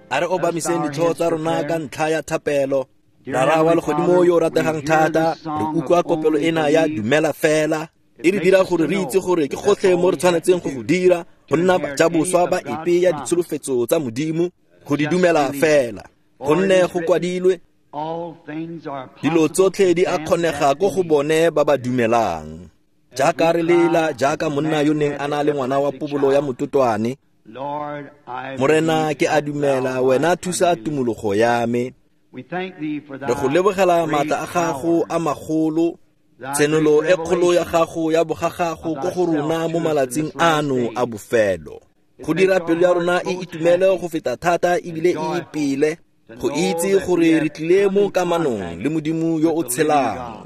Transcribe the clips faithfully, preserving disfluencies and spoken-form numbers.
A re obamiseng ditlhogo tsa rona ka ntlha ya thapelo. Rara wa legodimo yo o rategang thata, re utlwa kopelo ena ya Dumela Fela. E re dira gore re itse gore ke gotlhe mo re tshwanetseng go go dira go nna bajaboswa ba epe ya ditsholofetso tsa Modimo, go di dumela fela. Gonne go kwadilwe, dilo tsotlhe di a kgonega ko go bone ba ba dumelang. Jaaka re lela, jaaka monna yo neng a na le ngwana wa pobolo ya mototwane, Morena ke a dumela, wena thusa tumologo ya me. Re go lebogela maatla a gago a magolo, tshenolo e kgolo ya gago ya bogagago ko go rona mo malatsing ano a bofelo. Go dira pelo ya rona e itumele go feta thata ebile e ipele, go itse gore re tlile mo kamanong le Modimo yo o tshelang,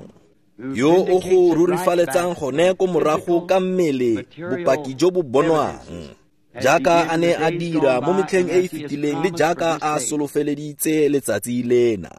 yo o go rurifaletsang gone ko morago ka mmele bopaki jo bo bonwang, jaaka a ne a dira mo metlheng e e fetileng le jaaka a solofeleditse letsatsi lena.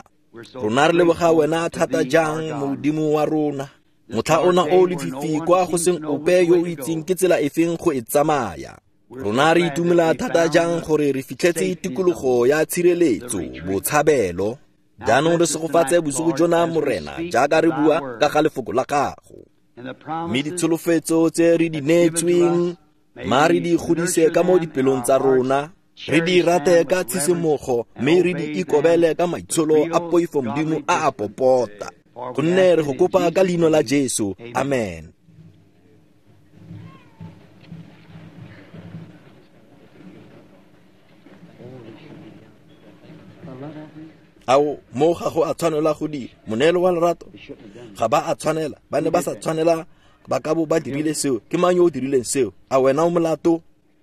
Rona re leboga wena thata jang, Modimo wa rona. Motlha ona o lefifi kwa go seng ope yo o itseng ke tsela efeng go e tsamaya. Rona re itumela thata jang gore re fitlhetse tikologo ya tshireletso, botshabelo. Jaanong re segofatse bosigo jona, Morena, jaaka re bua ka ga lefoko la gago. Mme ditsholofetso tse re di neetsweng, ma re di godise ka mo dipelong tsa rona, re di rate ka tshisimogo, mme re di ikobele ka maitsholo a poifo Modimo a a popota. Gonne re go kopa ka leina la Jesu. Amen. Ao, mo ga go a tshwanela go dira moneelo wa lerato, ga ba a tshwanela, ba ne ba sa tshwanela, ba ka bo ba dirile seo. Ke mang yo o dirileng seo? A wena o molato?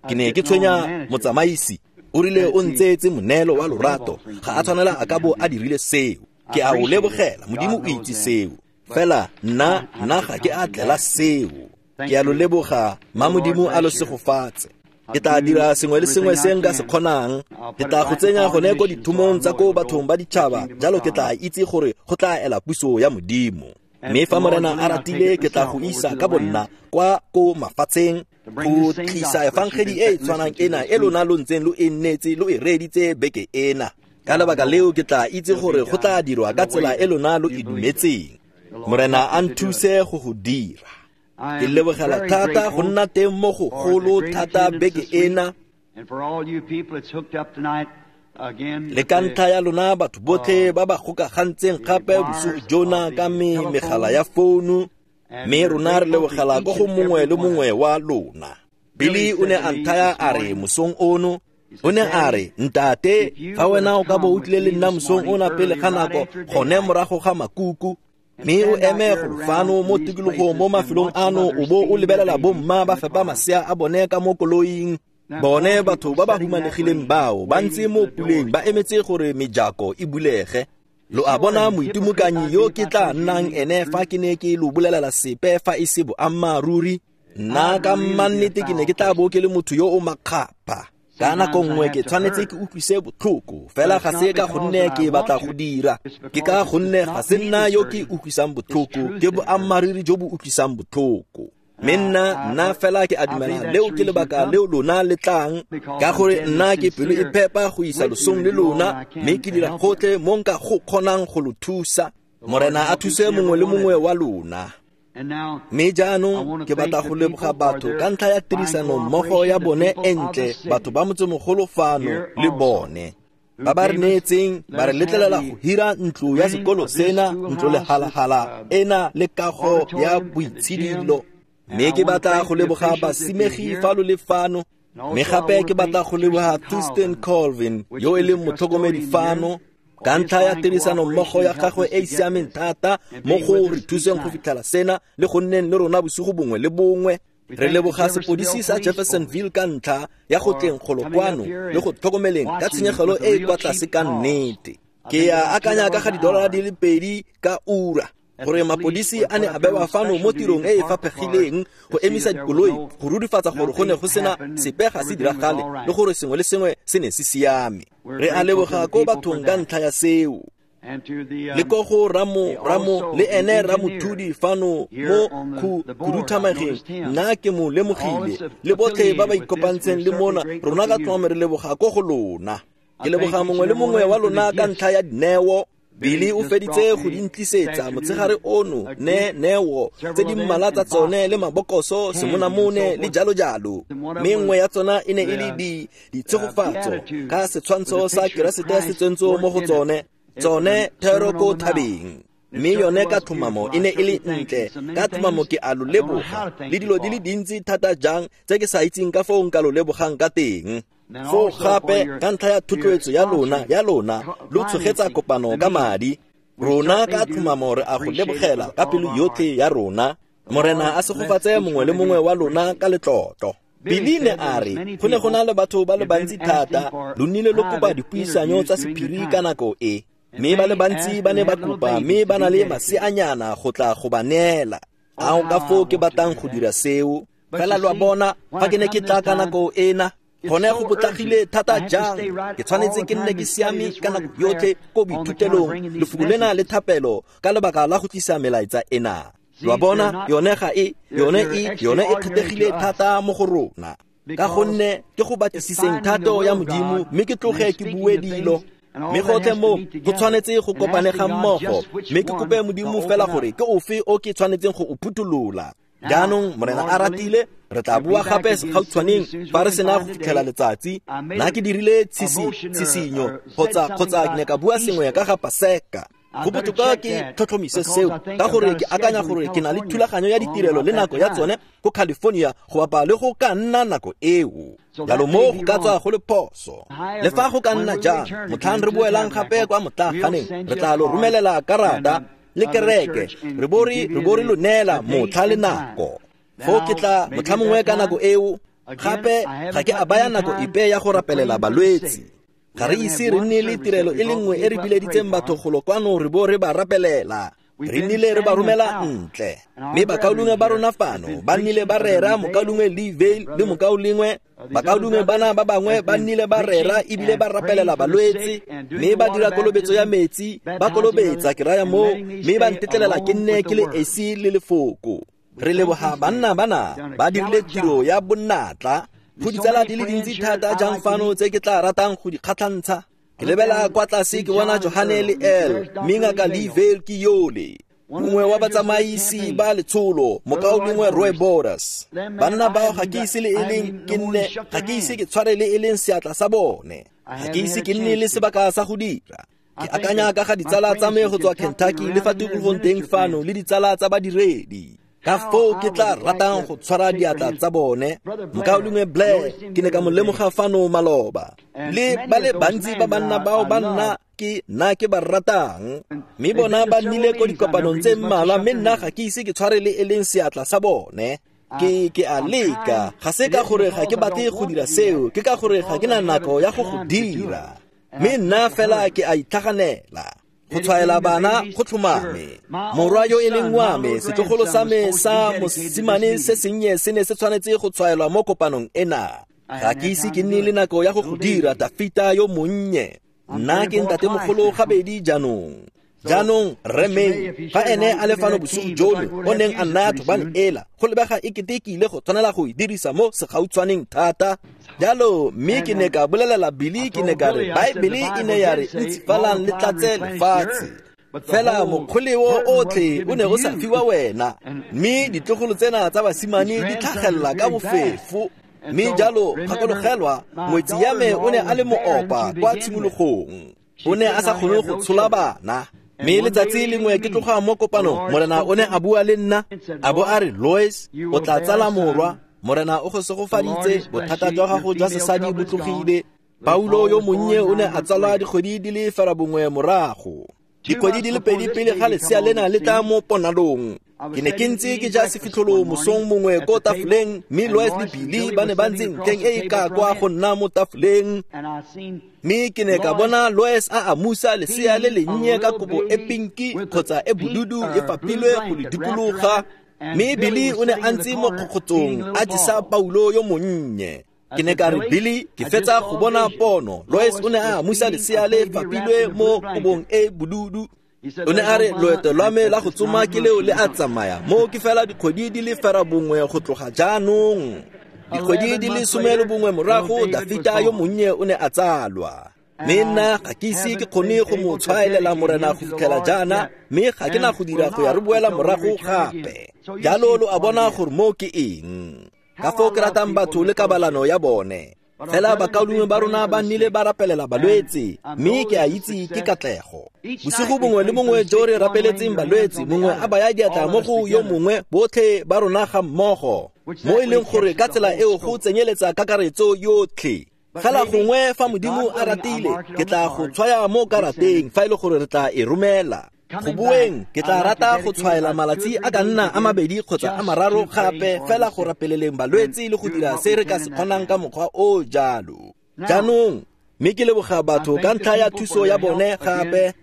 Ke ne ke tshwenya motsamaisi, o rile o ntseetse moneelo wa lorato, ga a tshwanela a ka bo a dirile seo. Ke a o lebogela, Modimo o itse seo. Fela nna nna ga ke a tlela seo. Ke a lo leboga, ma Modimo a lo segofatse. Ke tla dira sengwe le sengwe se nka se kgonang. Ke tla go tsenya gone ko dithomong tsa ko bathong ba ditšhaba, jalo ke tla itse gore go tla ela puso ya Modimo. Mme fa Morena a ratile, ke tla go isa ka bonna kwa ko mafatsheng go tlisa efangedi e e tshwanang ena e lona lo ntseng lo e nnetse lo e reeditse beke ena. Ka lebaka leo ke tla itse gore go tla dirwa ka tsela e lona lo e dumetseng. Morena a nthuse go go dira. Ke lebogela thata go nna teng mo go golo thata beke ena. Le ka ntlha ya lona batho botlhe ba ba gokagantseng gape bosigo jona ka me megala ya founu, mme rona re lebogela ko go mongwe le mongwe wa lona. Billy o ne a nthaya a re mosong ono, o ne a re, ntate, fa wena o ka bo o tlile le nna mosong ona pele ga nako, gone morago ga makuku, mme o eme golo fano mo tikologong mo mafelong ano, o bo o lebelela bomma ba fepa masea a bone ka mo koloing. Bone batho ba ba humanegileng bao ba ntse mo puleng ba emetse gore mejako e bulege. Lo a bona moitimokanyi yo ke tla nnang ene fa ke ne ke lo bolelela sepe fa e se boammaaruri. Nna ka mannete ke ne ke tla bo ke le motho yo o makgapha. Ka nako nngwe ke tshwanetse ke utlwise botlhoko, fela ga se ka gonne ke batla go dira. Ke ka gonne ga se nna yo ke utlwisang botlhoko, ke boammaaruri jo bo utlwisang botlhoko. Mme nna nna fela ke a dumela leo ke lebaka leo lona le tlang, ka gore nna ke pelo e phepa go isa losong le lona, mme ke dira gotlhe mo nka go kgonang go lo thusa. Morena a thuse mongwe le mongwe wa lona. Mme jaanong ke batla go leboga batho ka ntlha ya tirisano mmogo ya bone e ntle, batho ba motsemogolo fano le bone ba ba re neetseng, ba re letlelela go hira ntlo ya sekolo sena, ntlo lehalahala ena le kago ya boitshidilo. Mme ke batla go leboga basimegi fa lo le fano, mme gape ke batla go leboga Thurston Colvin yo e leng motlhokomedi fano ka ntlha ya tirisano mmogo ya gagwe e e siameng thata mo go re thuseng go fitlhela sena le go nneng le rona bosigo bongwe le bongwe. Re leboga sepodisi sa Jeffersonville ka ntlha ya go tleng golo kwano le go tlhokomeleng ka tshenyegelo e e kwa tlase ka nnete. Ke a akanya ka ga didolara di le pedi ka ura gore mapodisi a ne a bewa fano mo tirong e e faphegileng go emisa dikoloi go rurifatsa gore go ne go sena sepe ga se diragale le gore sengwe le sengwe se ne se siame. Re a leboga ko bathong ka ntlha ya seo. Le ko go Ramo Ramo le ene Ramothudi fano mo khuduthamageng, nna ke mo lemogile, le botlhe ba ba ikopantseng le mona, rona ka tlhomame re leboga ko go lona. Ke leboga mongwe le mongwe wa lona ka ntlha ya dineo. Billy o feditse go di ntlisetsa motshegare ono ne neo tse di mmalwa tsa tsone le mabokoso, semonamone le jalo jalo. Mme nngwe ya tsona e ne e le di ditshegofatso ka setshwantsho sa Keresete se tsentse mo go tsone, tsone thero ko thabeng. Mme yone ka tlhomamo e ne e le ntle, ka tlhomamo ke a lo leboga le dilo di le dintsi thata jang tse ke sa itseng ka foo nka lo lebogang ka teng. Foo gape ka ntlha ya thotloetso ya lona ya lona lo tshogetsa kopano ka madi. Rona ka tlhomamo re a go lebogela ka pelo yotlhe ya rona. Morena a segofatse mongwe le mongwe wa lona ka letlotlo. Billy ne a re go ne go na le batho ba le bantsi thata, lo nnile lo kopa dipuisanyo tsa sephiri ka nako e. Mme ba le bantsi ba ne ba kopa mme ba na le maseanyana go tla go ba neela. Ao ka foo ke batlang go dira seo. Fela lo a bona fa ke ne ke tla ka nako ena, gone go potlagile thata jang. Ke tshwanetse ke nne ke siame ka nako yotlhe ko boithutelong, lefoko lena le thapelo ka lebaka la go tlisa melaetsa ena. Lo a bona yone ga e, yone e, yone e kgethegile thata mo go rona. Ka gonne ke go batlisiseng thato ya Modimo mme ke tloge ke bue dilo. Mme gotlhe mo go tshwanetse go kopane ga mmogo, mme ke kope Modimo fela gore ke ofe o ke tshwanetseng go o phuthulola. Jaanong Morena a ratile, re tla bua gape segautshwaneng fa re sena go fitlhela letsatsi. Nna ke dirile tshisinyo kgotsa kgotsa ke ne ka bua sengwe ka ga Paseka. Go botoka ke tlhotlhomise seo ka gore ke akanya gore ke na le thulaganyo ya ditirelo le nako ya tsone ko California go bapa le go ka nna nako eo. Jalo mo go ka tswa go le phoso. Le fa go ka nna jang, motlhang re boelang gape kwa motlaganeng, re tla lo romelela karata le kereke, re bo re re bo re lo neela motlha le nako. Foo ke tla motlha mongwe ka nako eo. Gape ga ke a baya nako epe ya go rapelela balwetsi. Ga re ise re nne le tirelo e le nngwe e re bileditseng batho golo kwano re bo re ba rapelela. Re nnile re ba romela ntle. Mme bakaulengwe ba rona fano ba nnile ba rera, mokaulengwe Lee Vayle le mokaulengwe bakaulengwe bana ba bangwe ba nnile ba rera ebile ba rapelela balwetse, mme ba dira kolobetso ya metsi, ba kolobetsa ke raya moo, mme ba ntetlelela ke nne ke le esi le lefoko. Re leboga banna bana ba dirile tiro ya bonatla. Go ditsala di le dintsi thata jang fano tse ke tla ratang go di kgatlhantsha. Ke lebela kwa tlase ke bona Johane le El, mme ngaka Lee Vayle ke yole, mongwe wa batsamaisi ba letsholo, mokaulengwe Roy Borders. Banna bao ga ke ise le e leng ke nne, ga ke ise ke tshware le e leng seatla sa bone. Ga ke ise ke nne le sebaka sa go dira. Ke akanya ka ga ditsala tsa me go tswa Kentucky le fa tikologong teng fano le ditsala tsa badiredi. Ka foo ke tla ratang go tshwara diatla tsa bone. Mokaulengwe Blair ke ne ka mo lemoga fano maloba. Le ba le bantsi ba banna bao ba nna ke nna ke ba ratang. Mme bona ba nnile ko dikopanong tse mmalwa, mme nna ga ke ise ke tshware le e leng seatla sa bone. Ke ke a leka, ga se ka gore ga ke batle go dira seo, ke ka gore ga ke na nako ya go go dira. Mme nna fela ke a itlhaganela. Go tshwaela bana go tlhomame. Morwa yo e leng wa me, setlogolo sa me sa mosimane se sennye se ne se tshwanetse go tshwaelwa mo kopanong ena. Ga ke ise ke nne le nako ya go go dira, Tafita yo monnye. Nna ke ntatemogolo gabedi jaanong. Jaanong Rre May, fa ene a le fano bosigo jono, o neng a nnaya thobane ela, go lebega e kete ke ile go tshwanela go e dirisa mo segautshwaneng thata. Jalo mme ke ne ka bolelela Billy, ke ne ka re Baebele e ne ya re ntsifalang le tlatse lefatshe. Fela mokgoleo otlhe o ne o sa fiwa wena, mme ditlogolo tsena tsa basimane di tlhagelela ka bofefo. Mme jalo gakologelwa, ngwetsi ya me o ne a le moopa kwa tshimologong. O ne a sa kgone go tshola bana. Mme letsatsi lengwe ke tloga mo kopanong, Morena o ne a bua le nna, a bo a re, Lois, o tla tsala morwa. Morena o go segofaditse, bothata jwa gago jwa sesadi bo tlogile. Paulo yo monnye o ne a tsalwa dikgwedi di le ferabongwe morago. Dikgwedi di le pedi pele ga lesea lena le tla mo ponalong. Ke ne ke ntse ke ja sefitlholo mosong mongwe ko tafoleng, mme Lois le Billy ba ne ba ntse ntlheng e e ka kwa go nna mo tafoleng. Mme ke ne ka bona Lois a amusa lesea le lennye ka kobo e pinki kgotsa e bodudu e fapilwe go le dikologa. Mme Billy o ne a ntse mo kgokgotsong a jesa Paulo yo monnye. Ke ne ka re, Billy, ke fetsa go bona pono. Lois o ne a amusa lesea le fapilwe mo kobong e bodudu. O ne a re, loeto lwa me la go tsoma ke leo le a tsamaya, mo ke fela dikgwedi di le ferabongwe go tloga jaanong. Dikgwedi di le some le bongwe morago, Dafita yo monnye o ne a tsalwa. Mme nna ga ke ise ke kgone go mo tshwaelela Morena go fitlhela jaana, mme ga ke na go dira go ya re boela morago gape. Jalo lo a bona gore moo ke eng. Ka foo ke ratang batho le kabalano ya bone. Fela bakaulengwe ba rona ba nnile ba rapelela balwetse, mme ke a itse ke katlego. Bosigo bongwe le bongwe jo re rapeletseng balwetse, mongwe a baya diatla mo go yo mongwe, botlhe ba rona ga mmogo, mo e leng gore ka tsela eo go tsenyeletsa kakaretso yotlhe. Fela gongwe fa Modimo a ratile, ke tla go tshwaya mo karateng fa e le gore re tla e romela. Go boeng ke tla rata go tshwaela malatsi a ka nna a mabedi kgotsa a mararo gape fela go rapeleleng balwetse le go dira se re ka se kgonang ka mokgwa o jalo. Jaanong mme ke leboga batho ka ntlha ya thuso ya bone gape.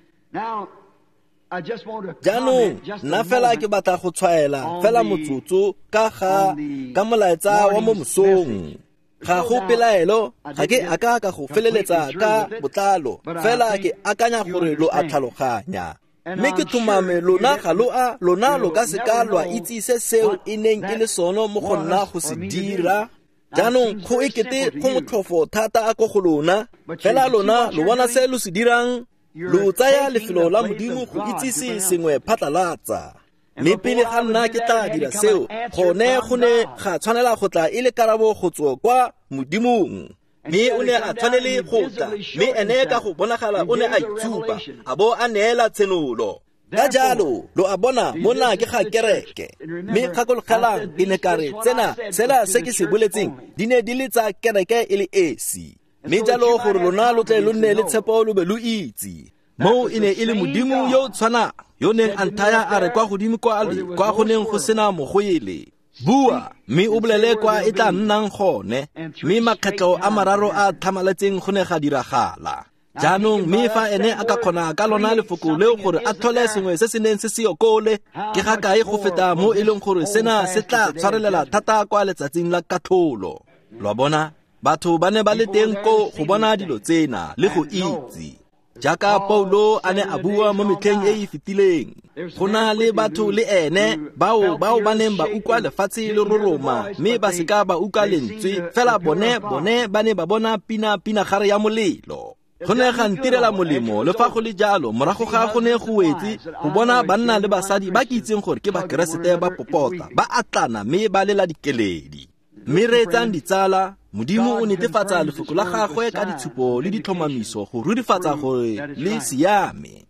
Jaanong nna fela ke batla go tshwaela fela motsotso ka ga ka molaetsa wa mo mosong. Ga go pelaelo, ga ke aka ka go feleletsa ka botlalo, fela ke akanya gore lo a tlhaloganya. Mme ke tlhomame lona ga lo a lona lo ka se ka lwa itse se seo e neng e le sone mo go nna go se dira. Jaanong go ekete go motlhofo thata a ko go lona, fela lona lo bona se lo se dirang, lo tsaya lefelo la Modimo go itsise sengwe phatlalatsa. Mme pele ga nna ke tla dira seo, gone go ne ga tshwanela go tla e le karabo go tswa kwa Modimong. Mme o ne a tshwanele go tla, mme ene ka go bonagala o ne a itshupa, a bo a neela tshenolo. Ka jalo lo a bona mona ke ga kereke. Mme gakologelang ke ne ka re tsena sela se ke se boletseng di ne di le tsa kereke e le esi. Mme jalo gore lona lo tle lo nne le tshepo lo be lo itse. Moo e ne e le Modimo yo o tshwanang yo neng a nthaya a re kwa godimo kwa le kwa go neng go sena mogoele. Bua mme o bolele kwa e tla nnang gone. Mme makgetlo a mararo a tlhamaletseng go ne ga diragala. Jaanong mme fa ene a ka kgona ka lona lefoko leo gore a tlhole sengwe se se neng se se okole, ke ga kae go feta mo e leng gore sena se tla tshwarelela thata kwa letsatsing la katlholo. Lo a bona, batho ba ne ba le teng ko go bona dilo tsena le go itse. Jaaka Paulo a ne a bua mo metlheng e e fetileng, go na le batho le ene bao bao ba neng ba utlwa lefatshe le roroma, mme ba seka ba utlwa lentswe, fela bone bone ba ne ba bona pina pinagare ya molelo. Go ne ga ntirela molemo le fa go le jalo, morago ga go ne go wetse go bona banna le basadi ba ke itseng gore ke Bakeresete ba popota, ba atlana mme ba lela dikeledi. Mme reetsang ditsala, Modimo o netefatsa lefoko la gagwe ka ditshupo le ditlhomamiso go rurifatsa gore le siame.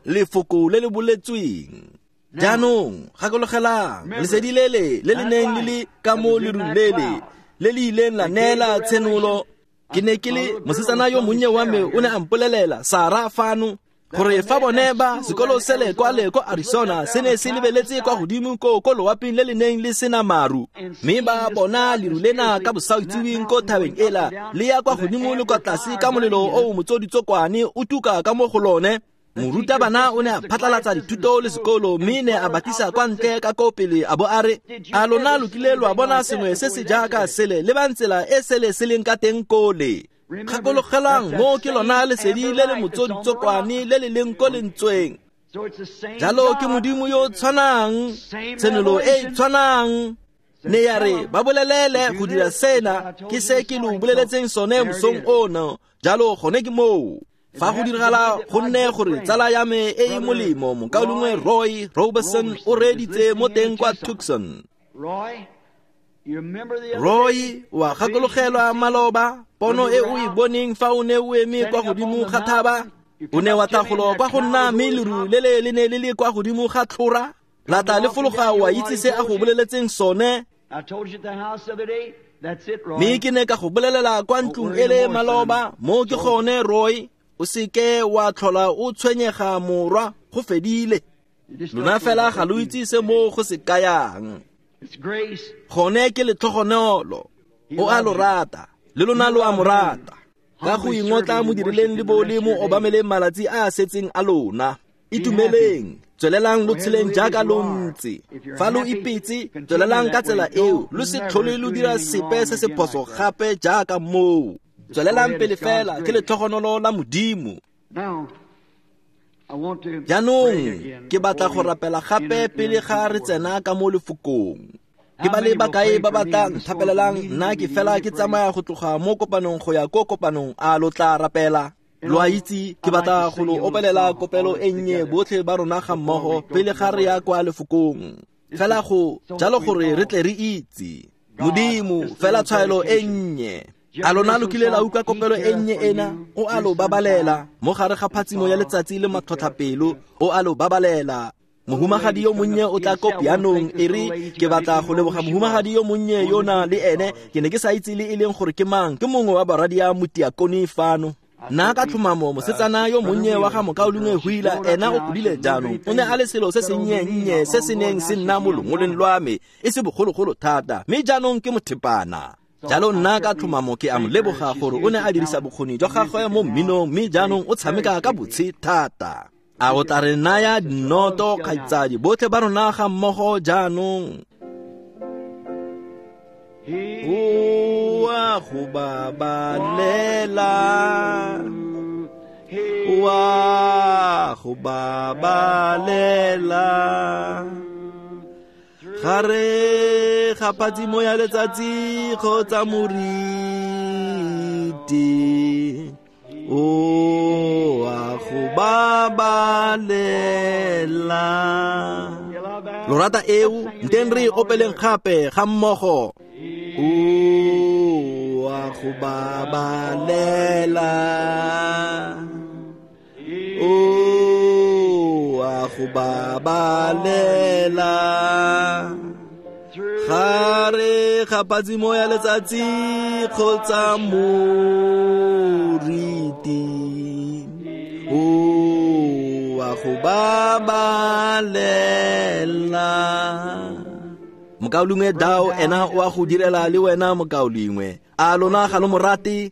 Lefoko le le boletsweng. Jaanong gakologelang lesedi lele le le neng le le ka mo lerung lele le le ileng la neela tshenolo. Ke ne ke le mosetsana yo monnye wa me o ne a mpolelela Sara fano gore fa bone ba sekolo sele kwa le ko Arizona se ne se lebeletse kwa godimo ko ko loaping le le neng le sena maru, mme ba bona leru lena ka bosautsiweng ko thabeng ela le ya kwa godimo le kwa tlase ka molelo o motsoditsokwane o tuka ka mo go lone. Morutabana o ne a phatlalatsa dithuto le sekolo, mme ne a batisa kwa ntle ka ko pele a bo a re, a lona lo kile lwa bona sengwe se se jaaka sele le ba tsela e sele se leng ka teng kole. Gakologelang mo ke lona lesedi le le motsoditsokwane le le leng ko lentsweng. Jalo ke Modimo yo o tshwanang, tshenolo e e tshwanang. Ne ya re ba bolelele go dira sena, ke se ke lo boleletseng sone mosong ono. Jalo gone ke moo. Fa go diragala go nne gore tsala ya me e e molemo mokaulengwe Roy Robertson o reeditse mo teng kwa Tucson. Roy, wa gakologelwa maloba pono e o e boneng fa o ne o eme kwa godimo ga thaba, o ne wa tla golo kwa go nna mme leru le le le ne le le kwa godimo ga tlhora, la tla le fologa wa itse se a go boleletseng sone. Mme ke ne ka go bolelela kwa ntlong e le maloba, mo ke gone Roy, o seke wa tlhola o tshwenyega morwa, go fedile. Lona fela ga lo itse se mo go se kayang. Gone ke letlhogonolo, o a lo rata, le lona lo a mo rata. Ka go ingotla mo dirileng le bo le mo obameleng malatsi a a setseng a lona. Itumeleng, tswelelang lo tsheleng jaaka lo ntse. Fa lo ipetse, tswelelang ka tsela eo, lo se tlhole lo dira sepe se se phoso gape jaaka moo. Tswelelang pele fela ke letlhogonolo la Modimo. Jaanong ke batla go rapela gape pele ga re tsena ka mo lefokong. Ke ba le bakae ba ba tla nthapelelang? Nna ke fela ke tsamaya go tloga mo kopanong go ya ko kopanong. A lo tla rapela? Lo a itse, ke batla go lo opelela kopelo e nnye botlhe ba rona ga mmogo pele ga re ya kwa lefokong. Fela go jalo gore re tle re itse Modimo, fela tshwaelo e nnye. A lona lo kile la utlwa kopelo e nnye ena? O a lo babalela mo gare ga phatsimo ya letsatsi le matlhotlhapelo. O a lo babalela. Mohumagadi yo monnye o tla ko pianong. E re ke batla go leboga mohumagadi yo monnye yona le ene. Ke ne ke sa itse le e leng gore ke mang. Ke mongwe wa barwadia motiakone fano. Nna ka tlhomamo mosetsana yo monnye wa ga mokaulengwe Wheeler, ena o godile jaanong. O ne a le selo se sennye-nnye se se neng se nna mo longoleng lwa me e se bogologolo thata, mme jaanong ke mothepana. Jalo nna ka tlhomamo ke a mo leboga gore o ne a dirisa bokgoni jwa gagwe mo mminong, mme jaanong o tshameka ka botshe thata. A o tla re naya dinoto, kgaitsadi, botlhe ba rona ga mmogo jaanong? O a go babalela, o a go babalela, gare ga phatsimo ya letsatsi kgotsa moriti. O a go babalela. Lo rata eo? Nteng re opeleng gape ga mmogo. O a go babalela, o a go babalela, gare ga phatsimo ya letsatsi kgotsa moriti. O a go babalela. Mokaulengwe Dao ena o a go direla le wena mokaulengwe. A lona ga lo mo rate?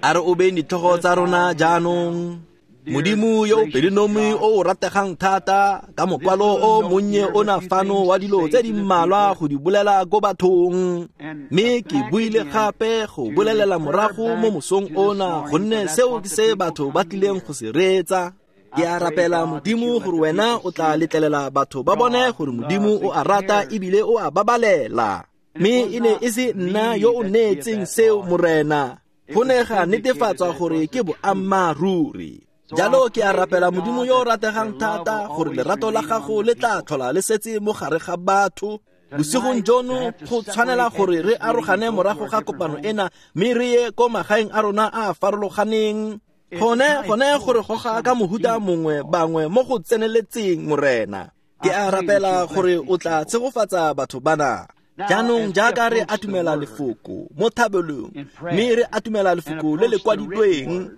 A re obeng ditlhogo tsa rona jaanong. Modimo yo o pelonomi o o rategang thata, ka mokwalo o monnye ona fano wa dilo tse di mmalwa go di bolela ko bathong. Mme ke buile gape go bolelela morago mo mosong ona, gonne seo ke se batho ba tlileng go se reetsa. Ke a rapela Modimo gore wena o tla letlelela batho ba bone gore Modimo o a rata ebile o a babalela. Mme e ne e se nna yo o neetseng seo, Morena. Go ne ga netefatswa gore ke boammaaruri. Jalo ke a rapela Modimo yo o rategang thata gore lerato la gago le tla tlhola le setse mo gare ga batho. Bosigong jono go tshwanela gore re arogane morago ga kopano ena, mme re ye ko magaeng a rona a a farologaneng. Gone gone gore goga ka mohuta mongwe bangwe mo go tseneletseng, Morena. Ke a rapela gore o tla tshegofatsa batho bana. Jaanong jaaka re atumela lefoko mo thabelong, mme re atumela lefoko le le kwadilweng,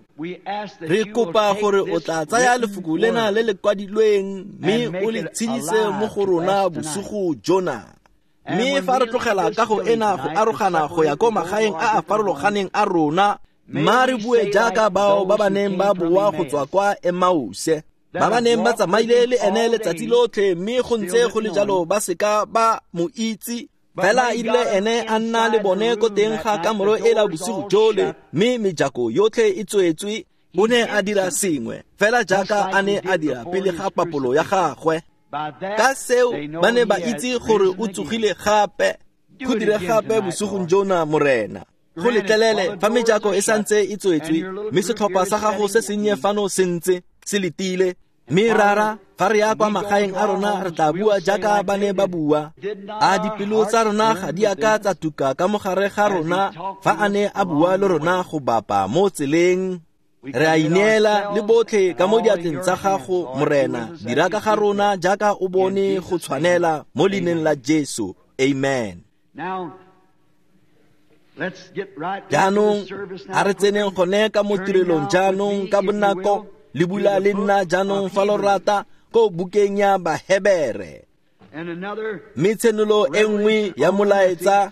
re kopa gore o tla tsaya lefoko lena le le kwadilweng mme o le tshedise mo go rona bosigo jona. Mme fa re tlogela kago ena go arogana go ya ko magaeng a a farologaneng a rona, mma re bue jaaka bao ba ba neng ba boa go tswa kwa Emause, ba ba neng ba tsamaile le ene letsatsi lotlhe, mme go ntse go le jalo ba seka ba mo itse. Fela erile ene a nna le bone ko teng ga kamoro e la bosigo jole, mme mejako yotlhe e tswetswe. O ne a dira sengwe fela jaaka a ne a dira pele ga papolo ya gagwe. Ka seo ba ne ba itse gore o tsogile gape. Go dire gape bosigong jona, Morena. Go letlelele fa mejako e santse e tswetswe, mme setlhopha sa gago se sennye fano se ntse se letile. Mme rara, fa re ya kwa magaeng a rona re tla bua jaaka ba ne ba bua. A dipelo tsa rona ga di a ka tsa tuka ka mogare ga rona fa a ne a bua le rona go bapa mo tseleng? Re a ineela le botlhe ka mo diatleng tsa gago, Morena. Dira ka ga rona jaaka o bone go tshwanela, mo leineng la Jesu. Amen. Jaanong a re tseneng gone ka mo tirelong jaanong ka bonako. Le bula le nna jaanong fa lo rata ko bukeng ya Bahebere. Mme tshenolo e nngwe ya molaetsa,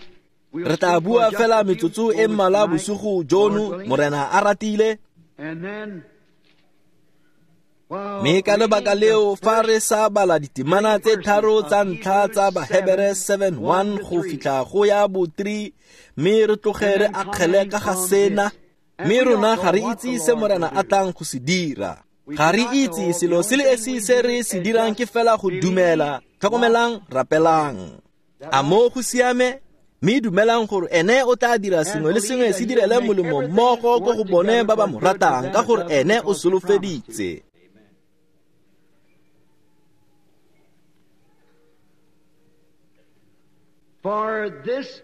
re tla bua fela metsotso e mmalwa bosigo jono, Morena a ratile. Mme ka lebaka leo fa re sa bala ditemana tse tharo tsa ntlha tsa Bahebere seven one go fitlha go ya bo three, mme re tloge re akgele ka ga sena. Mme rona ga re itse se Morena a tlang go se dira. Ga re itse selo se le esi se re se dirang ke fela go dumela. Tlhokomelang, rapelang. A mo go siame? Mme dumelang gore ene o tla dira sengwe le sengwe se direle molemo mmogo ko go bone ba ba mo ratang, ka gore ene o solofeditse.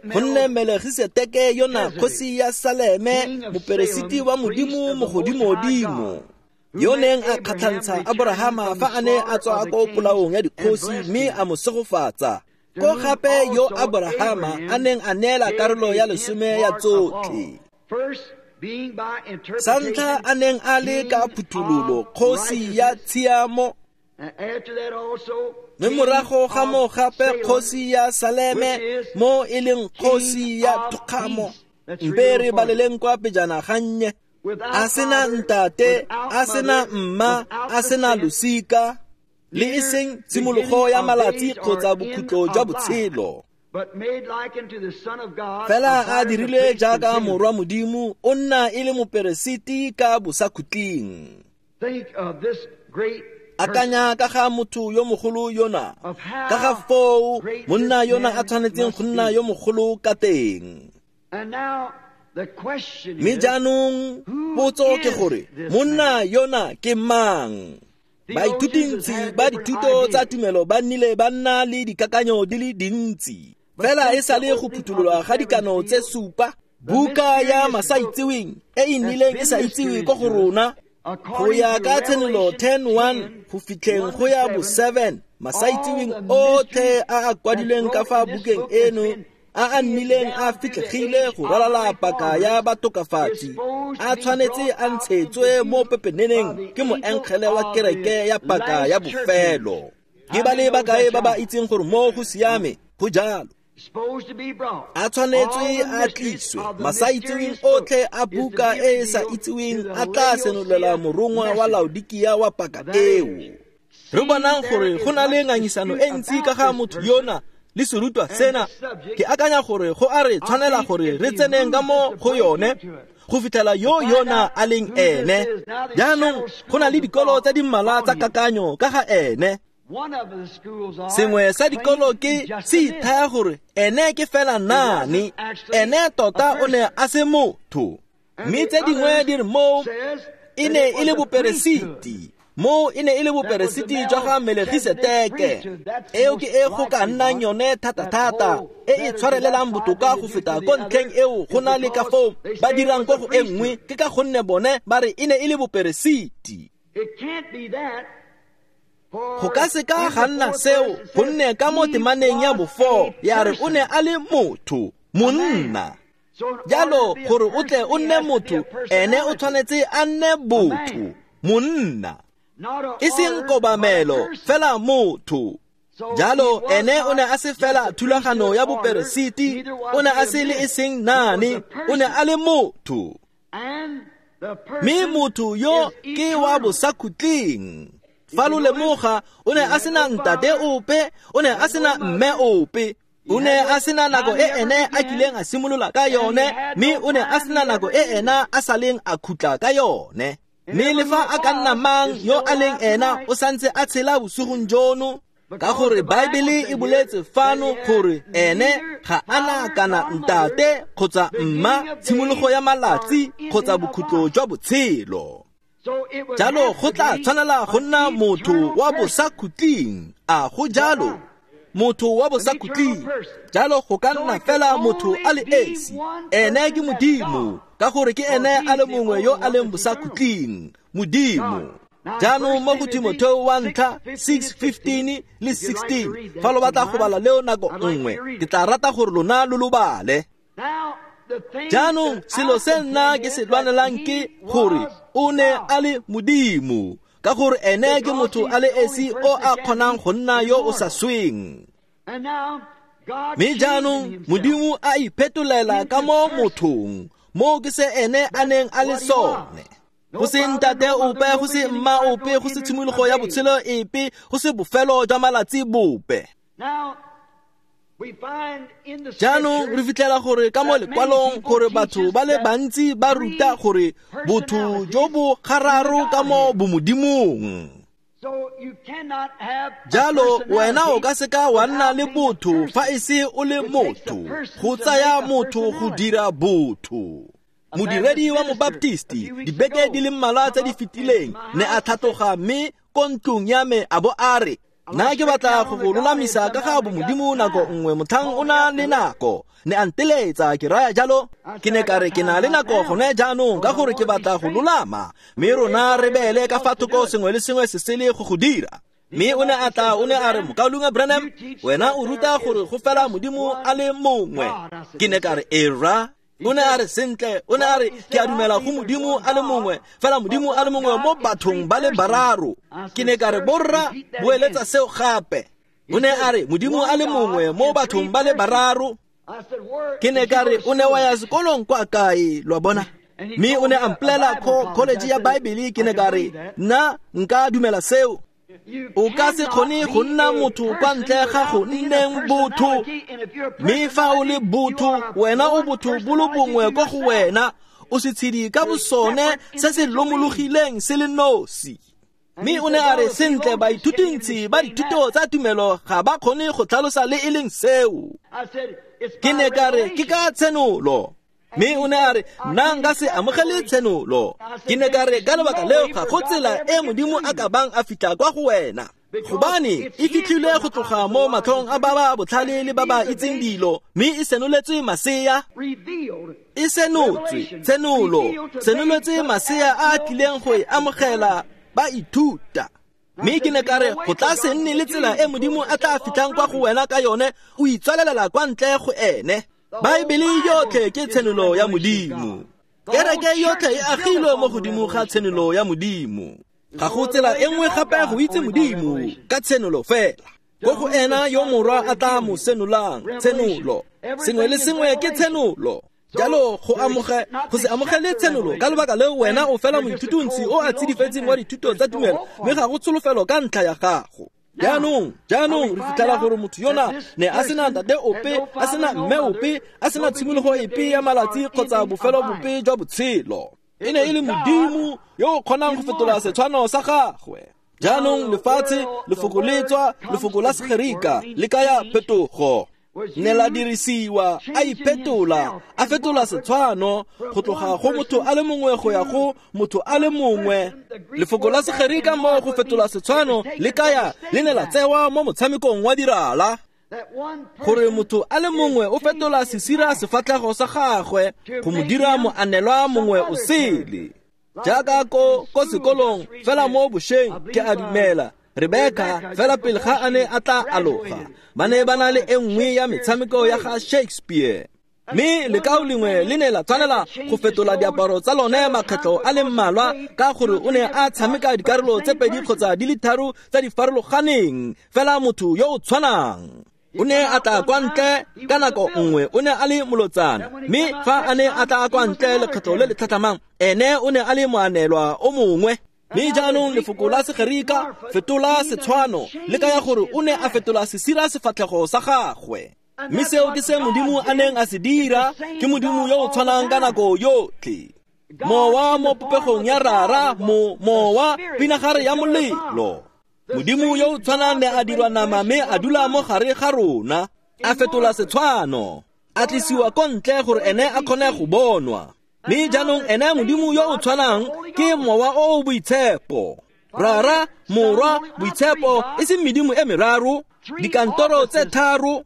Gonne Melegiseteke yona kgosi ya Saleme, moperesiti wa Modimo mogodimodimo, yo neng a kgatlhantsha Aborahama fa a ne a tswa ko polaong ya dikgosi mme a mo segofatsa, ko gape yo Aborahama a neng a neela karolo ya lesome ya tsotlhe. Sa ntlha a neng a le ka phuthololo kgosi ya tshiamo, mme morago ga moo gape kgosi ya Saleme, mo e leng kgosi ya thokgamo. Mpe re baleleng kwa pejana gannye. A sena ntate, a sena mma, a sena losika, le e seng tshimologo ya malatsi kgotsa bokhutlo jwa botshelo. Fela a dirile jaaka morwa Modimo, o nna e le moperesiti ka bosakhutleng. Akanya ka ga motho yo mogolo yona, ka ga foo monna yona a tshwanetseng go nna yo mogolo ka teng. Mme jaanong potso ke gore monna yona ke mang? Baithutintsi ba dithuto tsa tumelo ba nnile ba nna le dikakanyo di le dintsi. Fela e sale go phuthololwa ga dikano tse supa, buka ya masaitseweng e e nnileng e sa itsiwe ko go rona, go ya ka Tshenolo ten one go fitlheng go ya bo seven, masaitseweng otlhe a a kwadilweng ka fa bukeng eno a a nnileng a fitlhegile go ralala paka ya batokafatsi, a tshwanetse a ntshetswe mo pepeneneng ke moengele wa kereke ya paka ya bofelo. Ke ba le bakae ba ba itseng gore mo go siame go jalo? A tshwanetswe a tliswe. Masaitseweng otlhe a buka e e sa itseweng a tla senolela morongwa wa Laodikia wa paka eo. Re bonang gore go na le ngangisano e ntsi ka ga motho yona le serutwa sena. Ke akanya gore go a re tshwanela gore re tseneng ka mo go yone go fitlhela yo yona a leng ene. Jaanong go na le dikolo tsa di mmalwa tsa kakanyo ka ga ene. Sengwe sa dikolo ke se ithaya gore ene ke fela naane, ene tota o ne a se motho. Mme tse dingwe di re moo e ne e le boperesiti, moo e ne e le boperesiti jwa ga Melegiseteke. Eo ke e go ka nnang yone thata-thata, e e tshwarelelang botoka go feta ko ntlheng eo go na le ka foo ba dirang ko go e nngwe, ke ka gonne bone ba re e ne e le boperesiti. Go ka se ka ga nna seo, gonne ka mo temaneng ya bofo ya re o ne a le motho, monna. Jalo gore o tle o nne motho, ene o tshwanetse a nne botho, monna. E seng kobamelo, fela motho. Jalo ene o ne a se fela thulagano ya boperesiti, o ne a se le e seng naane, o ne a le motho. Mme motho yo ke wa bosakhutleng. Fa lo lemoga, o ne a sena ntate ope, o ne a sena mme ope, o ne a sena nako e ene a kileng a simolola ka yone, mme o ne a sena nako e ena a saleng a khutla ka yone. Mme le fa a ka nna mang yo a leng ena, o santse a tshela bosigong jono, ka gore Baebele e boletse fano gore ene ga ana kana ntate kgotsa mma, tshimologo ya malatsi kgotsa bokhutlo jwa botshelo. Jalo go tla tshwanela go nna motho wa bosakhutleng. A go jalo? Motho wa bosakhutleng. Jalo go ka nna fela motho a le esi, ene ke Modimo, ka gore ke ene a le mongwe yo a leng bosakhutleng, Modimo. Jaanong mo go Timotheo wa ntlha six fifteen le sixteen, fa lo batla go bala leo nako nngwe, ke tla rata gore lona lo lo bale. Jaanong selo se nna ke se lwanelang ke gore o ne a le Modimo, ka gore ene ke motho a le esi o a kgonang go nna yo o sa sweng. Mme jaanong Modimo a iphetolela ka mo mothong, moo ke se ene a neng a le sone. Go se ntate ope, go se mma ope, go se tshimologo ya botshelo epe, go se bofelo jwa malatsi bope. Jaanong re fitlhela gore ka mo lekwalong gore batho ba le bantsi ba ruta gore botho jo bo gararo ka mo bomodimong. Jalo wena o ka seka wa nna le botho fa e se o le motho. Go tsaya motho go dira botho. Modiredi wa mobaptisti dibeke di le mmalwa tse di fetileng ne a tlhatloga mme ko ntlong ya me a bo a re, nna ke batla go go lolamisa ka ga bomodimo nako nngwe motlhang o na le nako. Ne a nteletsa ke raya jalo, ke ne ka re ke na le nako gone jaanong ka gore ke batla go lolama, mme rona re beele ka fa thoko sengwe le sengwe se sele go go dira. Mme o ne a tla o ne a re, Mokaulengwe Branham, wena o ruta gore go fela modimo a le mongwe. Ke ne ka re era. O ne a re sentle, o ne a re ke a dumela go modimo a le mongwe, fela modimo a le mongwe mo bathong ba le bararo. Ke ne ka re borra, boeletsa seo gape. O ne a re modimo a le mongwe mo bathong ba le bararo. Ke ne ka re o ne wa ya sekolong kwa kae, lo a bona? Mme o ne a mpolelela ko college ya Bible. Ke ne ka re nna nka dumela seo. O ka se kgone go nna motho kwa ntle ga go nneng botho. Mme fa o le botho, wena o botho bo le bongwe ko go wena, o setshedi ka bosone se se lomologileng se le nosi. Mme o ne a re sentle, baithutintsi ba dithuto tsa tumelo ga ba kgone go tlhalosa le e leng seo. Ke ne ka re ke ka tshenolo. Mme o ne a re nna nka se amogele tshenolo. Ke ne ka re ka lebaka leo ga go tsela e modimo a ka bang a fitlha kwa go wena, gobane e fitlhilwe go tloga mo matlhong a ba ba botlhale le ba ba itseng dilo, mme e senoletswe masea. E senotswe, tshenolo, senoletswe masea a a tlileng go e amogela ba ithuta. Mme ke ne ka re go tla se nne le tsela e modimo a tla fitlhang kwa go wena ka yone, o itswalelela kwa ntle go ene. Baebele yotlhe ke tshenolo ya modimo. Kereke yotlhe e agilwe mo godimo ga tshenolo ya modimo. Ga go tsela e nngwe gape go itse modimo ka tshenolo fela. Ko go ena yo morwa a tla mo senolang, tshenolo. Sengwe le sengwe ke tshenolo. Jalo go amoge go se amogele tshenolo ka lebaka leo wena o fela moithutuntsi o a tsidifetseng wa dithuto tsa tumelo, mme ga go tsholofelo ka ntlha ya gago. Jaanong, jaanong re fitlhela gore motho yona ne a sena ntate ope, a sena mme ope, a sena tshimologo epe ya malatsi kgotsa bofelo bope jwa botshelo. E ne e le modimo yo o kgonang go fetola setshwano sa gagwe. Jaanong lefatshe, lefoko le tswa, lefoko la Segerika le kaya phetogo. Ne la dirisiwa, a iphetola, a fetola setshwano go tloga go motho a le mongwe go ya go motho a le mongwe. Lefoko la Segerika mo go fetola setshwano le kaya le ne la tsewa mo motshamekong wa dirala, gore motho a le mongwe o fetola sesira sefatlhego sa gagwe go mo dira moanelwa mongwe o sele. Jaaka ko ko sekolong fela mo bošeng ke a dumela Rebecca fela pele ga a ne a tla aloga, ba ne ba na le e nngwe ya metshameko ya ga Shakespeare. Mme lekao lengwe le ne la tshwanela go fetola diaparo tsa lone makgetlho a le mmalwa ka gore o ne a tshameka dikarolo tse pedi kgotsa di le tharo tsa di farologaneng, fela motho yo o tshwanang. O ne a tla kwa ntle ka nako nngwe o ne a le molotsana, mme fa a ne a tla kwa ntle lekgetlho le le tlhatlhamang, ene o ne a le moanelwa o mongwe. Mme jaanong lefoko la Segerika fetola setshwano le kaya gore o ne a fetola sesira sefatlhego sa gagwe. Mme seo ke se modimo a neng a se dira, ke modimo yo o tshwanang ka nako yotlhe. Mowa mo popegong ya rara, mo mowa pinagare ya molelo. Modimo yo o tshwanang ne a dirwa nama mme a dula mo gare ga rona, a fetola setshwano, a tlisiwa ko ntle gore ene a kgone go bonwa. Mme jaanong ene modimo yo o tshwanang ke mowa o o boitshepo. Rara, morwa, boitshepo, e seng medimo e meraro, dikantoro tse tharo,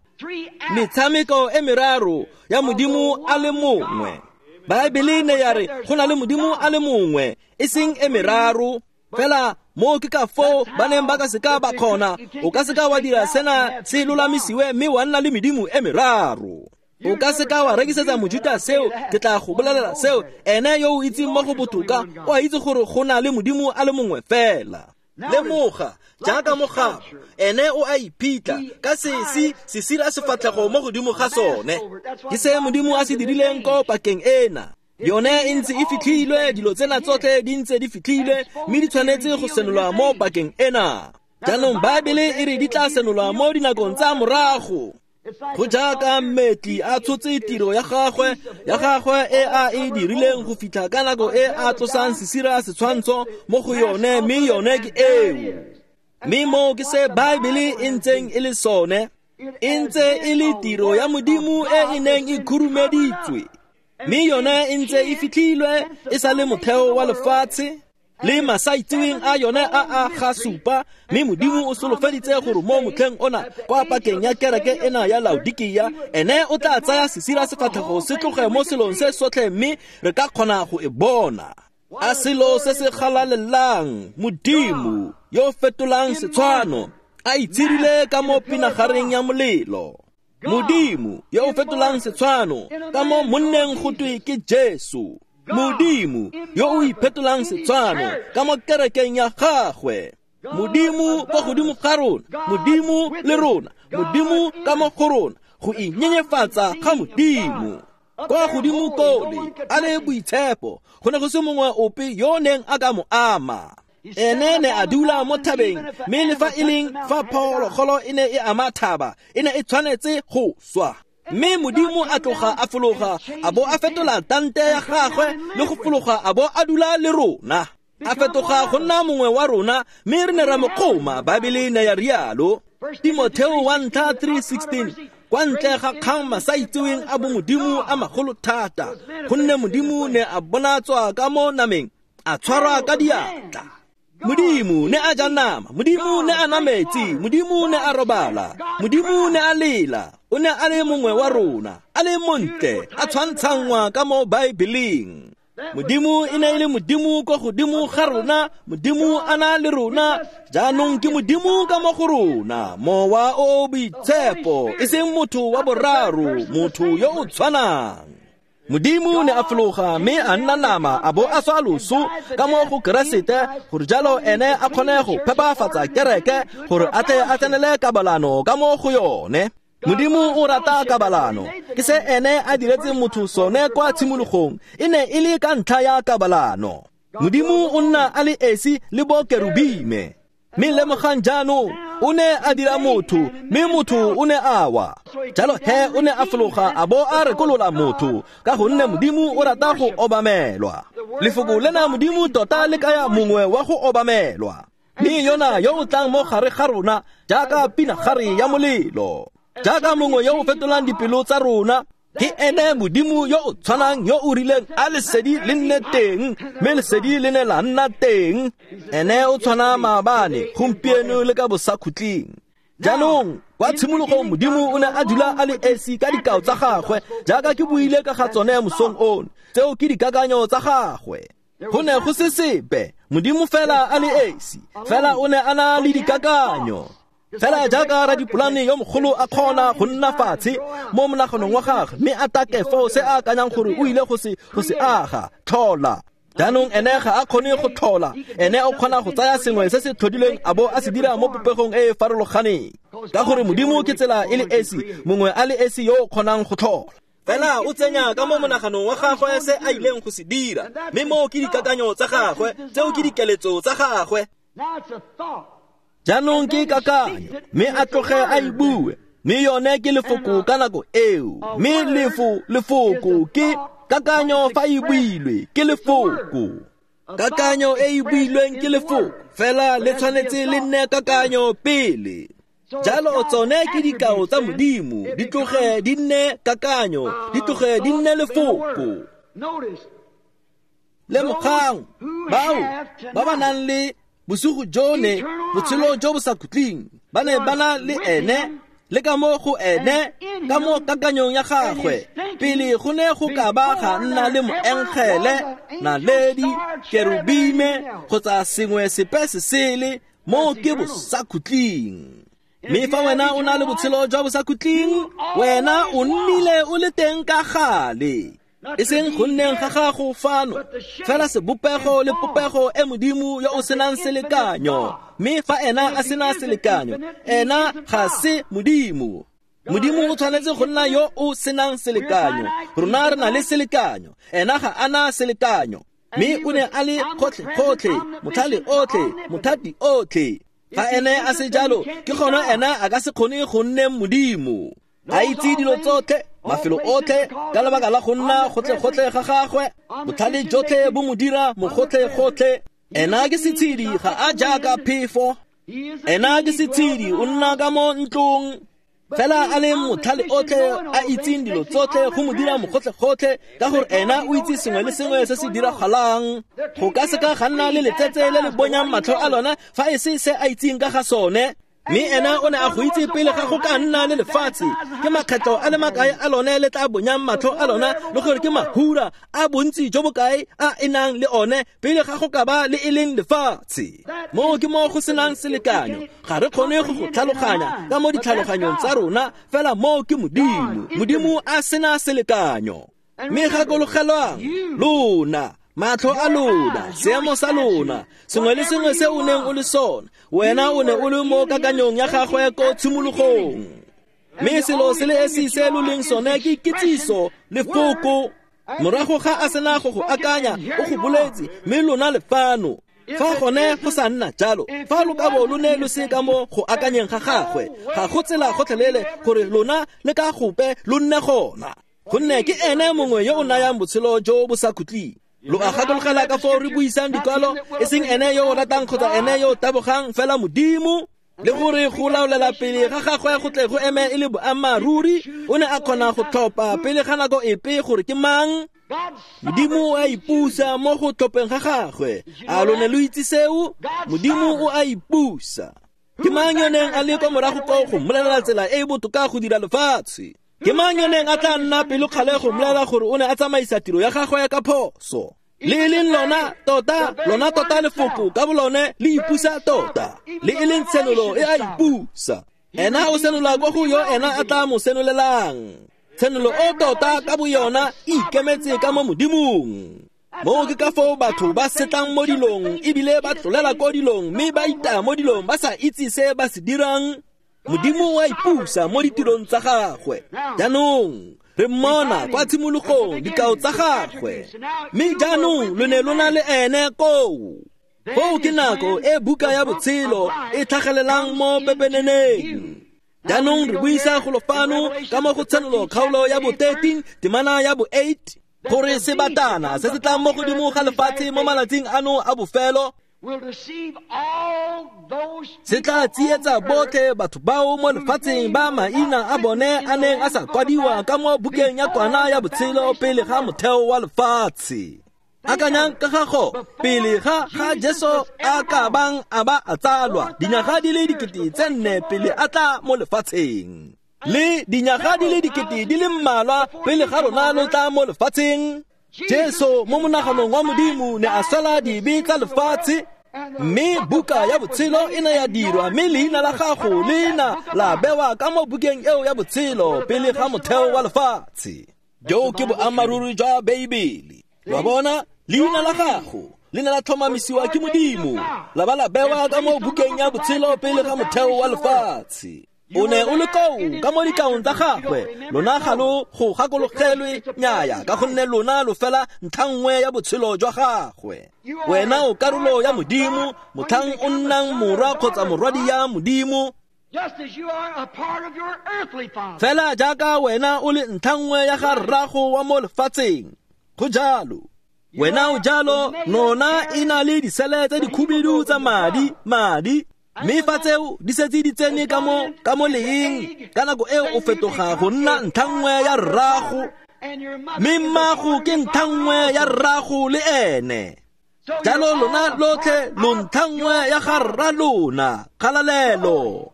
metshameko e meraro ya modimo a le mongwe. Baebele ne ya re go na le modimo a le mongwe, e seng e meraro. Fela mo ke ka foo ba neng ba ka seka ba kgona, o ka seka wa dira sena se lolamisiwe mme wa nna le medimo e meraro. O ka seka wa rekisetsa mojuta seo, ke tla go bolelela seo. Ene yo o itseng mo go botoka o a itse gore go na le modimo a le mongwe fela. Lemoga jaaka mogabo, ene o a iphitlha ka sesi sesira sefatlhego mo godimo ga sone. Ke se modimo a se dirileng ko pakeng ena. Yone e ntse e fitlhilwe, dilo tsena tsotlhe di ntse di fitlhilwe, mme di tshwanetse go senolwa mo pakeng ena. Jaanong Baebele e re di tla senolwa mo dinakong tsa morago. Go jaaka mmetli a tshotse tiro ya gagwe, ya gagwe e a e dirileng go fitlha ka nako e a tlosang sesira setshwantsho mo go yone, mme yone ke eo. Mme moo ke se Baebele e ntseng e le sone, e ntse e le tiro ya Modimo e e neng e khurumeditswe. Mme yone e ntse e fitlhilwe e sa le motheo wa lefatshe le masaitseweng a yone a a ga supa. Mme Modimo o solofeditse gore mo motlheng ona kwa pakeng ya kereke ena ya Laodikia, ene o tla tsaya sesira sefatlhego se tloge mo selong se sotlhe, mme re ka kgona go e bona. A selo se se galalelang, Modimo yo fetolang setshwano a itshirile ka mo pinagareng ya molelo. Modimo yo fetolang setshwano ka mo monneng go twe ke Jesu. Modimo yo o iphetolang setshwano ka mo kerekeng ya gagwe. Modimo kwa godimo ga rona, Modimo le rona, Modimo ka mo go rona, go inyenyefatsa ga Modimo. Kwa godimo kole a le boitshepo, go ne go se mongwe ope yo neng a ka mo ama. Ene ne a dula mo thabeng, mme le fa e leng fa phologolo e ne e ama thaba, e ne e tshwanetse go swa. Mme Modimo a tloga a fologa a bo a fetola tante ya gagwe le go fologa a bo a dula le rona. A fetoga go nna mongwe wa rona, mme re ne ra mo kgoma. Baebele ne ya rialo. Timotheo wa ntlha three sixteen, kwa ntle ga kgang masaitseweng a bomodimo a magolo thata, gonne Modimo ne a bonatswa ka mo nameng, a tshwarwa ka diatla. Modimo ne a ja nama, Modimo ne a nwa metsi, Modimo ne a robala, Modimo ne a lela. O ne a le mongwe wa rona, a le montle, a tshwantshanngwa ka mo Baebeleng. Modimo e ne e le Modimo kwa godimo ga rona, Modimo a na le rona, jaanong ke Modimo ka mo go rona, Mowa o o Boitshepo, e seng motho wa boraro, motho yo o tshwanang. Modimo ne a fologa mme a nna nama a bo a swa loso ka mo go Keresete, gore jalo ene a kgone go phepafatsa kereke gore a tle a tsenele kabalano ka mo go yone. Modimo o rata kabalano, ke se ene a diretseng motho sone kwa tshimologong, e ne e le ka ntlha ya kabalano. Modimo o nna a le esi le bo kerubime. Mme lemogang jaanong, o ne a dira motho, mme motho o ne a wa. Jalo he o ne a fologa a bo a rekolola motho, ka gonne Modimo o rata go obamelwa. Lefoko lena Modimo tota le kaya mongwe wa go obamelwa. Mme yona yo o tlang mo gare ga rona jaaka pinagare ya molelo, jaaka mongwe yo o fetolang dipelo tsa rona, ke ene Modimo yo o tshwanang yo o rileng a lesedi le nne teng, mme lesedi le ne la nna teng. Ene o tshwana maabane, gompieno le ka bosakhutleng. Jaanong kwa tshimologong Modimo o ne a dula a le esi ka dikao tsa gagwe, jaaka ke buile ka ga tsone mosong ono. Tseo ke dikakanyo tsa gagwe. Go ne go se sepe, Modimo fela a le esi, fela o ne a na le dikakanyo. Fela jaaka radipolane yo mogolo a kgona go nna fatshe mo monaganong wa gagwe, mme a take foo se a akanyang gore o ile go se go se aga tlhola. Jaanong ene ga a kgone go tlhola, ene o kgona go tsaya sengwe se se tlhodilweng a bo a se dira mo popegong e e farologaneng, ka gore Modimo ke tsela e le esi, mongwe a le esi yo o kgonang go tlhola. Fela o tsenya ka mo monaganong wa gagwe se a ileng go se dira, mme moo ke dikakanyo tsa gagwe, tseo ke dikeletso tsa gagwe. Jaanong ke kakanyo, mme a tloge a e bue, mme yone ke lefoko ka nako eo. Mme lefo lefoko ke kakanyo fa e builwe ke lefoko. Kakanyo e e builweng ke lefoko, fela le tshwanetse le nne kakanyo pele. Jalo tsone ke dikao tsa Modimo, di tloge di nne kakanyo, di tloge di nne lefoko. Lemogang bao ba ba nang le bosigo jone botshelo jo bo sa khutleng, ba ne ba na le ene le ka mo go ene, ka mo kakanyong ya gagwe. Pele go ne go ka ba ga nna le moengele, naledi, kerubime kgotsa sengwe sepe se sele, mo ke bosakhutleng. Mme fa wena o na le botshelo jwa bosakhutleng, wena o nnile o le teng ka gale, e seng go nneng ga gago fano, fela sebopego le popego e Modimo yo o senang selekanyo. Mme fa ena a sena selekanyo, ena ga se Modimo. Modimo o tshwanetse go nna yo o senang selekanyo. Rona re na le selekanyo, ena ga a na selekanyo. Mme o ne a le gotlhe-gotlhe, motlhale otlhe, mothati otlhe. Fa ene a se jalo, ke gona ena a ka se kgone go nne Modimo. A itse dilo tsotlhe, mafelo otlhe, ka lebaka la go nna gotlhe-gotlhe ga gagwe, botlhale jotlhe bo mo dira mogotlhe-gotlhe. Ena ke setshedi, ga a jaaka phefo. Ena ke setshedi, o nna ka mo ntlong. Fela a le motlhale otlhe a itseng dilo tsotlhe go mo dira mogotlhe-gotlhe ka gore ena o itse sengwe le sengwe se se diragalang. Go ka seka ga nna le letsetse le le bonyang matlho a lona fa e se se a itseng ka ga sone. Mme ena o ne a go itse pele ga go ka nna le lefatshe. Ke makgetlo a le makae a lone le tla bonyang matlho a lona le gore ke mahura a bontsi jo bokae a e nang le one pele ga go ka ba le e leng lefatshe. Moo ke mo go senang selekanyo. Ga re kgone go go tlhaloganya ka mo ditlhaloganyong tsa rona, fela moo ke Modimo. Modimo a sena selekanyo. Mme gakologelwang lona, matlho a lona, seemo sa lona, sengwe le sengwe se o neng o le sone, wena o ne o le mo kakanyong ya gagwe ko tshimologong. Mme selo se le esi se lo leng sone ke kitsiso lefoko. Morago ga a sena go go akanya, o go boletse, mme lona le fano. Fa gone go sa nna jalo, fa lo ka bo lo ne lo se ka mo go akanyeng ga gagwe, ga go tsela gotlhelele gore lona le ka gope lo nne gona. Gonne ke ene mongwe yo o nayang botshelo jo bo sa khutleng. Lo a gakologela ka foo re buisang dikwalo, e seng ene yo o ratang kgotsa ene yo o tabogang, fela Modimo. Le gore go laolela pele ga gagwe go tle go eme e le boammaaruri, o ne a kgona go tlhopha pele ga nako epe gore ke mang. Modimo o a ipusa mo go tlhopheng ga gagwe. A lo ne lo itse seo? Modimo o a ipusa. Ke mang yo neng a le kwa morago koo go mmolelela tsela e e botoka go dira lefatshe? Ke mang yo neng a tla nna pelokgale go mmolelela gore o ne a tsamaisa tiro ya gagwe ka phoso? Le e leng lona tota, lona tota lefoko ka bolone le ipusa tota. Le e leng tshenolo e a ipusa. Ena o senola kwa go yo ena a tla mo senolelang. Tshenolo o tota ka boyona e ikemetse ka mo Modimong. Moo ke ka foo batho ba setlang mo dilong ebile ba tlolela ko dilong mme ba itaya mo dilong ba sa itse se ba se dirang. Modimo o a ipusa mo ditirong tsa gagwe. Jaanong re mmona kwa tshimologong dikao tsa gagwe, mme jaanong lo ne lo na le ene koo. Foo ke nako e buka ya botshelo e tlhagelelang mo pepeneneng. Jaanong re buisa golo fano ka mo go Tshenolo kgaolo ya bo thirteen temana ya bo eight gore sebatana se se tlang mo godimo ga lefatshe mo malatsing ano a bofelo se tla tsietsa botlhe batho bao mo lefatsheng ba maina a bone a neng a sa kwadiwa ka mo bukeng ya kwana ya botshelo pele ga motheo wa lefatshe. Akanyang ka gago pele ga ga Jesu a ka bang a ba a tsalwa dinyaga di le dikete tse nne pele a tla mo lefatsheng, le dinyaga di le dikete di le mmalwa pele ga rona lo tla mo lefatsheng. Jesu mo monaganong wa Modimo ne a swela dibe tsa lefatshe, mme buka ya botshelo e ne ya dirwa, mme leina la gago le na la bewa ka mo bukeng eo ya botshelo pele ga motheo wa lefatshe. Jo ke boammaaruri jwa Beibele. Lo bona, leina la gago le ne la tlhomamisiwa ke Modimo, la ba la bewa ka mo bukeng ya botshelo pele ga motheo wa lefatshe. O ne o le koo ka mo dikaong tsa gagwe, lona ga lo go gakologelwe nnyaya, ka gonne lona lo fela ntlha nngwe ya botshelo jwa gagwe. Wena o karolo ya Modimo, motlhang o nnang morwa kgotsa morwadi ya Modimo. Fela jaaka wena o le ntlha nngwe ya ga rrago wa mo lefatsheng, go jalo. Wena o jalo, nona e na le disele tse dikhubidu tsa madi, madi. Mme fa tseo di setse di tsene ka mo ka mo leeng, ka nako eo o fetoga go nna ntlha nngwe ya rrago, mme mmago ke ntlha nngwe ya rrago le ene. Jalo lona lotlhe lo ntlha nngwe ya ga rra lona. Kgalalelo.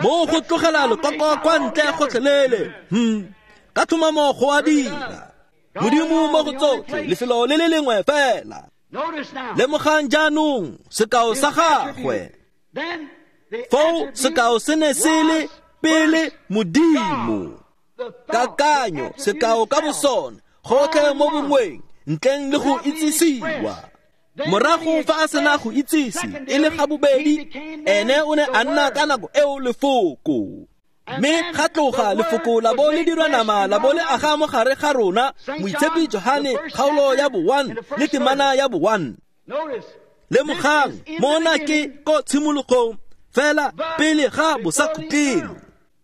Mo go tlogela lekoko kwa ntle gotlhelele. Hmm. Ka tlhomamo go a dira. Modimo mo go tsotlhe, lefelo le le lengwe fela. Lemogang jaanong sekao sa gagwe. Foo sekao se ne se le pele Modimo. Kakanyo, sekao ka bosone, gotlhe mo bongweng, ntleng le go itsisiwa. Morago fa a sena go itsise e le ga bobedi, ene o ne a nna ka nako eo lefoko. Mme ga tloga lefoko la bo le dirwa nama la bo le aga mo gare ga rona. Moitshepi Johane kgaolo ya bo one le temana ya bo one. Lemogang mona ke ko tshimologong fela pele ga bosakhutleng.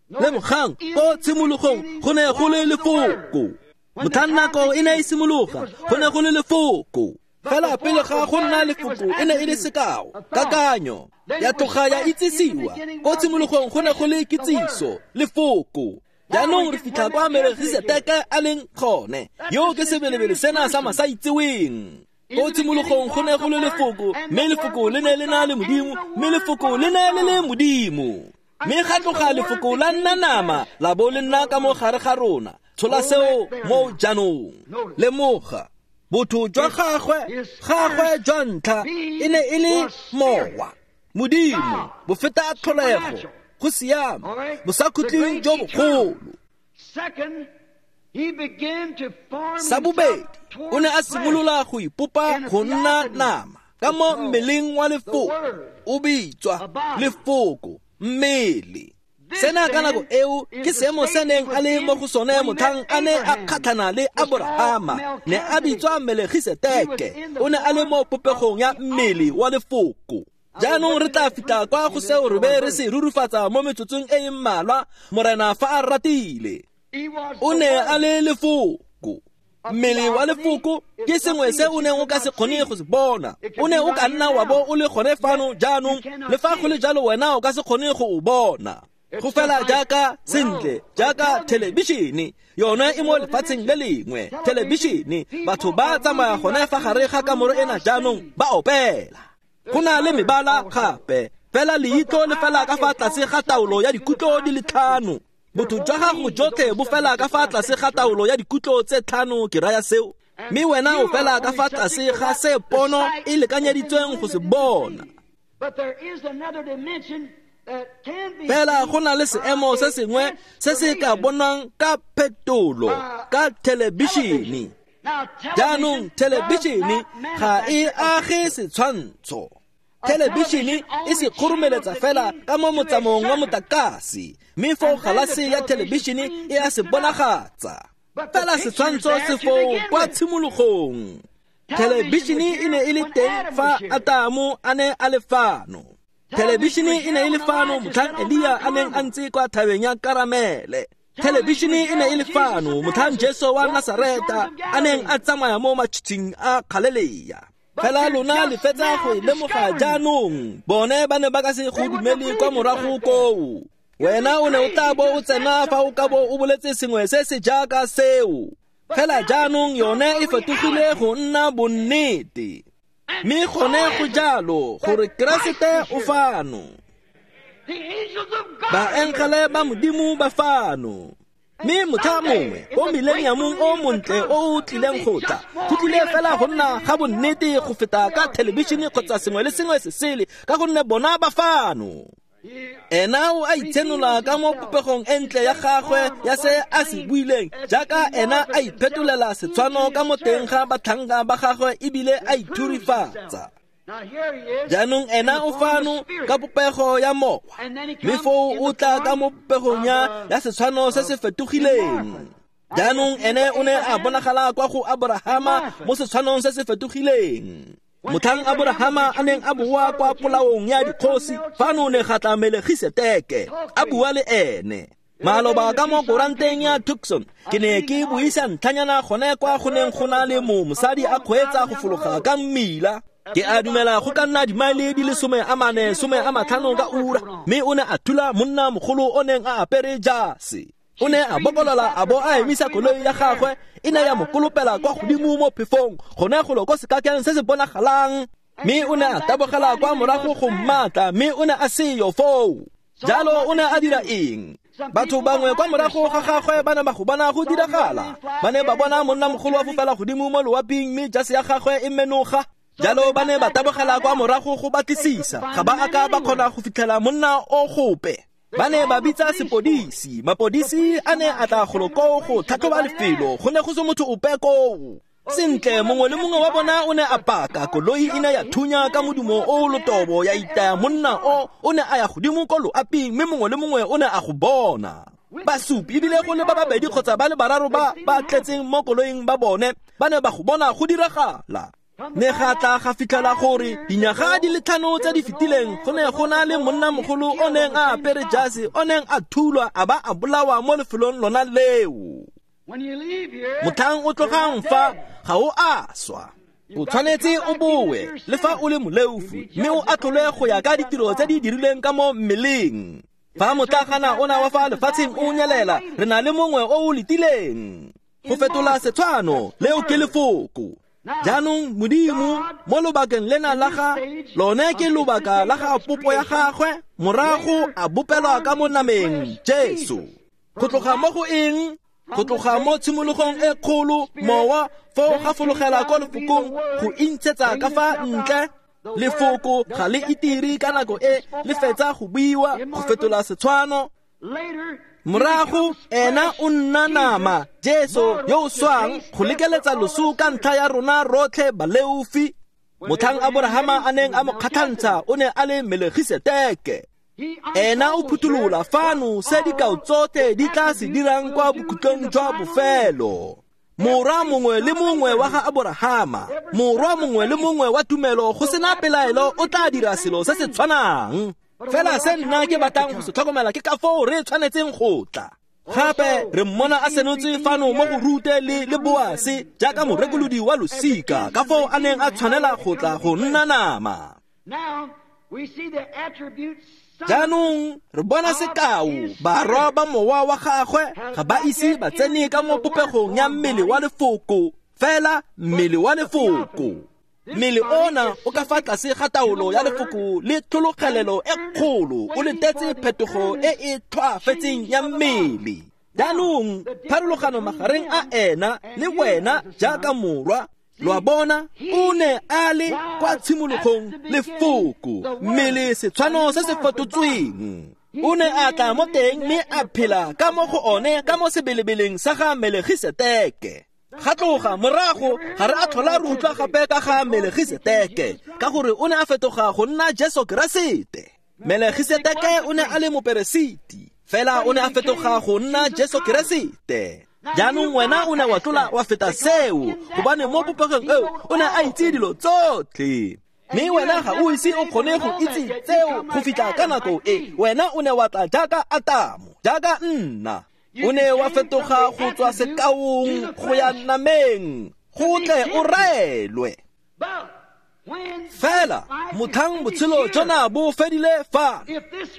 Lemogang ko tshimologong go ne go le lefoko. Motlhang nako e ne e simologa go ne go le lefoko. Fela pele ga go nna lefoko e ne e le sekao, kakanyo, ya tloga ya itsisiwa. Ko tshimologong go ne go le kitsiso, lefoko. Jaanong re fitlha kwa Melkisedeke a leng gone, yo ke sebelebele sena sa masaitseweng. Ko tshimologong go ne go le lefoko, mme lefoko le ne le na le Modimo, mme lefoko le ne le le Modimo. Mme ga tloga lefoko la nna nama, la bo le nna ka mo gare ga rona. Tshola seo mo jaanong. Lemoga, botho jwa gagwe, gagwe jwa ntlha e ne e le mowa, Modimo, bofeta tlholego, go siama, bosakhutleng jo bogolo. Sa bobedi, o ne a simolola go ipopa go nna nama ka mo mmeleng wa lefoko, o bitswa lefoko mmele. Sena ka nako eo ke seemo se neng a le mo go sone motlhang a ne a kgatlhana le Aborahama, ne a bitswa Melkisedeke, o ne a le mo popegong ya mmele wa lefoko. Jaanong re tla fitlha kwa go seo re be re se rurufatsa mo metsotsong e e mmalwa, Morena fa a ratile. O ne a le lefoko. Mmele wa lefoko ke sengwe se o neng o ka se kgone go se bona. O ne o ka nna wa bo o le gone fano jaanong, le fa go le jalo wena o ka se kgone go o bona. Go fela jaaka sentle, jaaka thelebišene, yone e mo lefatsheng le lengwe. Thelebišene, batho ba tsamaya gone fa gare ga kamoro ena jaanong ba opela. Go na le mebala gape, fela leitlo le fela ka fa tlase ga taolo ya dikutlo di le tlhano. Botho jwa gago jotlhe bo fela ka fa tlase ga taolo ya dikutlo tse tlhano, ke raya seo. Mme wena o fela ka fa tlase ga se pono e lekanyeditsweng go se bona. Fela go na le seemo se sengwe se se ka bonwang ka phetolo, ka thelebišene. Jaanong thelebišene ga e age setshwantsho. Thelebišene e se kgoromeletsa fela ka mo motsamaong wa motlakase, mme foo galase ya thelebišene e a se bonagatsa. Fela setshwantsho se foo kwa tshimologong. Thelebišene e ne e le teng fa Atamo a ne a le fano. Thelebišene e ne e le fano motlhang Elia a neng a ntse kwa thabeng ya Karamele. Thelebišene e ne e le fano motlhang Jesu wa Nasareta a neng a tsamaya mo matshitshing a Galilea. Fela lona le fetsa go e lemoga jaanong, bone ba ne ba ka se go dumele kwa morago koo. Wena o ne o tla bo o tsena fa o ka bo o boletse sengwe se se jaaka seo. Fela jaanong yone e fetogile go nna bonnete. Mme gone go jalo gore Keresete o fano. Baengele ba Modimo ba fano. Mme motlha mongwe o mileniamong o montle o o tlileng go tla, go tlile fela go nna ga bonnete go feta ka thelebišene kgotsa sengwe le sengwe se sele, ka gonne bona ba fano. Ena o a itshenola ka mo popegong e ntle ya gagwe ya se a se buileng, jaaka ena a iphetolela setshwano ka mo teng ga batlhanka ba gagwe ebile a ithurifatsa. Jaanong ena o fano ka popego ya mowa, mme foo o tla ka mo popegong ya ya setshwano se se fetogileng. Jaanong ene o ne a bonagala kwa go Aborahama mo setshwanong se se fetogileng. Motlhang Aborahama a neng a boa kwa polaong ya dikgosi, fano ne ga tla Melkisedeke a bua le ene. Maloba ka mo koranteng ya Tucson, ke ne ke buisa ntlhanyana gone kwa go neng go na le mo mosadi a kgweetsa go fologa ka mmila. Ke a dumela go ka nna dimaele di le some a mane, some a matlhano ka ura, mme o ne a thula monna mogolo o neng a apere jase. O ne a bokolola a bo a emisa koloi ya gagwe, e ne ya mo kolopela kwa godimo mo phefong, gone golo ko sekakeng se se bonagalang. Mme o ne a tabogela kwa morago go mmatla, mme o ne a seyo foo. Jalo o ne a dira eng? Batho bangwe kwa morago ga gagwe ba ne ba go bona go diragala. Ba ne ba bona monna mogolo wa fofela godimo mo loaping, mme jase ya gagwe e menoga. Jalo ba ne ba tabogela kwa morago go batlisisa, ga ba a ka ba kgona go fitlhela monna o gope. Ba ne ba bitsa sepodisi, mapodisi a ne a tla golo koo go tlhatlhoba lefelo, go ne go se motho ope koo. Sentle, mongwe le mongwe wa bona o ne a paka, koloi e ne ya thunya ka modumo o lotobo ya itaya monna o, o ne a ya godimo ko loaping, mme mongwe le mongwe o ne a go bona. Basupi ebile go le ba babedi kgotsa ba le bararo ba ba tletseng mo koloing ba bone, ba ne ba go bona go diragala. Ne ga tla ga fitlhela gore dinyaga di le tlhano tse di fetileng go ne go na le monnamogolo o neng a apere jase, o neng a thulwa a ba a bolawa mo lefelong lona leo. Motlhang o tlogang fa ga o a swa. O tshwanetse o boe le fa o le moleofi mme o atlholwe go ya ka ditiro tse di dirilweng ka mo mmeleng. Fa motlagana ona wa fa lefatsheng o nyelela, re na le mongwe o o letileng go fetola setshwano, leo ke lefoko. Jaanong Modimo mo lobakeng lena la ga lone ke lobaka la ga popo ya gagwe, morago a bopelwa ka mo nameng Jesu. Go tloga mo go eng? Go tloga mo tshimologong e kgolo, mowa foo ga fologela kwa lefokong go intshetsa ka fa ntle. Lefoko ga le itire ka nako e le fetsa go buiwa go fetola setshwano. Morago ena o nna nama, Jesu yo o swang go lekeletsa loso ka ntlha ya rona rotlhe baleofi. Motlhang Aborahama a neng a mo kgatlhantsha o ne a le Melegiseteke. Ena o phuthulola fano se dikao tsotlhe di tla se dirang kwa bokhutlong jwa bofelo. Morwa mongwe le mongwe wa ga Aborahama, morwa mongwe le mongwe wa tumelo go sena pelaelo o tla dira selo se se tshwanang. Fela se nna ke batlang go se tlhokomela ke ka foo re tshwanetseng go tla. Gape re mmona a senotse fano mo go Rute le le Boase jaaka morekolodi wa losika, ka foo a neng a tshwanela go tla go nna nama. Jaanong re bona sekao, barwa ba mowa wa gagwe ga ba ise ba tsene ka mo popegong ya mmele wa lefoko, fela mmele wa lefoko. Mmele ona o ka fa tlase ga taolo ya lefoko le tlhologelelo e kgolo, o letetse phetogo e e tlhoafetseng ya mmele. Jaanong pharologano magareng a ena le wena jaaka morwa, lo a bona, o ne a le kwa tshimologong lefoko, mmele setshwano se se fetotsweng. O ne a tla mo teng mme a phela ka mo go one ka mo sebelebeleng sa ga Melegiseteke. Ga tloga morago ga re a tlhola re utlwa gape ka ga Melegiseteke, ka gore o ne a fetoga go nna Jesu Keresete. Melegiseteke o ne a le moperesiti, fela o ne a fetoga go nna Jesu Keresete. Jaanong wena o ne wa tlola wa feta seo, gobane mo popegong eo o ne a itse dilo tsotlhe. Mme wena ga o ise o kgone go itse tseo go fitlha ka nako e. Wena o ne wa tla jaaka Atamo, jaaka nna. O ne wa fetoga go tswa sekaong go ya nameng, go tle o raelwe. Fela motlhang botshelo jona bo fedile fa,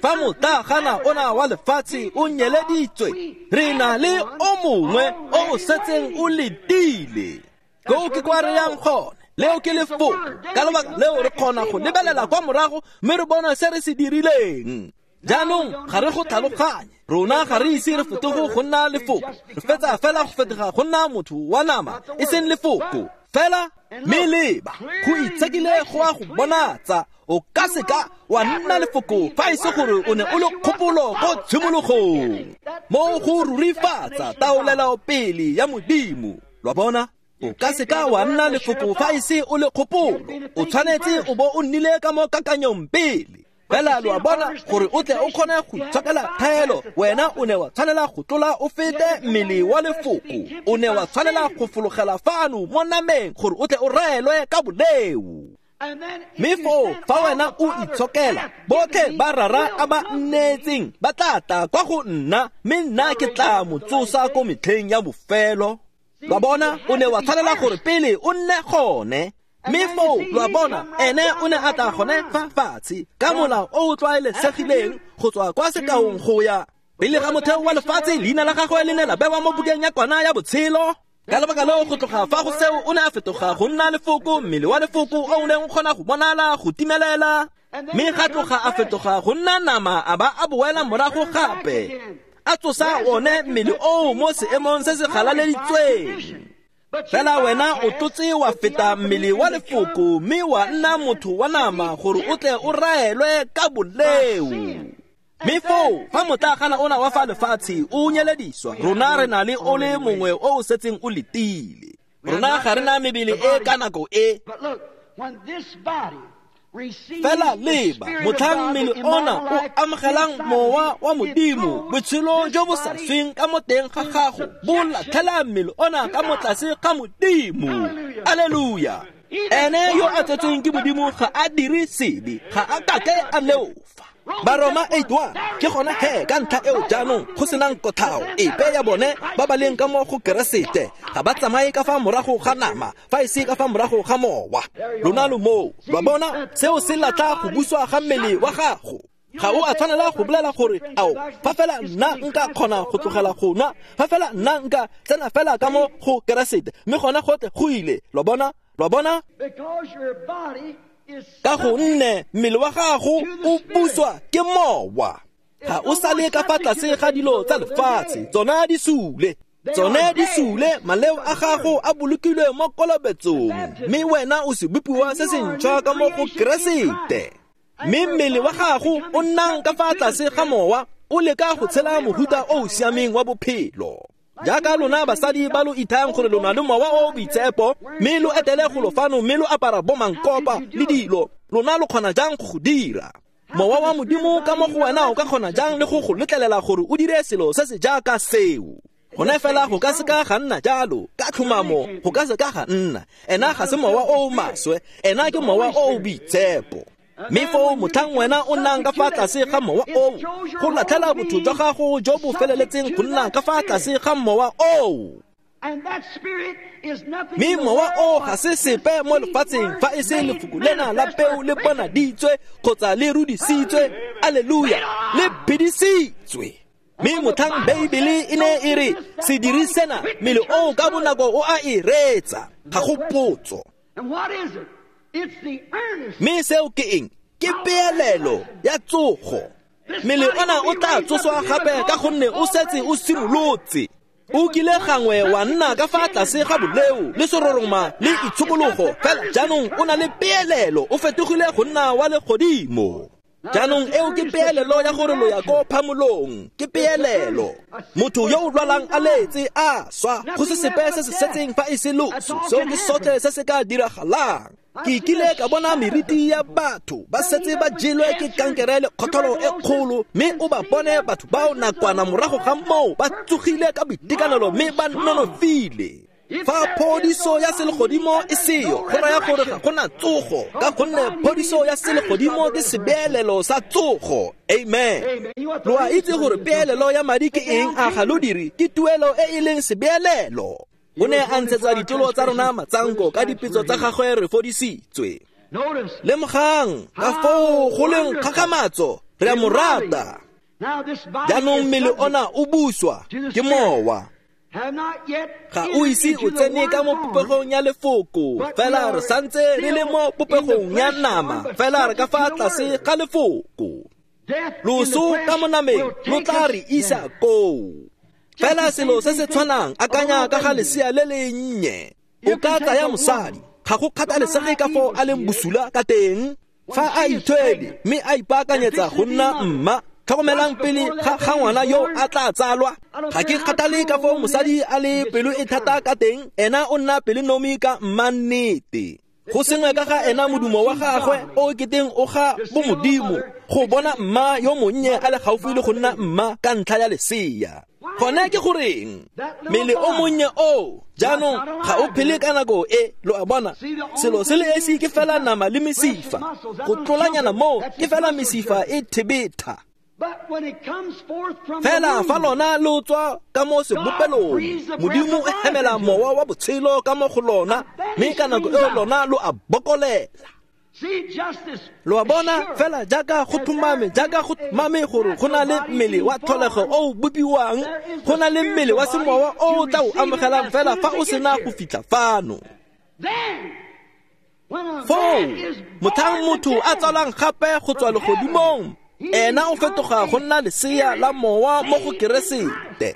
fa motlagana ona wa lefatshe o nyeleditswe, re na le o mongwe o o setseng o letile. Koo ke kwa re yang gone, leo ke lefoko. Ka lebaka leo re kgona go lebelela kwa morago mme re bona se re se dirileng. Jaanong ga re go tlhaloganye, rona ga re ise re fetoge go nna lefoko, re fetsa fela go fetoga go nna motho wa nama, e seng lefoko. Fela mme leba, go itshekile go a go bonatsa, o ka seka wa nna lefoko fa e se gore o ne o le kgopolo ko tshimologong. Mo go rurifatsa taolelo pele ya Modimo, lo a bona? O ka seka wa nna lefoko fa e se o le kgopolo, o tshwanetse o bo o nnile ka mo kakanyong pele. Fela lo a bona, gore o tle o kgone go itshokela thaelo, wena o ne wa tshwanela go tlola o fete mmele wa lefoko, o ne wa tshwanela go fologela fano mo nameng gore o tle o raelwe ka boleo. Mme foo fa wena o itshokela, botlhe ba rara a ba nnetseng ba tla tla kwa go nna, mme nna ke tla mo tsosa ko metlheng ya bofelo. Lo a bona, o ne wa tshwanela gore pele o nne gone. Mme foo lo a bona, ene o ne a tla gone fa fatshe ka molao o o tlwaelesegileng go tswa kwa sekaong go ya pele ga motheo wa lefatshe. Leina la gagwe le ne la bewa mo bukeng ya kwana ya botshelo. Ka lebaka leo go tloga fa go seo o ne a fetoga go nna lefoko, mmele wa lefoko o o neng o kgona go bonala go timelela. Mme ga tloga a fetoga go nna nama, a ba a boela morago gape, a tsosa one mmele oo mo seemong se se galaleditsweng. Fela wena o tlotse wa feta mmele wa lefoko mme wa nna motho wa nama gore o tle o raelwe ka boleo. Mme foo fa motlagana ona wa fa lefatshe o nyelediswa, rona re na le o le mongwe o o setseng o letile. Rona ga re na mebele e ka nako e. Fela leba, motlhang mmele ona o amogelang mowa wa Modimo, botshelo jo bo sa sweng ka mo teng ga gago bo latlhela mmele ona ka mo tlase ga Modimo. Aleluya! Ene yo a tsetsweng ke Modimo ga a dire sebe, ga a kake a leofa. Baroma eight one ke gona he ka ntlha eo jaanong go senang kothao epe ya bone ba ba leng ka mo go Keresete ga ba tsamaye ka fa morago ga nama fa e se ka fa morago ga mowa. Lona lo moo, lwa bona seo se latla go buswa ga mmele wa gago. Ga o a tshwanela go bolela gore ao fa fela nna nka kgona go tlogela go nwa, fa fela nna nka tsena fela ka mo go Keresete mme gona gotlhe go ile. Lwa bona, lwa bona, ka gonne mmele wa gago o buswa ke mowa. Ga o sale ka fa tlase ga dilo tsa lefatshe, tsona di sule, tsone di sule. Maleo a gago a bolokilwe mo kolobetsong, mme wena o sebopiwa se se ntšhwa ka mo go Keresete. Mme mmele wa gago o nnang ka fa tlase ga mowa o leka go tshela mohuta o o siameng wa bophelo. Jaaka lona basadi ba lo ithayang gore lona le mowa o o boitshepo, mme lo etele golo fano mme lo apara bomankopa le dilo, lona lo kgona jang go go dira? Mowa wa Modimo ka mo go wena o ka kgona jang le go go letlelela gore o dire selo se se jaaka seo? Gone fela go ka seka ga nna jalo, ka tlhomamo go ka seka ga nna. Ena ga se mowa o o maswe, ena ke mowa o o boitshepo. Mme foo motlhang wena o nnang ka fa tlase ga mowa oo, go latlhela botho jwa gago jo bo feleletseng go nna ka fa tlase ga mowa oo. Mme mowa oo ga se sepe mo lefatsheng fa e se lefoko lena la peo le bonaditswe kgotsa le rudisitswe, aleluya, le phedisitswe. Mme motlhang Beibele e ne e re sediri sena, mmele oo ka bonako o a e reetsa, ga go potso. Mme seo ke eng? Ke peelelo ya tsogo. Mmele ona o tla tsoswa gape ka gonne o setse o simolotse. O kile gangwe wa nna ka fa tlase ga boleo le seroroma le itshokologo, fela jaanong o na le peelelo, o fetogile go nna wa legodimo. Jaanong eo ke peelelo ya gore lo ya ko phamolong, ke peelelo. Motho yo o lwalang a letse a swa, go se sepe se se setseng fa e se loso, seo ke sotlhe se se ka diragalang. Ke kile ka bona meriti ya batho ba setse ba jelwe ke kankere le kgotlholo e kgolo, mme o ba bone batho bao nakwana morago ga moo ba tsogile ka boitekanelo mme ba nonofile. Fa phodiso ya selegodimo e seyo, go raya gore ga gona tsogo, ka gonne phodiso ya selegodimo ke sebeelelo sa tsogo. Amen. Lo a itse gore peelelo ya madi ke eng? A ga lo dire? Ke tuelo e e leng sebeelelo. O ne a ntshetsa ditolo tsa rona matsanko, ka dipetso tsa gagwe re fodisitswe. Lemogang ka foo go leng kgakgamatso, re a mo rata. Jaanong mmele ona o buswa ke mowa. Ga o ise o tsene ka mo popegong ya lefoko, fela re santse re le mo popegong ya nama, fela re ka fa tlase ga lefoko. Loso ka mo nameng lo tla re isa koo. Fela selo se se tshwanang, akanya ka ga lesea le le nnye. O ka tsaya mosadi, ga go kgathalesege ka foo a leng bosula ka teng, fa a ithwele mme a ipaakanyetsa go nna mma. Tlhokomelang pele ga ga ngwana yo a tla tsalwa. Ga ke kgathale ka foo mosadi a le pelo e thata ka teng, ena o nna pelonomi ka mmannete. Go sengwe ka ga ena modumo wa gagwe o keteng o ga bomodimo, go bona mma yo monnye a le gaufi le go nna mma ka ntlha ya lesea. Gone ke goreng mmele o monnye oo jaanong ga o phele ka nako e, lo a bona. Selo se le esi ke fela nama le mesifa, go tlolanyana moo ke fela mesifa e thebetha. Fela fa lona lo tswa ka mo sebopelong, Modimo o hemela mowa wa botshelo ka mo go lona, mme ka nako eo lona lo a bokolela. Lo a bona, fela jaaka go tlhomame, jaaka go tlhomame gore go na le mmele wa tlholego o o bopiwang, go na le mmele wa semowa o o tla o amogelang fela fa o sena go fitlha fano. Foo motlhang motho a tsalwang gape go tswa legodimong, ena o fetoga go nna lesea la mowa mo go Keresete.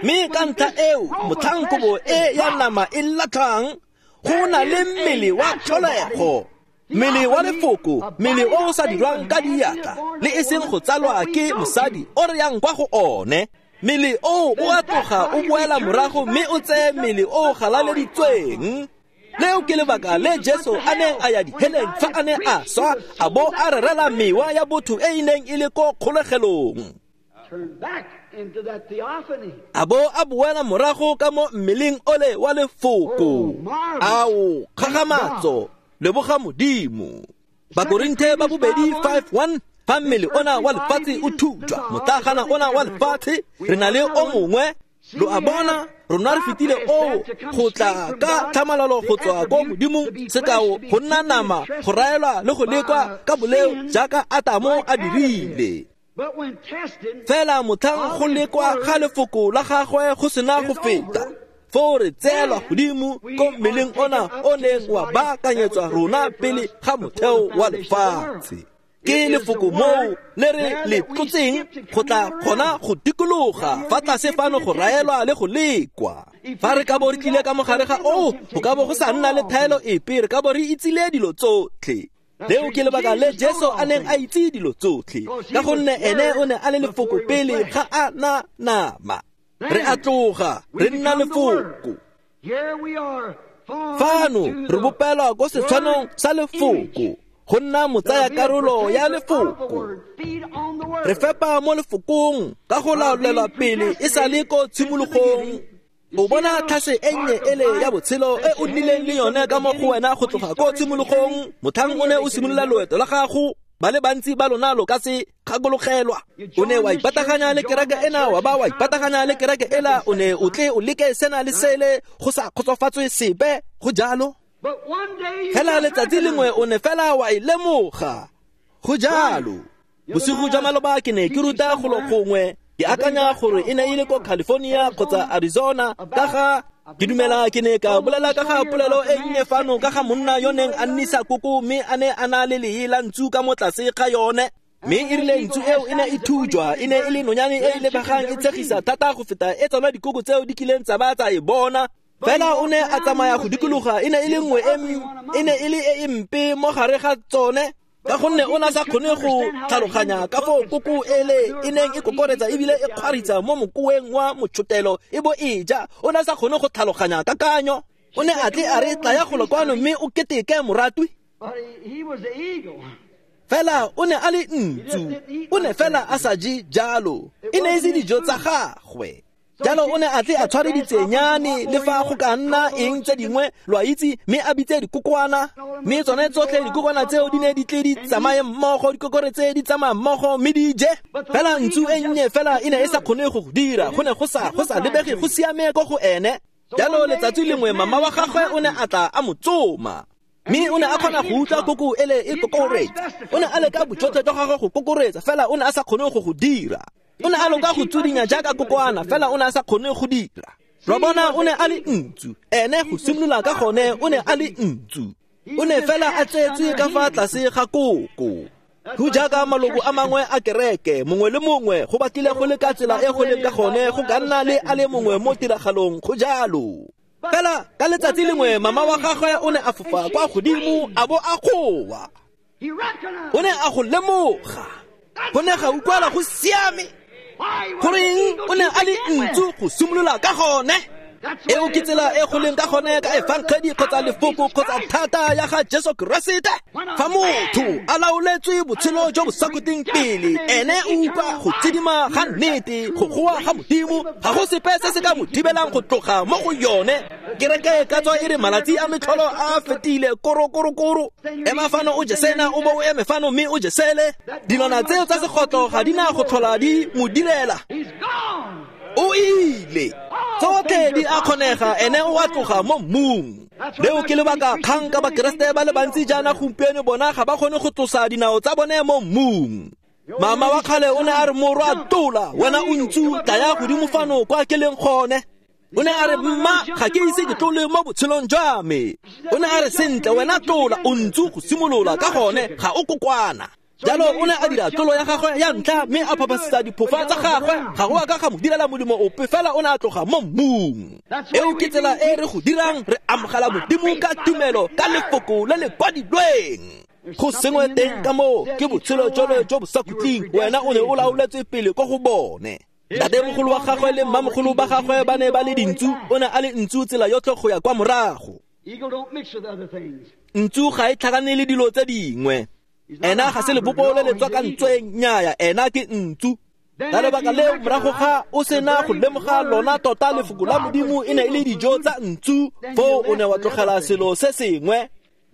Mme ka ntlha eo motlhang kobo e ya nama e latlhang, go na le mmele wa tlholego, mmele wa lefoko, mmele o o sa dirwang ka diatla le e seng go tsalwa ke mosadi o re yang kwa go one. Mmele oo o a tloga o boela morago mme o tseye mmele o o galaleditsweng. Leo ke lebaka le Jesu a neng a ya diheleng fa a ne a swa, a bo a rerela mewa ya botho e e neng e le ko kgolegelong. A bo a boela morago ka mo mmeleng ole wa lefoko. Ao, kgakgamatso, leboga Modimo. Bakorinthe ba bobedi five one, Fa mmele ona wa lefatshe o thutwa, motlagana ona wa lefatshe, re na le o mongwe. Lo a bona, rona re fetile oo go tla ka tlhamalalo go tswa ko Modimong, sekao go nna nama, go raelwa le go lekwa ka boleo jaaka Atamo a dirile. Fela motlhang go lekwa ga lefoko la gagwe go sena go feta, foo re tseelwa godimo ko mmeleng ona o neng wa baakanyetswa rona pele ga motheo wa lefatshe. Ke lefoko moo le re le tlotseng go tla kgona go dikologa fa tlase fano go raelwa le go lekwa. Fa re ka bo re tlile ka mogare ga oo, go ka bo go sa nna le thaelo epe, re ka bo re itsile dilo tsotlhe. Leo ke lebaka le Jesu a neng a itse dilo tsotlhe, ka gonne ene o ne a le lefoko pele ga a na nama. Re a tloga, re nna lefoko. Fano re bopelwa ko setshwanong sa lefoko, go nna motsaya karolo ya lefoko. Re fepa mo lefokong ka go laolelwa pele e sa le ko tshimologong. O bona tlhase e nnye ele ya botshelo e o nnileng le yone ka mo go wena go tloga ko tshimologong, motlhang o ne o simolola loeto la gago. Ba le bantsi ba lona lo ka se kgakologelwa. O ne wa ipataganya le kereke ena, wa ba wa ipataganya le kereke ela, o ne o tle o leke sena le sele, go sa kgotsofatswe sepe, go jalo. Fela letsatsi lengwe o ne fela wa e lemoga, go jalo. Bosigo jwa maloba ke ne ke ruta golo gongwe, ke akanya gore e ne e le ko California kgotsa Arizona, ka ga ke dumela ke ne ka bolela ka ga polelo e nnye fano ka ga monna yo neng a nnisa koko, mme a ne a na le lee la ntsu ka mo tlase ga yone. Mme e rile ntsu eo e ne e thujwa, e ne e le nonyane e e lebegang e tshegisa thata go feta e tsona dikoko tseo di kileng tsa ba tsa e bona. Fela o ne a tsamaya go dikologa, e ne e le nngwe e e ne e le e e mpe mo gare ga tsone, ka gonne o ne a sa kgone go tlhaloganya ka foo koko ele e neng e kokoretsa ebile e kgwaritsa mo mokoeng wa motšhotelo e bo e ja. O ne a sa kgone go tlhaloganya kakanyo. O ne a tle a re tlaya golo kwano mme o keteke moratwi. Fela o ne a le ntsu, o ne fela a sa je jalo, e ne e se dijo tsa gagwe. Jalo o ne a tle a tshware ditsenyane le fa go ka nna eng tse dingwe, lo a itse, mme a bitse dikokwana, mme tsone tsotlhe dikokwana tseo di ne di tle di tsamaye mmogo, dikokore tse di tsamaya mmogo mme di je. Fela ntsu e nnye fela e ne e sa kgone go go dira, go ne go sa go sa lebege go siame ko go ene. Jalo letsatsi lengwe mama wa gagwe o ne a tla a mo tsoma, mme o ne a kgona go utlwa koko ele e kokoretsa. O ne a leka bojotlhe jwa gagwe go kokoretsa, fela o ne a sa kgone go go dira. O ne a loka go tsudinya jaaka kokwana, fela o ne a sa kgone go dira. Lo bona, o ne a le ntsu, ene go simolola ka gone o ne a le ntsu. O ne fela a tsetswe ka fa tlase ga koko. Go jaaka maloko a mangwe a kereke, mongwe le mongwe go batlile go le ka tsela e go leng ka gone, go ka nna le a le mongwe mo tiragalong, go jalo. Fela ka letsatsi lengwe mama wa gagwe o ne a fofa kwa godimo a bo a goa. O ne a go lemoga, go ne ga utlwala go siame. Goreng o ne a le ntsu go simolola ka gone. Eo ke tsela e go leng ka gone ka efangedi kgotsa lefoko kgotsa thata ya ga Jesu Keresete. Fa motho a laoletswe botshelo jo bo sa khutleng pele, ene o utlwa go tsidima ga nnete, go goa ga Modimo, ga go sepe se se ka mo thibelang go tloga mo go yone. Kereke e ka tswa e re malatsi a metlholo a fetile, koro koro koro. Ema fano o je sena, o bo o eme fano mme o je sele. Dilwana tseo tsa segotlo ga di na go tlhola di mo direla. O ile. Tsotlhe di a kgonega, ene o a tloga mo mmung. Leo ke lebaka kgang ka Bakeresete ba le bantsi jaana gompieno, bona ga ba kgone go tlosa dinao tsa bone mo mmung. Mama wa kgale o ne a re, morwa tola, wena o ntsu, tlaya godimo fano kwa ke leng gone. O ne a re, mma, ga ke ise ke tlole mo botshelong jwa me. O ne a re, sentle, wena tlola, o ntsu go simolola ka gone, ga o kokwana. Jalo o ne a dira tlolo ya gagwe ya ntlha mme a phaphasetsa diphofa tsa gagwe. Ga go a ka ga mo direla molemo ope, fela o ne a tloga mo mmung. Eo ke tsela e re go dirang, re amogela Modimo ka tumelo, ka lefoko le le kwadilweng. Go sengwe teng ka moo ke botshelo jole jo bo sa khutleng, wena o ne o laoletswe pele ko go bone. Ntatemogolo wa gagwe le mmamogolo ba gagwe ba ne ba le dintsu, o ne a le ntsu tsela yotlhe go ya kwa morago. Ntsu ga e tlhakane le dilo tse dingwe. Ena ga se lebopo le le tswakantsweng, nnyaya, ena ke ntsu. Ka lebaka leo morago ga o sena go lemoga lona tota lefoko la Modimo e ne e le dijo tsa ntsu, foo o ne wa tlogela selo se sengwe.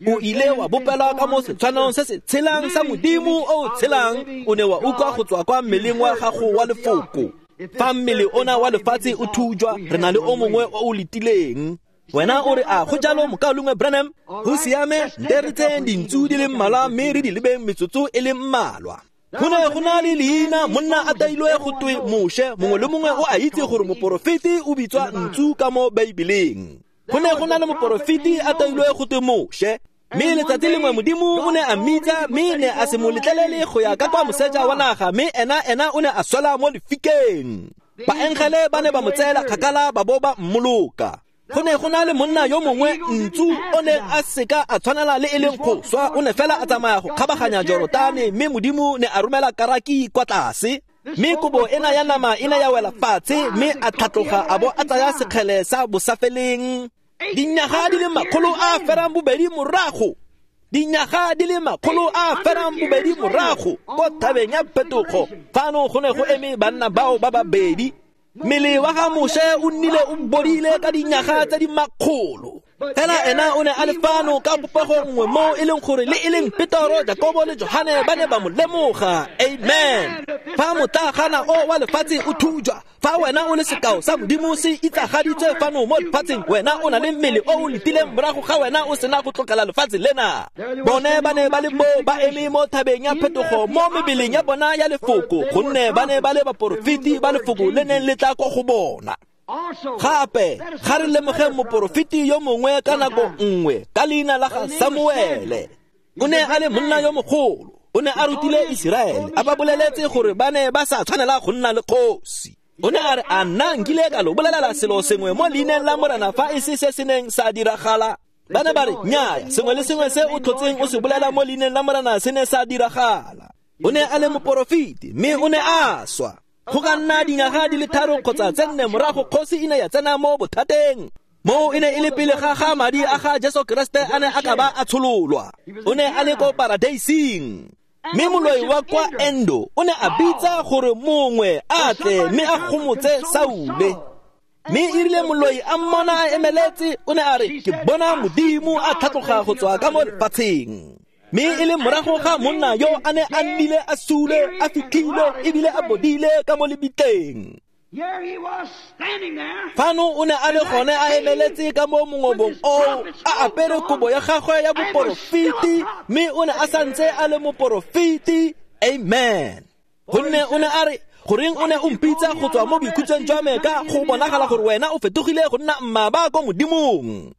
O ile wa bopelwa ka mo setshwanong se se tshelang sa Modimo o o tshelang. O ne wa utlwa go tswa kwa mmeleng wa gago wa lefoko. Fa mmele ona wa lefatshe o thujwa, re na le o mongwe o o letileng. Wena o re, a go jalo mokaulengwe Branham? Go siame, nte re tseyeng dintsu di le mmalwa mme re di lebeng metsotso e le mmalwa. Go ne go na le leina monna a tailwe go twe Moshe. Mongwe le mongwe o a itse gore moporofeti o bitswa ntsu ka mo Baebeleng. Go ne go na le moporofeti a tailwe go twe Moshe. Mme letsatsi lengwe Modimo o ne a mmitsa, mme ne a se mo letlelele go ya ka kwa moseja wa naga, mme ena ena o ne a swela mo lefikeng. Baengele ba ne ba mo tseela kgakala ba bo ba mmoloka. Go ne go na le monna yo mongwe ntsu o ne a seka a tshwanela le e leng go swa, o ne fela a tsamaya go kgabaganya Jorotane, mme Modimo ne a romela karaki kwa tlase. Mme kobo ena ya nama e ne ya wela fatshe, mme a tlhatloga a bo a tsaya sekgele sa bosafeleng. Dinyaga di le makgolo a ferang bobedi morago, dinyaga di le makgolo a ferang bobedi morago ko thabeng ya phetogo, fano go ne go eme banna bao ba babedi. Mmele wa ga Moshe o nnile o bodile ka dinyaga tse di makgolo. Fela ena o ne a le fano ka popego nngwe mo e leng gore le e leng Petoro, Jakobo le Johane ba ne ba mo lemoga. Amen. Fa motlagana o wa lefatshe o thujwa, fa wena o le sekao sa Modimo se itsagaditswe fano mo lefatsheng, wena o na le mmele o o letileng morago ga wena o sena go tlogela lefatshe lena. Bone ba ne ba le mo ba eme mo thabeng ya phetogo mo mebeleng ya bona ya lefoko, gonne ba ne ba le baporofeti ba lefoko le neng le tla ko go bona. Gape ga re lemogeng moporofeti yo mongwe ka nako nngwe ka leina la ga Samuele. O ne a le monna yo mogolo, o ne a rutile Iseraele, a ba boleletse gore ba ne ba sa tshwanela go nna le kgosi. O ne a re, a nna nkile ka lo bolelela selo sengwe mo leineng la Morena fa e se se se neng sa diragala? Ba ne ba re, nnyaya, sengwe le sengwe se o tlhotseng o se bolela mo leineng la Morena se ne sa diragala. O ne a le moporofeti, mme o ne a swa. Go ka nna dinyaga di le tharo kgotsa tse nne morago kgosi e ne ya tsena mo bothateng. Mo e ne e le pele ga ga madi a ga Jesu Kriste a ne a ka ba a tshololwa. O ne a le ko paradeising. Mme moloi wa kwa Endo o ne a bitsa gore mongwe a tle mme a gomotse Saule. Mme e rile moloi a mmona a emeletse, o ne a re, ke bona Modimo a tlhatloga go tswa ka mo lefatsheng. Mme e le morago ga monna yo a ne a nnile a sule, a fitlhile ebile a bodile ka mo lebitleng. Fano o ne a le gone a emeletse ka mo mongobong oo, a apere kobo ya gagwe ya boporofeti, mme o ne a santse a le moporofeti. Amen. Gonne o ne a re, goreng o ne o mpitsa go tswa mo boikhutsong jwa me ka go bonagala gore wena o fetogile go nna mmaba ko Modimong?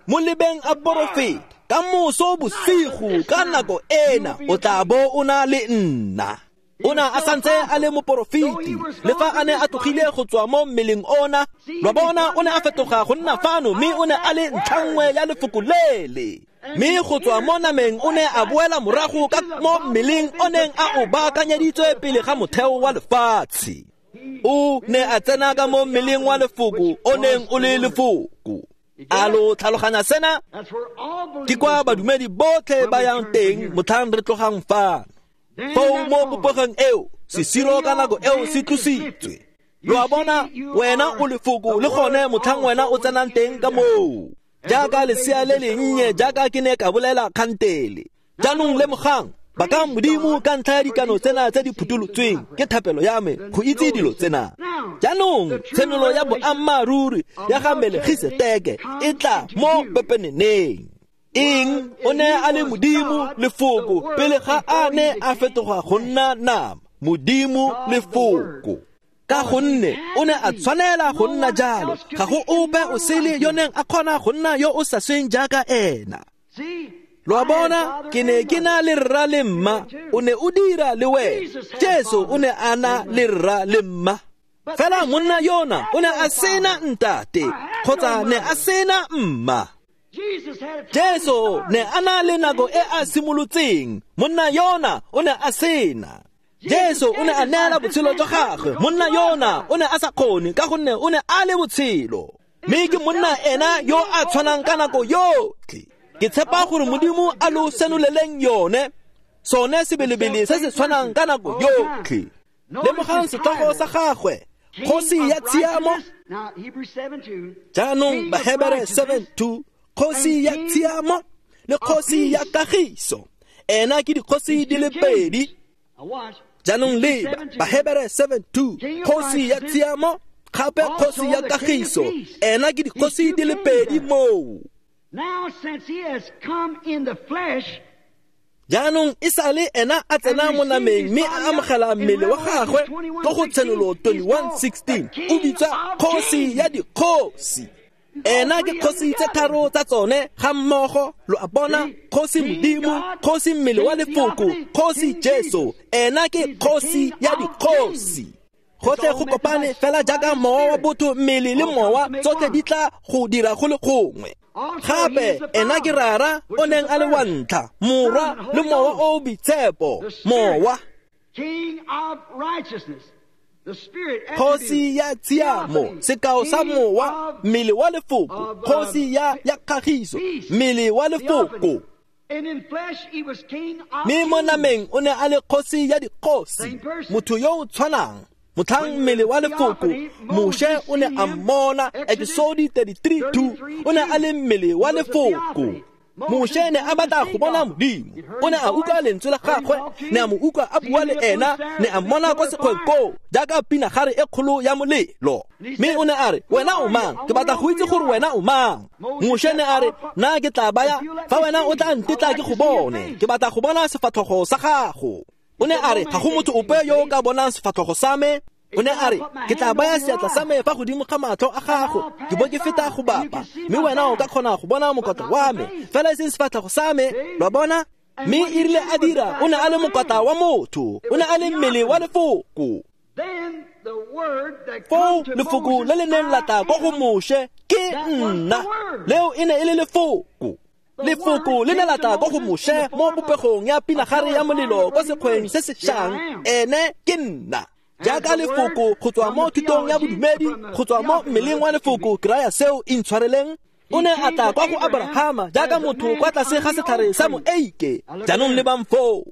Mo lebeng a porofeta, ka moso bosigo ka nako ena o tla bo o na le nna. O ne a santse a le moporofeti, le fa a ne a tlogile go tswa mo mmeleng ona. Lwa bona o ne a fetoga go nna fano, mme o ne a le ntlha nngwe ya lefoko lele. Mme go tswa mo nameng o ne a boela morago ka mo mmeleng o neng a o baakanyeditswe pele ga motheo wa lefatshe. O ne a tsena ka mo mmeleng wa lefoko o neng o le lefoko. A lo tlhaloganya sena? Ke kwa badumedi botlhe ba yang teng motlhang re tlogang fano. Foo mo popegong eo, sesiro ka nako eo se tlositswe. Lo a bona, wena o lefoko le gone motlhang wena o tsenang teng ka moo. Jaaka lesea le lennye, jaaka ke ne ka bolela kgantele. Jaanong lemogang, bakang Modimo ka ntlha ya dikano tsena tse di phutolotsweng ke thapelo ya me go itse dilo tsena. Jaanong tshenolo ya boammaaruri ya ga Melkisedeke e tla mo pepeneneng. Eng? O ne a le Modimo lefoko pele ga a ne a fetoga go nna nama. Modimo lefoko. Ka gonne o ne a tshwanela go nna jalo, ga go ope o sele yo neng a kgona go nna yo o sa sweng jaaka ena. Lo a bona, ke ne ke na le rra le mma, o ne o dira le wena. Jesu o ne a na le rra le mma. Fela monna yona o ne a sena ntate kgotsa ne a sena mma. Jesu ne a na le nako e a simolotseng, monna yona o ne a sena. Jesu o ne a neela botshelo jwa gagwe, monna yona o ne a sa kgone ka gonne o ne a le botshelo. Mme ke monna ena yo a tshwanang ka nako yotlhe. Ke tshepa gore Modimo a lo senoleleng yone, sone sebelebele se se tshwanang ka nako yotlhe. Lemogang setlhogo sa gagwe, kgosi ya tshiamo. Jaanong Bahebere seven two, Kgosi ya tshiamo le kgosi ya kagiso. Ena ke dikgosi di le pedi. Jaanong leba Bahebere seven two, kgosi ya tshiamo gape kgosi ya kagiso. Ena ke dikgosi di le pedi moo. Now since he has come in the flesh, jaanong e sale ena a tsena mo nameng mme a amogela mmele wa gagwe ko go Tshenolo twenty-one sixteen, o bitsa kgosi ya dikgosi. Ena ke kgosi tse tharo tsa tsone ga mmogo, lo a bona, kgosi Modimo, kgosi mmele wa lefoko, kgosi Jesu. Ena ke kgosi ya dikgosi. Gotlhe go kopane fela jaaka mowa wa botho, mmele le mowa, tsotlhe di tla go dira go le gongwe. Gape ena ke Rara o neng a le wa ntlha, Morwa le Mowa o o Boitshepo, Mowa. Kgosi ya tshiamo, sekao sa mowa, mmele wa lefoko, kgosi ya ya kagiso, mmele wa lefoko. Mme mo nameng o ne a le kgosi ya dikgosi, motho yo o tshwanang. Motlhang mmele wa lefoko, Moshe o ne a mmona, Exodus thirty-three two, o ne a le mmele wa lefoko. Moshe ne a batla go bona Modimo, o ne a utlwa lentswe la gagwe, ne a mo utlwa a bua le ena, ne a mmona kwa sekgweng koo jaaka pinagare e kgolo ya molelo. Mme o ne a re, wena o mang? Ke batla go itse gore wena o mang. Moshe ne a re, nna ke tla baya fa wena o tla ntetla ke go bone, ke batla go bona sefatlhogo sa gago. O ne a re, ga go motho ope yo o ka bonang sefatlhogo sa me. O ne a re, ke tla baya seatla sa me fa godimo ga matlho a gago, ke bo ke feta go bapa, mme wena o ka kgona go bona mokotla wa me, fela e seng sefatlhego sa me. Lo a bona? Mme e rile a dira, o ne a le mokotla wa motho, o ne a le mmele wa lefoko. Foo lefoko le le neng la tla kwa go Moshe ke nna, leo e ne e le lefoko. Lefoko le ne la tla kwa go Moshe mo popegong ya pinagare ya molelo kwa sekgweng se se šang, ene ke nna. Jaaka lefoko go tswa mo thutong ya bodumedi, go tswa mo mmeleng wa lefoko, ke raya seo intshwareleng. O ne a tla kwa go Abrahama jaaka motho kwa tlase ga setlhare sa moeike. Jaanong lebang foo.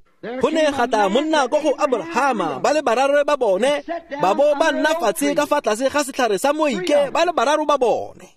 Go ne ga tla monna kwa go Abrahama, ba le bararo ba bone, ba bo ba nna fatshe ka fa tlase ga setlhare sa moeike, ba le bararo ba bone.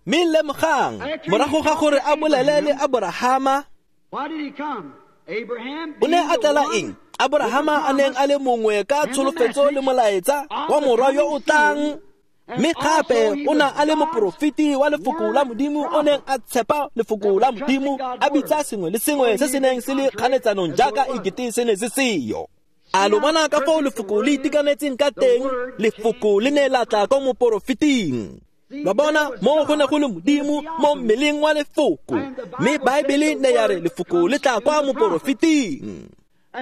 Mme lemogang, morago ga gore a bolele le Abrahama, o ne a tlela eng? Abrahama a neng a le mongwe ka tsholofetso le molaetsa wa morwa yo o tlang, mme gape o ne a le moporofeti wa lefoko la Modimo, o neng a tshepa lefoko la Modimo, a bitsa sengwe le sengwe se se neng se le kganetsanong jaaka ekete se ne se seyo. A lo bona ka foo lefoko le itekanetseng ka teng? Lefoko le ne la tla kwa moporofeting. Lo bona, mo go ne go le Modimo mo mmeleng wa lefoko, mme Baebele ne ya re lefoko le tla kwa moporofeting.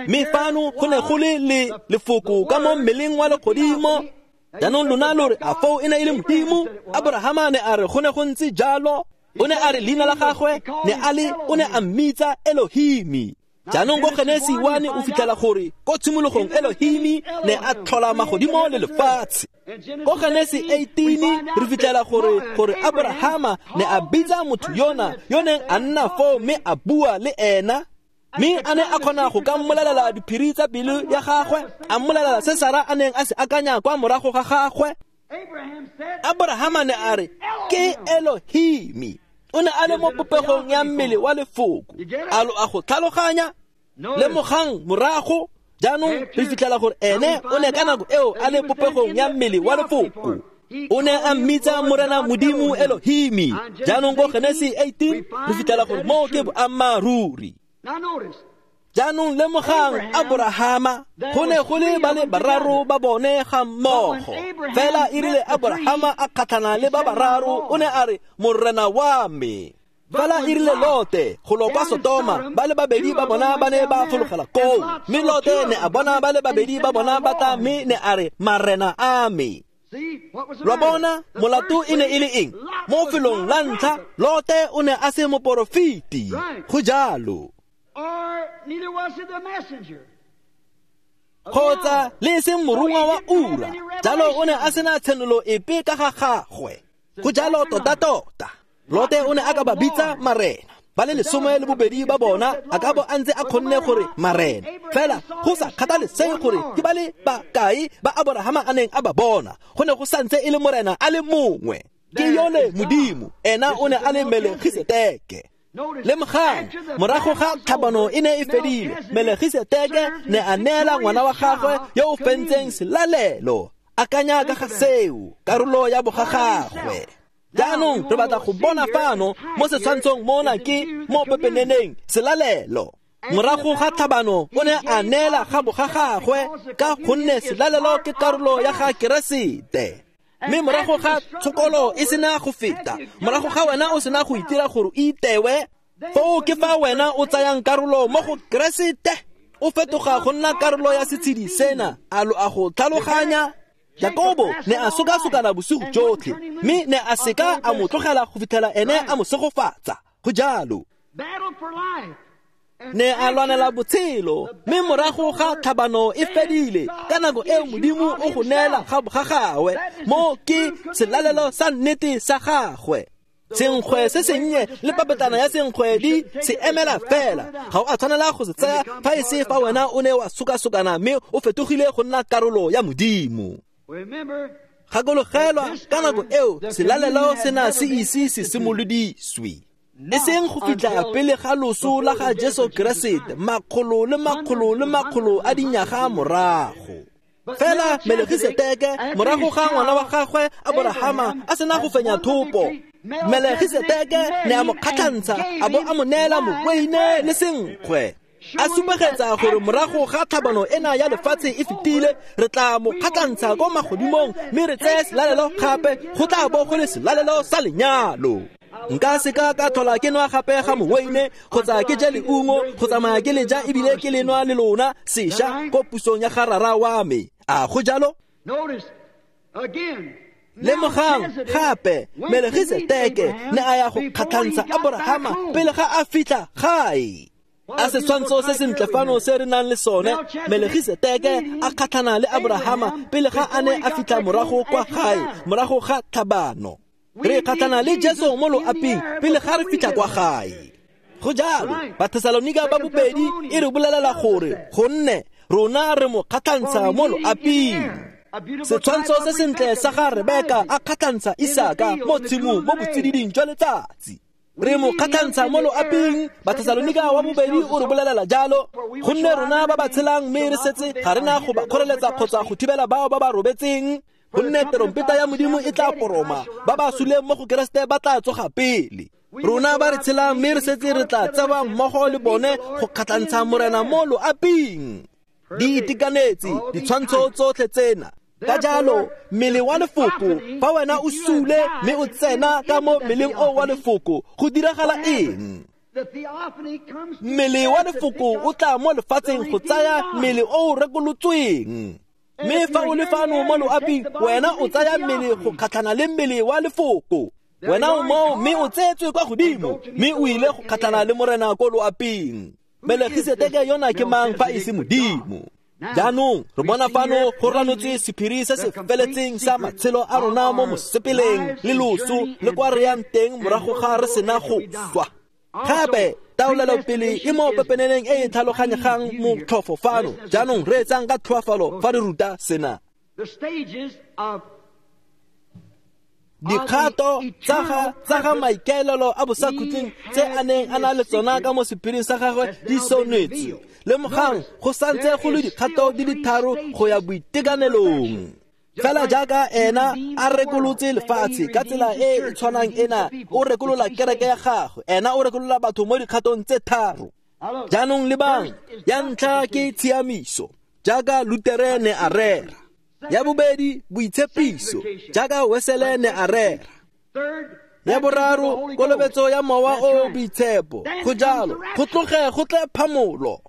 Mme fano go ne go le le lefoko ka mo mmeleng wa legodimo. Jaanong lona lo re, a foo e ne e le Modimo? Abrahama ne a re go ne go ntse jalo. O ne a re leina la gagwe ne a le, o ne a mmitsa Elohimi. Jaanong ko Genesi one o fitlhela gore ko tshimologong Elohimi ne a tlhola magodimo le lefatshe. Ko Genesi eighteen re fitlhela gore gore Abrahama ne a bitsa motho yona yo neng a nna foo mme a bua le ena. Mme a ne a kgona go ka mmolelela diphiri tsa pelo ya gagwe, a mmolelela se Sara a neng a se akanya kwa morago ga gagwe. Abrahama ne a re ke Elohimi. O ne a le mo popegong ya mmele wa lefoko. A lo a go tlhaloganya? Lemogang morago, jaanong re fitlhela gore ene o ne ka nako eo a le popegong ya mmele wa lefoko. O ne a mmitsa Morena Modimo Elohimi. Jaanong ko Genesi eighteen re fitlhela gore moo ke boammaaruri. Jaanong lemogang Abrahama, go ne go le ba le bararo ba bone ga mmogo. Fela e rile Abrahama a kgatlhana le ba bararo, o ne a re, Morena wa me. Fela e rile Lote go lo kwa Sodoma, ba le babedi ba bona ba ne ba fologela koo. Mme Lote ne a bona ba le babedi ba bona ba tla, mme ne a re, Marena a me. Lo bona, molato e ne e le eng? Mo felong la ntlha, Lote o ne a se moporofeti. Go jalo. Kgotsa le e seng morongwa wa ura. Jalo o ne a sena tshenolo epe ka ga gagwe. Go jalo tota-tota. Lote o ne a ka ba bitsa marena. Ba le lesome le bobedi ba bona a ka bo a ntse a kgonne gore marena. Fela go sa kgathalesege gore ke ba le bakae ba Abrahama a neng a ba bona, go ne go santse e le morena a le mongwe. Ke yole Modimo, ena o ne a le Melkisedeke. Lemogang, morago ga tlhabano e ne e fedile, Melkisedeke ne a neela ngwana wa gagwe yo o fentseng selalelo. Akanya ka ga seo, karolo ya bogagagwe. Jaanong re batla go bona fano mo setshwantshong mona ke mo pepeneneng selalelo. Morago ga tlhabano o ne a neela ga bogagagwe ka gonne selalelo ke karolo ya ga Keresete. Mme morago ga tshokolo e sena go feta, morago ga wena o sena go itira gore o itewe, foo ke fa wena o tsayang karolo mo go Keresete, o fetoga go nna karolo ya setshedi sena. A lo a go tlhaloganya? Jakobo ne a sokasokana bosigo jotlhe, mme ne a seka a mo tlogela go fitlhela ene a mo segofatsa. Go jalo. Ne a lwanela botshelo, mme morago ga tlhabano e fedile, ka nako eo Modimo o go neela ga gagwe, mo ke selalelo sa nnete sa gagwe. Senkgwe se sennye le papetlana ya senkgwe di se emela fela. Ga o a tshwanela go se tsaya fa e se fa wena o ne wa sokasokana mme o fetogile go nna karolo ya Modimo. Gakologelwa, ka nako eo selalelo sena se ise se simolodiswe, e seng go fitlha pele ga loso la ga Jesu Keresete, makgolo le makgolo le makgolo a dinyaga morago. Fela Melkisedeke, morago ga ngwana wa gagwe Aborahama a sena go fenya thopo, Melkisedeke ne a mo kgatlhantsha a bo a mo neela moweine le senkgwe, a supegetsa gore morago ga tlhabano ena ya lefatshe e fetile, re tla mo kgatlhantsha ko magodimong mme re tseye selalelo gape, go tla bo go le selalelo sa lenyalo. Nka seka ka tlhola ke nwa gape ga moweine kgotsa ke je leungo go tsamaya ke le ja ebile ke le nwa le lona sešwa ko pusong ya ga rara wa me. A go jalo? Lemogang gape, Melkisedeke ne a ya go kgatlhantsha Aborahama pele ga a fitlha gae. A setshwantsho se sentle fano se re nang le sone, Melkisedeke a kgatlhana le Aborahama pele ga a ne a fitlha morago kwa gae, morago ga tlhabano. Re kgatlhana le Jesu mo loaping pele ga re fitlha kwa gae. Go jalo, Bathesalonika ba bobedi e re bolelela gore gonne rona re mo kgatlhantsha mo loaping. Setshwantsho se sentle sa ga Rebeka a kgatlhantsha Isaka mo tshimong mo botsididing jwa letsatsi. Re mo kgatlhantsha mo loaping, Bathesalonika wa bobedi o re bolelela jalo, gonne rona ba ba tshelang mme re setse ga re na go ba kgoreletsa kgotsa go thibela bao ba ba robetseng. Gonne terompeta ya Modimo e tla poroma, ba ba suleng mo go Keresete ba tla tsoga pele. Rona ba re tshelang mme re setse re tla tsewa mmogo le bone go kgatlhantsha Morena mo loaping. Di itekanetse ditshwantsho tsotlhe tsena. Ka jalo, mmele wa lefoko, fa wena o sule mme o tsena ka mo mmeleng o wa lefoko, go diragala eng? Mmele wa lefoko o tla mo lefatsheng go tsaya mmele o o rekolotsweng. Mme fa o le fano mo loaping, wena o tsaya mmele go kgatlhana le mmele wa lefoko. Wena o moo mme o tseetswe kwa godimo, mme o ile go kgatlhana le Morena ko loaping. Melkisedeke yona ke mang fa e se Modimo? Jaanong re bona fano go ranotswe sephiri se se feletseng sa matshelo a rona mo mosepeleng le loso le kwa re yang teng morago ga re sena go swa. Gape taolelopele e mo pepeneneng e e tlhaloganyegang motlhofo fano. Jaanong re etsang ka tlhoafalo fa re ruta sena. Dikgato tsa ga tsa ga maikaelelo a bosakhutleng tse a neng a na le tsona ka mo sephiring sa gagwe di sonetswe. Lemogang go santse go le dikgato di le tharo go ya boitekanelong. Fela jaaka ena a rekolotse lefatshe ka tsela e e tshwanang ena, o rekolola kereke ya gagwe, ena o rekolola batho mo dikgatong tse tharo. Jaanong lebang, ya ntlha ke tshiamiso, jaaka Lutere ne a rera. Ya bobedi, boitshepiso, jaaka Wesele ne a rera. Ya boraro, kolobetso ya mowa o boitshepo. Go jalo, go tloge go tle phamolo.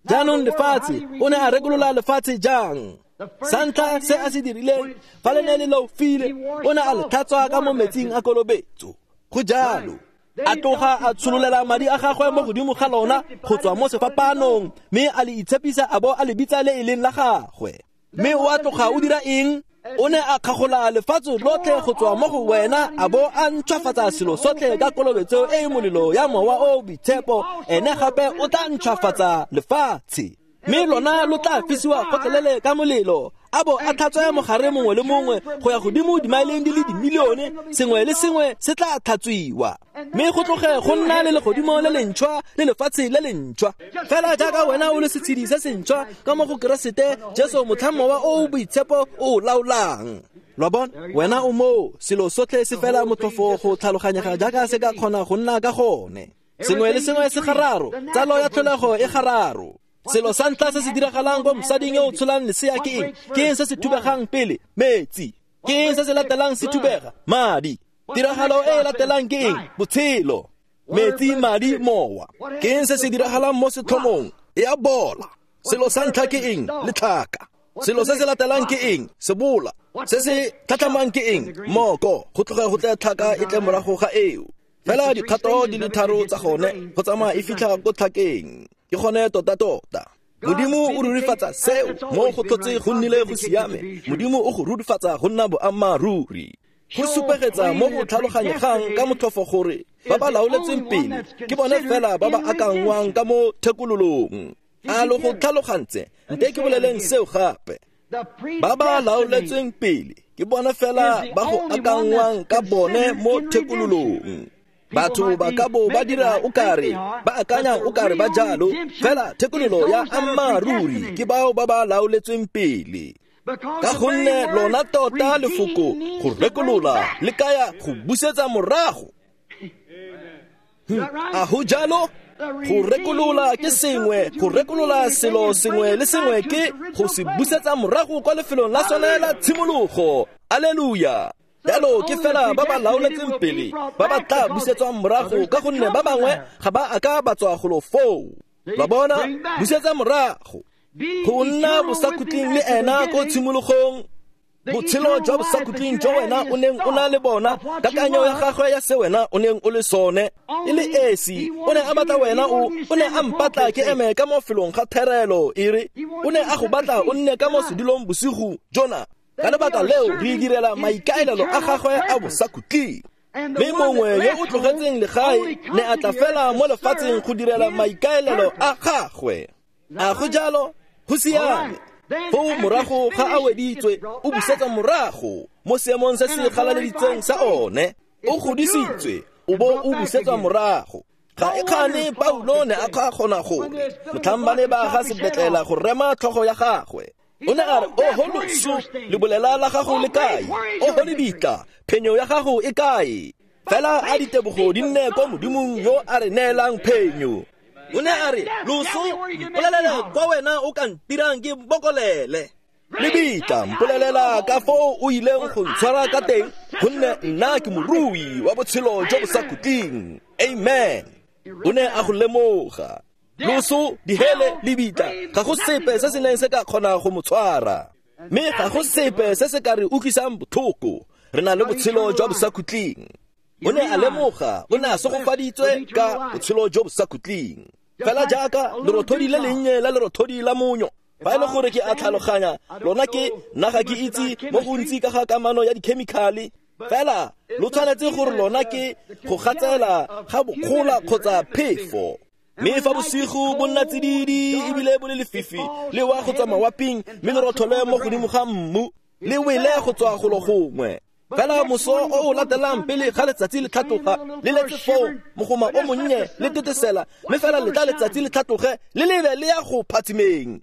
Jaanong lefatshe, o ne a rekolola lefatshe jang? Sa ntlha se a se dirileng, fa le ne le leofile, o ne a le tlhatswa ka mo metsing a kolobetso. Go jalo, a tloga a tshololela madi a gagwe mo godimo ga lona go tswa mo sefapanong, mme a le itshepisa a bo a le bitsa le e leng la gagwe. Mme o a tloga o dira eng? O ne a kgagola lefatshe lotlhe go tswa mo go wena a bo a ntšhwafatsa selo sotlhe ka kolobetso e e molelo ya mowa o boitshepo. Ene gape o tla ntšhwafatsa lefatshe, mme lona lo tla fisiwa gotlhelele ka molelo. a bo a tlhatswe mogare mongwe le mongwe go ya godimo dimaeleng di le dimilione, sengwe le sengwe se tla tlhatswiwa, mme go tloge go nna le legodimo le lentšhwa le lefatshe le lentšhwa. Fela jaaka wena o le setshedi se sentšhwa ka mo go Keresete Jesu, motlhang Mowa o o Boitshepo o o laolang. Lo a bona, wena o moo, selo sotlhe se fela motlhofo go tlhaloganyega jaaka se ka kgona go nna ka gone. Sengwe le sengwe se gararo, tsalo ya tlholego e gararo. Selo sa ntlha se se diragalang ko mosading yo o tsholang lesea ke eng? Ke eng se se thubegang pele? Metsi. Ke eng se se latelang se thubega? Madi. Tiragalo e e latelang ke eng? Botshelo. Metsi, madi, mowa. Ke eng se se diragalang mo setlhomong? E a bola. Selo sa ntlha ke eng? Letlhaka. Selo se se latelang ke eng? Sebola. Se se tlhatlhamang ke eng? Moko. Go tloga go tle tlhaka e tle morago ga eo. Fela dikgato di le tharo tsa gone go tsamaya e fitlha ko tlhakeng. Ke gone tota-tota. Modimo o rurifatsa seo mo go tlhotse go nnile go siame. Modimo o go rurifatsa go nna boammaaruri. Go supegetsa mo go tlhaloganyegang ka motlhofo gore ba ba laoletsweng pele ke bone fela ba ba akangwang ka mo thekololong. A lo go tlhalogantse? Nte ke boleleng seo gape. Ba ba laoletsweng pele ke bone fela ba go akangwang ka bone mo thekololong. Batho ba ka bo ba dira o kare, ba akanya o kare ba jalo, fela thekololo ya ammaaruri ke bao ba ba laoletsweng pele. Ka gonne lona tota lefoko go rekolola le kaya go busetsa morago. A go jalo? Go rekolola ke sengwe, go rekolola selo sengwe le sengwe ke go se busetsa morago kwa lefelong la sone la tshimologo. Alleluia. Jalo ke fela ba ba laoletseng pele ba ba tla busetswang morago, ka gonne ba bangwe ga ba a ka ba tswa golo foo. Lo bona, busetsa morago go nna bosakhutleng le ena ko tshimologong. Botshelo jwa bosakhutleng jo wena o neng o na le bona, kakanyo ya gagwe ya se wena o neng o le sone e le esi. O ne a batla wena o, o ne a mpatla ke eme ka mo felong ga therelo, e re o ne a go batla o nne ka mo sedulong bosigo jona. Ka lebaka leo re direla maikaelelo a gagwe a bosakhutleng. Mme mongwe yo o tlogetseng legae ne a tla fela mo lefatsheng go direla maikaelelo a gagwe. A go jalo? Go siame. Foo morago ga a weditswe, o busetsa morago mo seemong se se galaleditsweng sa one. O godisitswe, o bo o busetsa morago. Ga e kgane Paulo ne a kgona gore motlhang ba ne ba ga sebetlela go rema tlhogo ya gagwe, o ne a re, oho loso, lebolela la gago le kae? Oho lebitla, phenyo ya gago e kae? Fela a ditebogo di nne ko Modimong yo a re neelang phenyo. O ne a re, loso, mpolelela kwa wena o ka ntirang ke bokolele. Lebitla, mpolelela ka foo o ileng go ntshwara ka teng, gonne nna ke morui wa botshelo jo bo sa khutleng. Amen. O ne a go lemoga. Loso, dihele, lebitla, ga go sepe se se neng se ka kgona go mo tshwara. Mme ga go sepe se se ka re utlwisang botlhoko. Re na le botshelo jwa bosakhutleng. O ne a lemoga, o ne a segofaditswe ka botshelo jo bosakhutleng. Fela jaaka lerothodi le lennye la lerothodi la monyo. Fa e le gore ke a tlhaloganya, lona ke nna ga ke itse mo gontsi ka ga kamano ya dikhemikhale. Fela lo tshwanetse gore lona ke go gatsela ga bokgola kgotsa phefo. Mme fa bosigo bo nna tsididi ebile bo le lefifi, le wa go tswa mawaping, mme lerothole mo godimo ga mmu, le wele go tswa golo gongwe. Fela moso o o latelang pele ga letsatsi le tlhatloga, le letse foo mogoma o monnye le tetesela, mme fela letla letsatsi le tlhatloge le lebe le ya go phatsimeng.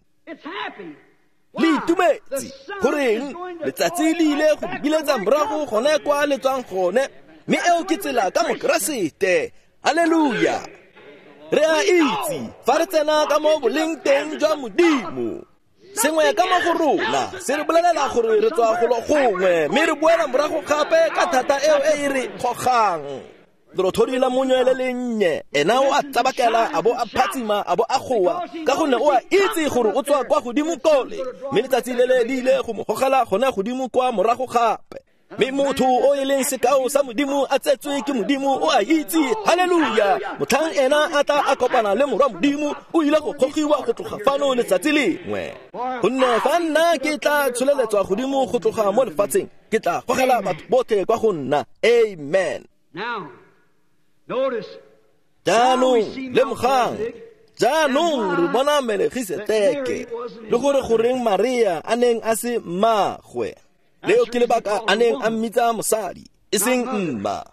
Le itumetse. Goreng? Letsatsi le ile go biletsa morago gone kwa le tswang gone, mme eo ke tsela ka Mokeresete. Alleluia. Re a itse fa re tsena ka mo boleng teng jwa Modimo, sengwe ka mo go rona se re bolelela gore re tswa golo gongwe, mme re boela morago gape ka thata eo e e re gogang. Lerothodi la monyo le lennye, ena o a tsabakela, a bo a phatsima, a bo a goa, ka gonne o a itse gore o tswa kwa godimo kole, mme letsatsi le le le ile go mo gogela gone godimo kwa morago gape. Mme motho o e leng sekao sa Modimo a tsetswe ke Modimo o a itse. Halleluja. Motlhang ena a tla a kopana le morwa Modimo, o ile go gogiwa go tloga fano letsatsi lengwe. Gonne fa nna ke tla tsholeletswa godimo go tloga mo lefatsheng, ke tla gogela batho botlhe kwa go nna. Amen. Jaanong lemogang, Jaanong re bona Melegiseteke le gore goreng Maria a neng a se mmagwe. Leo ke lebaka a neng a mmitsa mosadi, e seng mma.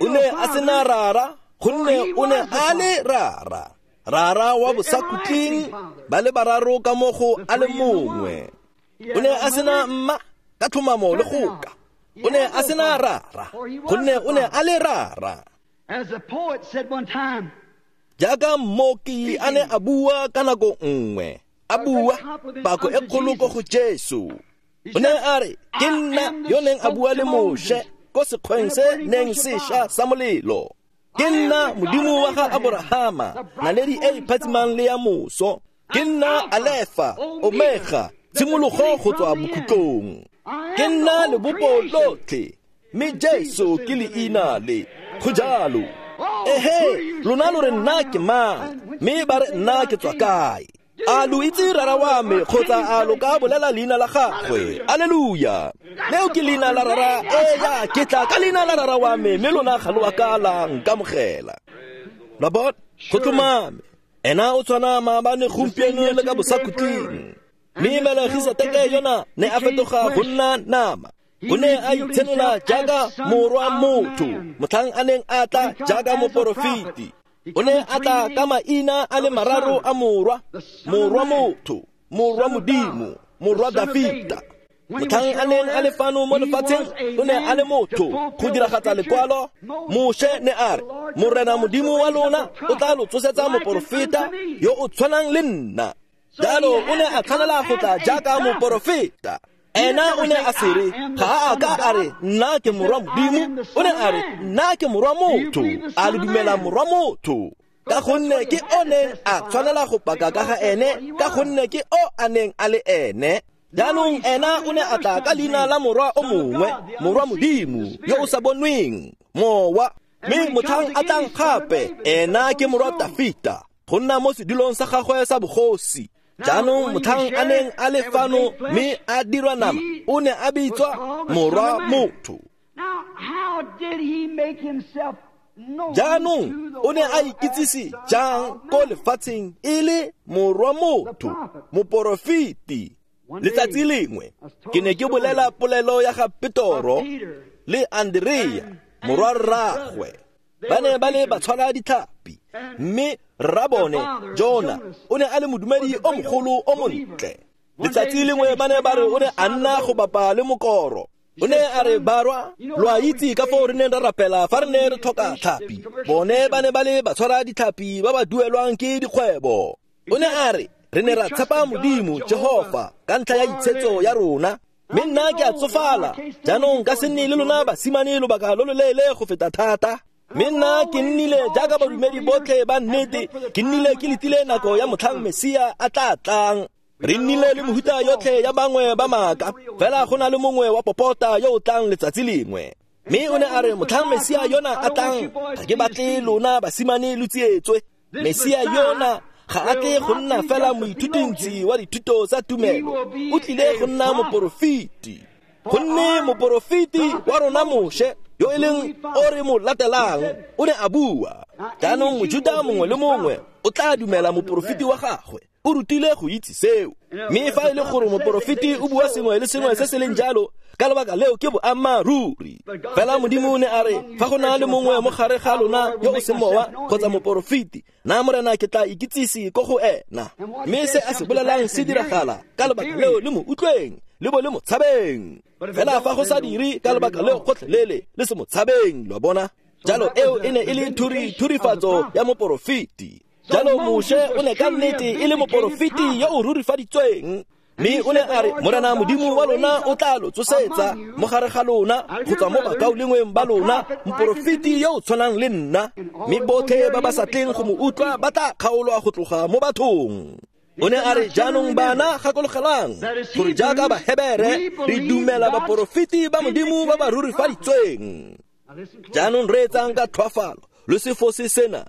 O ne a sena rara, gonne o ne a le rara. Rara wa bosakhutleng ba le bararo ka mo go a le mongwe. O ne a sena mma ka tlhomamo le goka. O ne a sena rara, gonne o ne a le rara. Jaaka mmoki a ne a bua ka nako nngwe, a bua pako e kgolo ko go Jesu. O ne a re, ke nna yo neng a bua le Moshe ko sekgweng se neng sešwa sa molelo. Ke nna Modimo wa ga Aborahama, naledi e e phatsimang le ya moso. Ke nna Alefa, Omega, tshimologo go tswa bokhutlong. Ke nna lebopo lotlhe, mme Jesu ke leina le. Go jalo. Ehe, lona lo re nna ke mang, mme ba re nna ke tswa kae? A lo itse rara wa me kgotsa a lo ka bolela leina la gagwe? Alleluia. Leo ke leina la rara, eya, ke tla ka leina la rara wa me, mme lona ga lo a ka la nkamogela. La bona, go tlhomame. Ena o tshwana maabane, gompieno le ka bosakhutleng. Mme Melegiseteke yona ne a fetoga go nna nama. O ne a itshenola jaaka morwa motho, motlhang a neng a tla jaaka moporofeti. O ne a tla ka maina a le mararo a morwa, morwa motho, morwa Modimo, morwa Dafita. Motlhang a neng a le fano mo lefatsheng, o ne a le motho go diragatsa lekwalo. Moshe ne a re, Morena Modimo wa lona o tla lo tsosetsa moporofeta yo o tshwanang le nna. Jalo o ne a tshwanela go tla jaaka moporofeta. Ena o ne a se re, ga a ka a re, nna ke morwa Modimo. O ne a re, nna ke morwa motho. A lo dumela morwa motho? Ka gonne ke o neng a tshwanela go paka ka ga ene, ka gonne ke o a neng a le ene. Jaanong ena o ne a tla ka leina la morwa o mongwe, morwa Modimo, yo o sa bonweng, mowa. Mme motlhang a tlang gape, ena ke morwa Dafita, go nna mo sedulong sa gagwe sa bogosi. Jaanong motlhang a neng a le fano mme a dirwa nama, o ne a bitswa morwa motho. Jaanong o ne a ikitsise jang ko lefatsheng e le morwa motho, moporofeti? Letsatsi lengwe ke ne ke bolela polelo ya ga Petoro le Andrea, morwa rraagwe. Ba ne ba le batshwara ditlhapi, mme rrabone Jona o ne a le modumedi o mogolo o montle. Letsatsi lengwe ba ne ba re o ne a nna go bapa le mokoro. O ne a re, barwa, lo a itse ka foo re neng ra rapela fa re ne re tlhoka tlhapi. Bone ba ne ba le batshwara ditlhapi ba ba duelwang ke dikgwebo. O ne a re, re ne ra tshepa Modimo Jehofa ka ntlha ya itshetso ya rona. Mme nna ke a tsofala, jaanong ka se nne le lona basimane lobaka lo loleele go feta thata. Mme nna ke nnile jaaka badumedi botlhe ba nnete, ke nnile ke letile nako ya motlhang Mesia a tla tlang. Re nnile le mehuta yotlhe ya bangwe ba maaka, fela go na le mongwe wa popota yo o tlang letsatsi lengwe. Mme o ne a re, motlhang Mesia yona a tlang, ga ke batle lona basimane lo tsietswe. Mesia yona ga a tle go nna fela moithutintsi wa dithuto tsa tumelo, o tlile go nna moporofeti. Gonne moporofeti wa rona Moshe, yo e leng o re mo latelang, o ne a bua. Jaanong Mojuta mongwe le mongwe o tla dumela moporofeti wa gagwe. O rutile go itse seo. Mme fa e le gore moporofeti o bua sengwe le sengwe se se leng jalo, ka lebaka leo ke boammaaruri. Fela Modimo o ne a re, fa go na le mongwe mo gare ga lona yo o seng mowa kgotsa moporofeti, nna Morena ke tla ikitsise ko go ena. Mme se a se bolelang se diragala, ka lebaka leo le mo utlweng, le bo le mo tshabeng. Fela fa go sa dire, ka lebaka leo gotlhelele le se mo tshabeng, lo a bona. Jalo eo e ne e le thuri thurifatso ya moporofeti. Jalo Moshe o ne ka nnete e le moporofeti yo o rurifaditsweng. Mme o ne a re, Morena Modimo wa lona o tla lo tsosetsa mo gare ga lona go tswa mo bakaulengweng ba lona moporofeti yo o tshwanang le nna. Mme botlhe ba ba sa tleng go mo utlwa ba tla kgaolwa go tloga mo bathong. O ne a re, jaanong bana gakologelang gore jaaka Bahebere re dumela baporofeti ba Modimo ba ba rurifaditsweng. Jaanong reetsang ka tlhoafalo, lo se fose sena.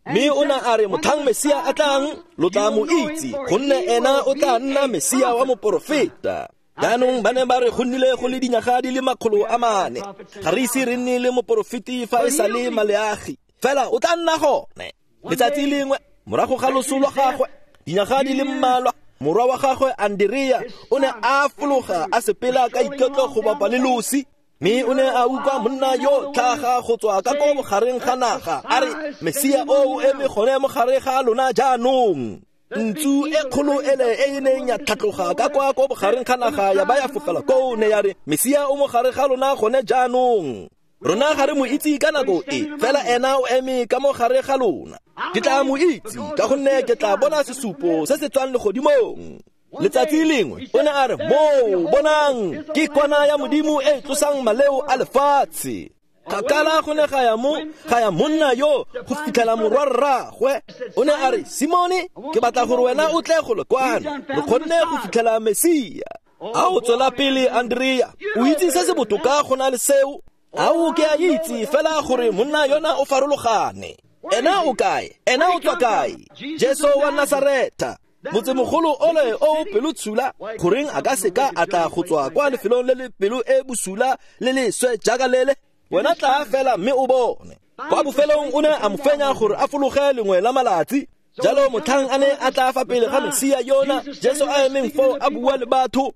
Mme o ne a re, motlhang Mesia a tlang, lo tla mo itse, gonne ena o tla nna Mesia wa moporofeta. Jaanong ba ne ba re go nnile go le dinyaga di le makgolo a mane, ga re ise re nne le moporofeti fa e sa le Maleagi, fela o tla nna gone. Letsatsi lengwe Morago ga loso lwa gagwe, dinyaga di le mmalwa, morwa wa gagwe Andrea o ne a fologa a sepela ka iketlo go bapa le losi, mme o ne a utlwa monna yo tlhaga go tswa ka ko bogareng ga naga a re Mesia o o eme gone mo gare ga lona jaanong. Ntsu e kgolo ele e e neng ya tlhatloga ka kwa ko bogareng ga naga ya ba ya fofela koo, ne ya re Mesia o mo gare ga lona gone jaanong. Rona ga re mo itse ka nako e, fela ena o eme ka mo gare ga lona. Ke tla mo itse ka gonne ke tla bona sesupo se se tswang legodimong. Letsatsi lengwe o ne a re, moo bonang ke kwana ya Modimo e tlosang maleo a lefatshe. Kgakala go ne ga ya mo ga ya monna yo go fitlhela morwarraagwe. O ne a re, Simone, ke batla gore wena o tle go le kwano, re kgonne go fitlhela Mesia. A o tswela pele, Andrea, o itse se se botoka go na le seo? A o ke a itse fela gore monna yona o farologane. Ena o kae? Ena o tswa kae? Jesu wa Nasaretha, motsemogolo ole o pelotshula, goreng a ka seka a tla go tswa kwa lefelong le le pelo e bosula le leswe jaaka lele? Wena tla fela mme o bone. Kwa bofelong o ne a mo fenya gore a fologe lengwe la malatsi. Jalo motlhang a ne a tla fa pele ga Mesia yona, Jesu a emeng foo a bua le batho.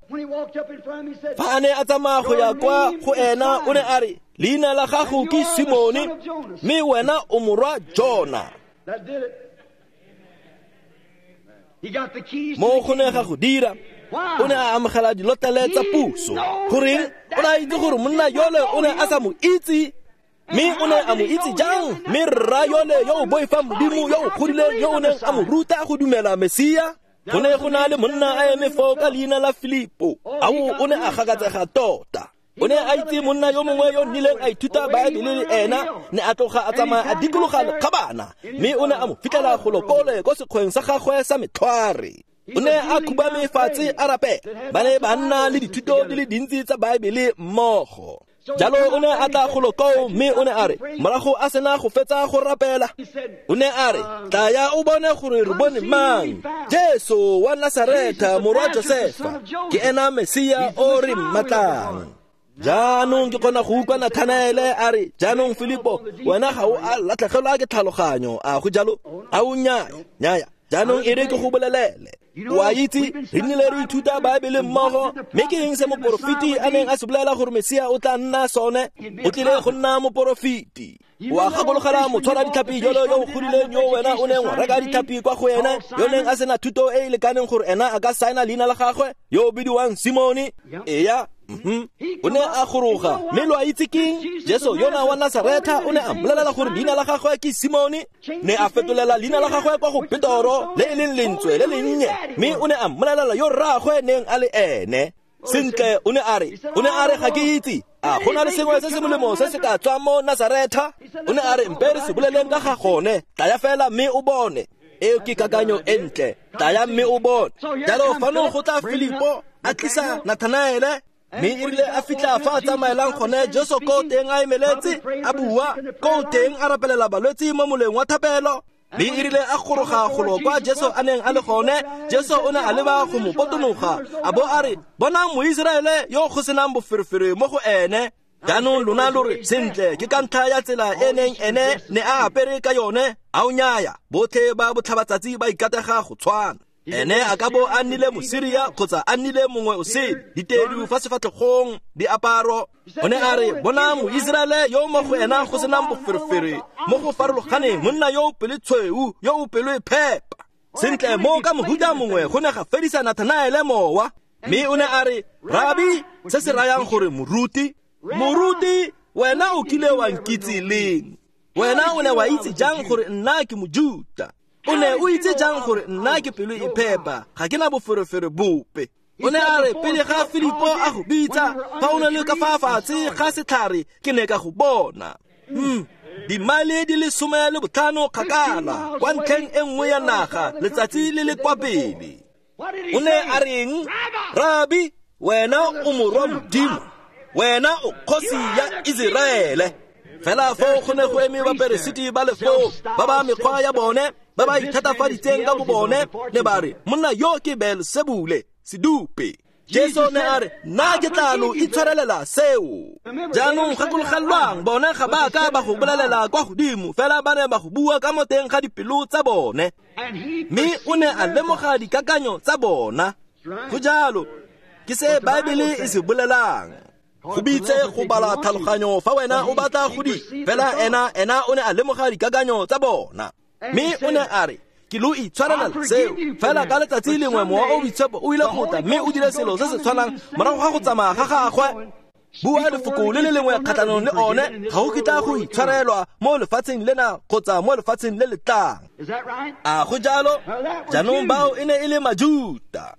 Fa a ne a tsamaya go ya kwa go ena, o ne a re, leina la gago ke Simone, mme wena o morwa Jona. Mo go ne ga go dira, o ne a amogela dilotlele tsa puso. Goreng? O ne a itse gore monna yole o ne a sa mo itse. Mme o ne a mo itse jang? Mme rra yole yo o boifang Modimo, yo o godileng, yo o neng a mo ruta go dumela Mesia. Go ne go na le monna a eme foo ka leina la Filipo. Ao, o ne a gakatsega tota. O ne a itse monna yo mongwe yo nnileng a ithuta Baebele le ena, ne a tloga a tsamaya a dikologa lekgabana, mme o ne a mo fitlhela golo kole ko sekgweng sa gagwe sa metlhware. O ne a khubame fatshe a rapela. Ba ne ba nna le dithuto di le dintsi tsa Baebele mmogo. Jalo o ne a tla golo koo, mme o ne a re, morago a sena go fetsa go rapela, o ne a re, tlaya o bone gore re bone mang, Jesu wa Nasaretha, morwa Josefa, ke ena Mesia o re mmatlang. Jaanong ke kgona go utlwa Nathanaele a re, jaanong Filipo, wena ga o a latlhegelwa ke tlhaloganyo, a go jalo? A o nnyaya, nnyaya. Jaanong e re ke go bolelele. O a itse, re nnile re ithuta Baebele mmogo, mme ke eng se moporofeti a neng a se bolela gore Mesia o tla nna sone? O tlile go nna moporofeti. O a gakologela motshwara ditlhapi jalo yo o godileng yo wena o neng wa reka ditlhapi kwa go ena, yo neng a sena thuto e e lekaneng gore ena a ka saena leina la gagwe, yo o bidiwang Simone? Eya. Mm-hmm. O ne a goroga, mme lo a itse keng? Jesu yona wa Nasaretha o ne a mmolelela gore leina la gagwe ke Simone. Ne a fetolela leina la gagwe kwa go Petoro, le e leng lentswe le lennye, mme o ne a mmolelela yo rraagwe neng a le ene. Sentle, o ne a re, o ne a re ga ke itse, a go na le sengwe se se molemo se se ka tswang mo Nasaretha? O ne a re, mpe re se boleleng ka ga gone, tlaya fela mme o bone. Eo ke kakanyo e ntle, tlaya mme o bone. Jalo fano go tla Filipo a tlisa Nathanaele, mme e rile a fitlha fa a tsamaelang gone, Jesu ko teng a emeletse, a bua, ko teng a rapelela balwetse mo moleng wa thapelo. Mme e rile a goroga golo kwa Jesu a neng a le gone, Jesu o ne a leba go mo potonoga, a bo a re, bonang Moiseraele yo go senang boferefere mo go ene. Jaanong lona lo re, sentle, ke ka ntlha ya tsela e neng ene ne a apere ka yone. A o nnyaya, botlhe ba botlhabatsatsi ba ikatega go tshwana. Ene a ka bo a nnile Mosiria kgotsa a nnile mongwe o sele, ditedu fa sefatlhegong, diaparo. O ne a re, bonang Moiseraele yo mo go ena go senang boferefere mo go farologaneng, monna yo o pelotshweu, yo o pelo e phepa. Sentle, mo ka mohuta mongwe go ne ga fedisa Nathanaele mowa. Mme o ne a re, Rabi, se se rayang gore moruti, moruti, wena o kile wa nkitse leng? Wena o ne wa itse jang gore nna ke Mojuta? O ne o itse jang gore nna ke pelo e phepa, ga ke na boferefere bope? O ne a re, pele ga Filipo a go bitsa, fa o ne le ka fa fatshe ga setlhare, ke ne ka go bona. Hmm. Dimaele di le some le botlhano kgakala, kwa ntlheng e nngwe ya naga, letsatsi le le kwa pele. O ne a reng? Rabi, wena o morwa Modimo, wena o kgosi ya Iseraele. Fela foo go ne go eme baperesiti ba le foo, ba ba mekgwa ya bone, ba ba ithatafaditseng ka bo bone, ne ba re, monna yo ke Beelsebule, sedupe. Jesu ne a re nna ke tla lo itshwarelela seo. Jaanong gakologelwang bone ga ba ka ba go bolelela kwa godimo, fela ba ne ba go bua ka mo teng ga dipelo tsa bone. Mme o ne a lemoga dikakanyo tsa bona. Go jalo, ke se Baebele e se bolelang. Go bitse go bala tlhaloganyo fa wena o batla go di, fela ena ena o ne a lemoga dikakanyo tsa bona. Mme o ne a re ke lo itshwarelela seo, fela ka letsatsi lengwe mowa o boitshepo o ile go tla mme o dire selo se se tshwanang morago ga go tsamaya ga gagwe. Bua lefoko le le lengwe kgatlhanong le one, ga go kitla go itshwarelwa mo lefatsheng lena kgotsa mo lefatsheng le le tlang. A go jalo? Jaanong bao e ne e le Majuta.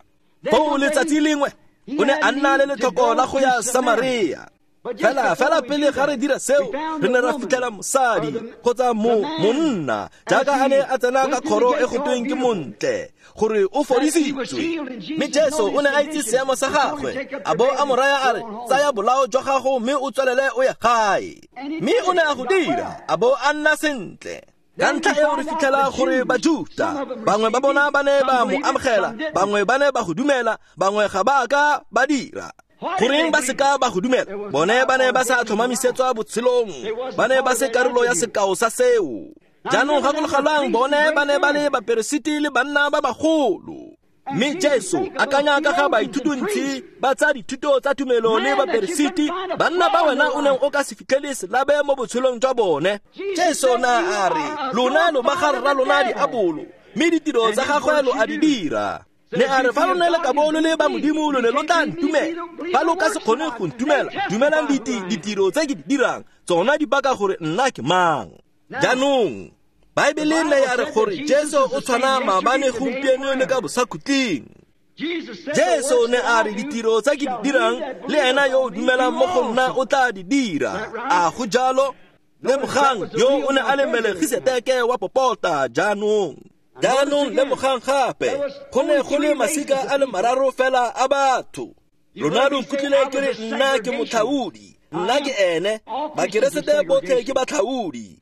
Foo letsatsi lengwe o ne a nna le letlhoko la go ya Samaria. Fela fela pele ga re dira seo, re ne ra fitlhela mosadi kgotsa mo monna jaaka a ne a tsena ka kgoro e go tweng ke montle gore o fodisitswe. Mme Jesu o ne a itse seemo sa gagwe, a bo a mo raya a re tsaya bolao jwa gago mme o tswelele o ye gae. Mme o ne a go dira, a bo a nna sentle. Ka ntlha eo re fitlhela gore Bajuta bangwe ba bona ba ne ba mo amogela, bangwe ba ne ba go dumela, bangwe ga ba ka ba dira. Goreng ba seka ba go dumela? Bone ba ne ba sa tlhomamisetswa botshelong, ba ne ba se karolo ya sekao sa seo. Jaanong gakologelwang bone ba ne ba le baperesiti le banna ba bagolo. Mme Jesu akanya ka ga baithutuntshi ba tsa dithuto tsa tumelo le baperesiti, banna ba wena o neng o ka se fitlhele selabe mo botshelong jwa bone. Jesu na a re lona lo ba ga rra lona diabolo, mme ditiro tsa gagwe lo a di dira. Ne a re fa lo ne le ka bo lo le ba Modimo lo ne lo tla ntumela. Fa lo ka se kgone go ntumela, dumelang ditiro tse ke di dirang, tsona di baka gore nna ke mang. Jaanong Baebele ne ya re gore Jesu o tshwana maabane, gompieno le ka bosakhutleng. Jesu ne a re ditiro tse ke di dirang le ena yo o dumelang mo go nna o tla di dira. A go jalo? Lemogang yo o ne a le Melkisedeke wa popota. Jaanong Jaanong lemogang gape, go ne go le masika a le mararo fela a batho. Lona lo nkutlwile ke re nna ke motlhaodi, nna ke ene. Bakeresete botlhe ke batlhaodi.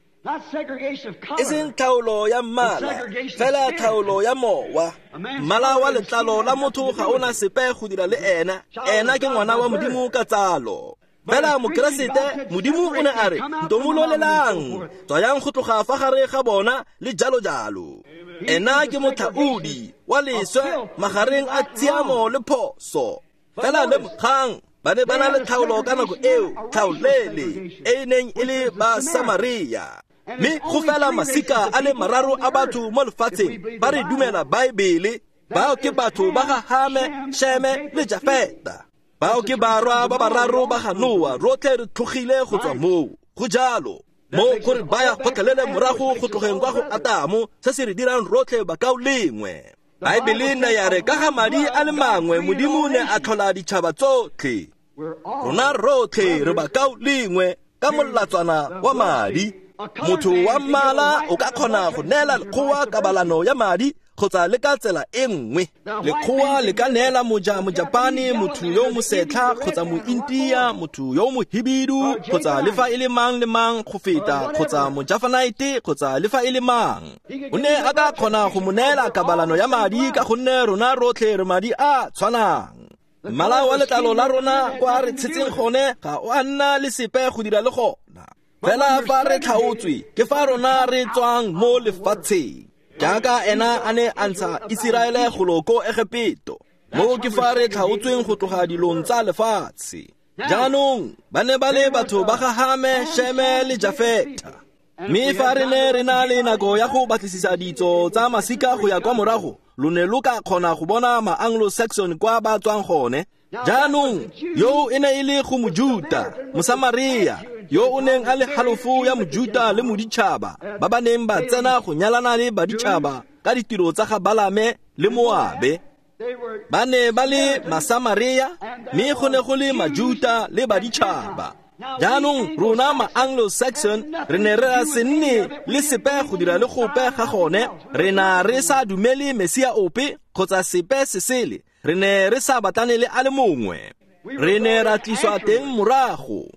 E seng tlhaolo ya mmala, fela tlhaolo ya mowa. Mmala wa letlalo la motho ga ona sepe go dira le ena. Ena ke ngwana wa Modimo ka tsalo. Fela Mokeresete, Modimo o ne a re ntomololelang, tswayang go tloga fa gare ga bona le jalo jalo. Ena ke motlhaodi wa leswe magareng a tshiamo le phoso. Fela lemogang ba ne ba na le tlhaolo ka nako eo, tlhaolele e e neng e le ba Samaria. Mme go fela masika a le mararo a batho mo lefatsheng ba re dumela Baebele. Bao ke batho ba ga Hame, Sheme le Jafeta. Bao ke barwa ba bararo ba ga Noa. Rotlhe re tlogile go tswa moo. Go jalo mo gore ba ya gotlhelele morago go tlogeng kwa go Atamo, se se re dirang rotlhe bakaulengwe. Baebele ne ya re ka ga madi a le mangwe Modimo ne a tlhola ditšhaba tsotlhe. Rona rotlhe re bakaulengwe ka molatswana wa madi. Motho wa mmala o ka kgona go neela lekgowa kabalano ya madi kgotsa le ka tsela e nngwe. Lekgowa le ka neela moja Mojapane, motho yo mosetlha kgotsa Mointia, motho yo mohibidu kgotsa le fa e le mang le mang go feta, kgotsa Mojafanaite kgotsa le fa e le mang. O ne a ka kgona go mo neela kabalano ya madi ka gonne rona rotlhe re madi a tshwanang. Mmala wa letlalo la rona kwa re tshetseng gone ga o a nna le sepe go dira le gona. Fela fa re tlhaotswe ke fa rona re tswang mo lefatsheng. Jaaka ena a ne a ntsha Iseraele golo ko Egepeto, mo ke fa re tlhaotsweng go tloga dilong tsa lefatshe. Jaanong ba ne ba le batho ba ga Hame, Sheme le Jafeta. Mme fa re ne re na le nako ya go batlisisa ditso tsa masika go ya kwa morago, lo ne lo ka kgona go bona ma-Anglo-Saxon kwa ba tswang gone. Jaanong yo e ne e le go Mojuta, Mosamaria, yo o neng a le halofo ya Mojuta le moditšhaba ba ba neng ba tsena go nyalana le baditšhaba ka ditiro tsa ga Balame le Moabe. Ba ne ba le Masamaria, mme go ne go le Majuta le baditšhaba. Jaanong rona ma-Anglo-Saxon re ne re se nne le sepe go dira le gope ga gone. Re na re sa dumele Mesia ope kgotsa sepe se sele. Re ne re sa batlane le a le mongwe. Re ne ra tliswa teng morago.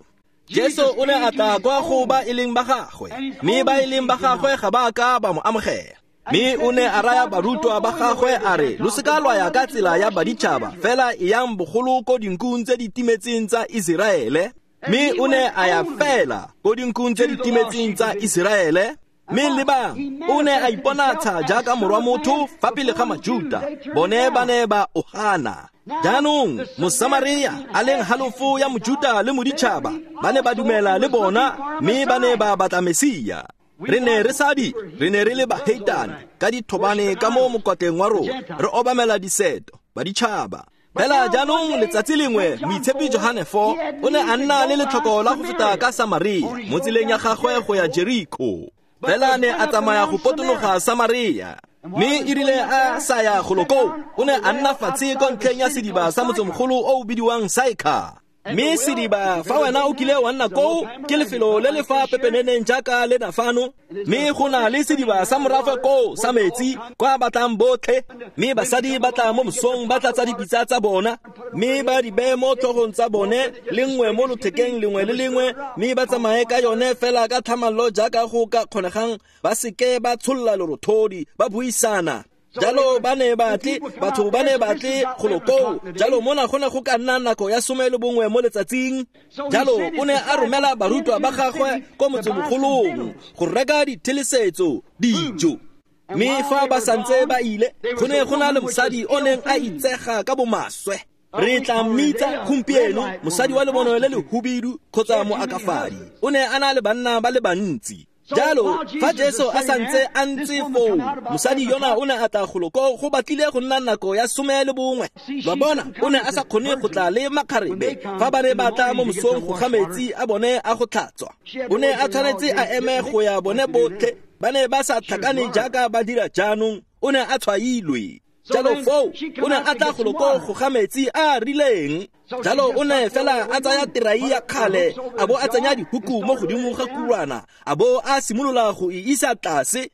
Jesu o ne a tla kwa go ba e leng ba gagwe, mme ba e leng ba gagwe ga ba ka ba mo amogela. Mme o ne a raya barutwa ba gagwe a re, lo seka lwa ya ka tsela ya baditšhaba, fela e yang bogolo ko dinkung tse di timetseng tsa Iseraele. Mme o ne a ya fela ko dinkung tse di timetseng tsa Iseraele. Mme lebang, o ne a iponatsha jaaka morwa motho fa pele ga Majuta, bone ba ne ba o gana. Jaanong Mosamaria a leng halofo ya Mojuta le moditšhaba ba ne ba dumela le bona, mme ba ne ba batla Mesia. Re ne re sa di, re ne re le baheitane ka dithobane ka mo mokotleng wa rona, re obamela diseto baditšhaba. Fela jaanong letsatsi lengwe moitshepi Johane four o ne a nna le letlhoko la go feta ka Samaria mo tseleng ya gagwe go ya Jeriko. Fela ne a tsamaya go potologa Samaria, mme e rile a sa ya golo koo, o ne a nna fatshe ko ntlheng ya sediba sa motsemogolo o o bidiwang Saikha. Mme sediba, fa wena o kile wa nna koo, ke lefelo le le fa pepeneneng jaaka lena fano. Mme go na le sediba sa morafe koo sa metsi kwa batlang botlhe. Mme basadi ba tla mo mosong ba tlatsa dipitsa tsa bona, mme ba di beye mo tlhogong tsa bone, le nngwe mo lothekeng lengwe le lengwe, mme ba tsamaye ka yone fela ka tlhamallo jaaka go ka kgonegang, ba seke ba tsholla lerothodi, ba buisana. Jalo ba ne ba tle, batho ba ne ba tle golo koo. Jalo mona go ne go ka nna nako ya some le bongwe mo letsatsing. Jalo o ne a romela barutwa ba gagwe ko motsemogolong go reka dithelesetso, dijo. Mme fa ba santse ba ile, go ne go na le mosadi o neng a itsega ka bomaswe. Re tla mmitsa gompieno mosadi wa lebono le le hubidu kgotsa moakafadi. O ne a na le banna ba le bantsi. Jalo fa Jesu a santse a ntse foo, mosadi yona o ne a tla golo koo go batlile go nna nako ya some le bongwe. Lwa bona, o ne a sa kgone go tla le makgarebe fa ba ne ba tla mo mosong go ga metsi a bone a go tlhatswa. O ne a tshwanetse a eme go ya bone botlhe, ba ne ba sa tlhakane jaaka ba dira jaanong. O ne a tshwailwe. Jalo foo o ne a tla golo koo go ga metsi a a rileng. Jalo o ne fela a tsaya terai ya kgale, a bo a tsenya dihuku mo godimo ga kurwana, a bo a simolola go e isa tlase.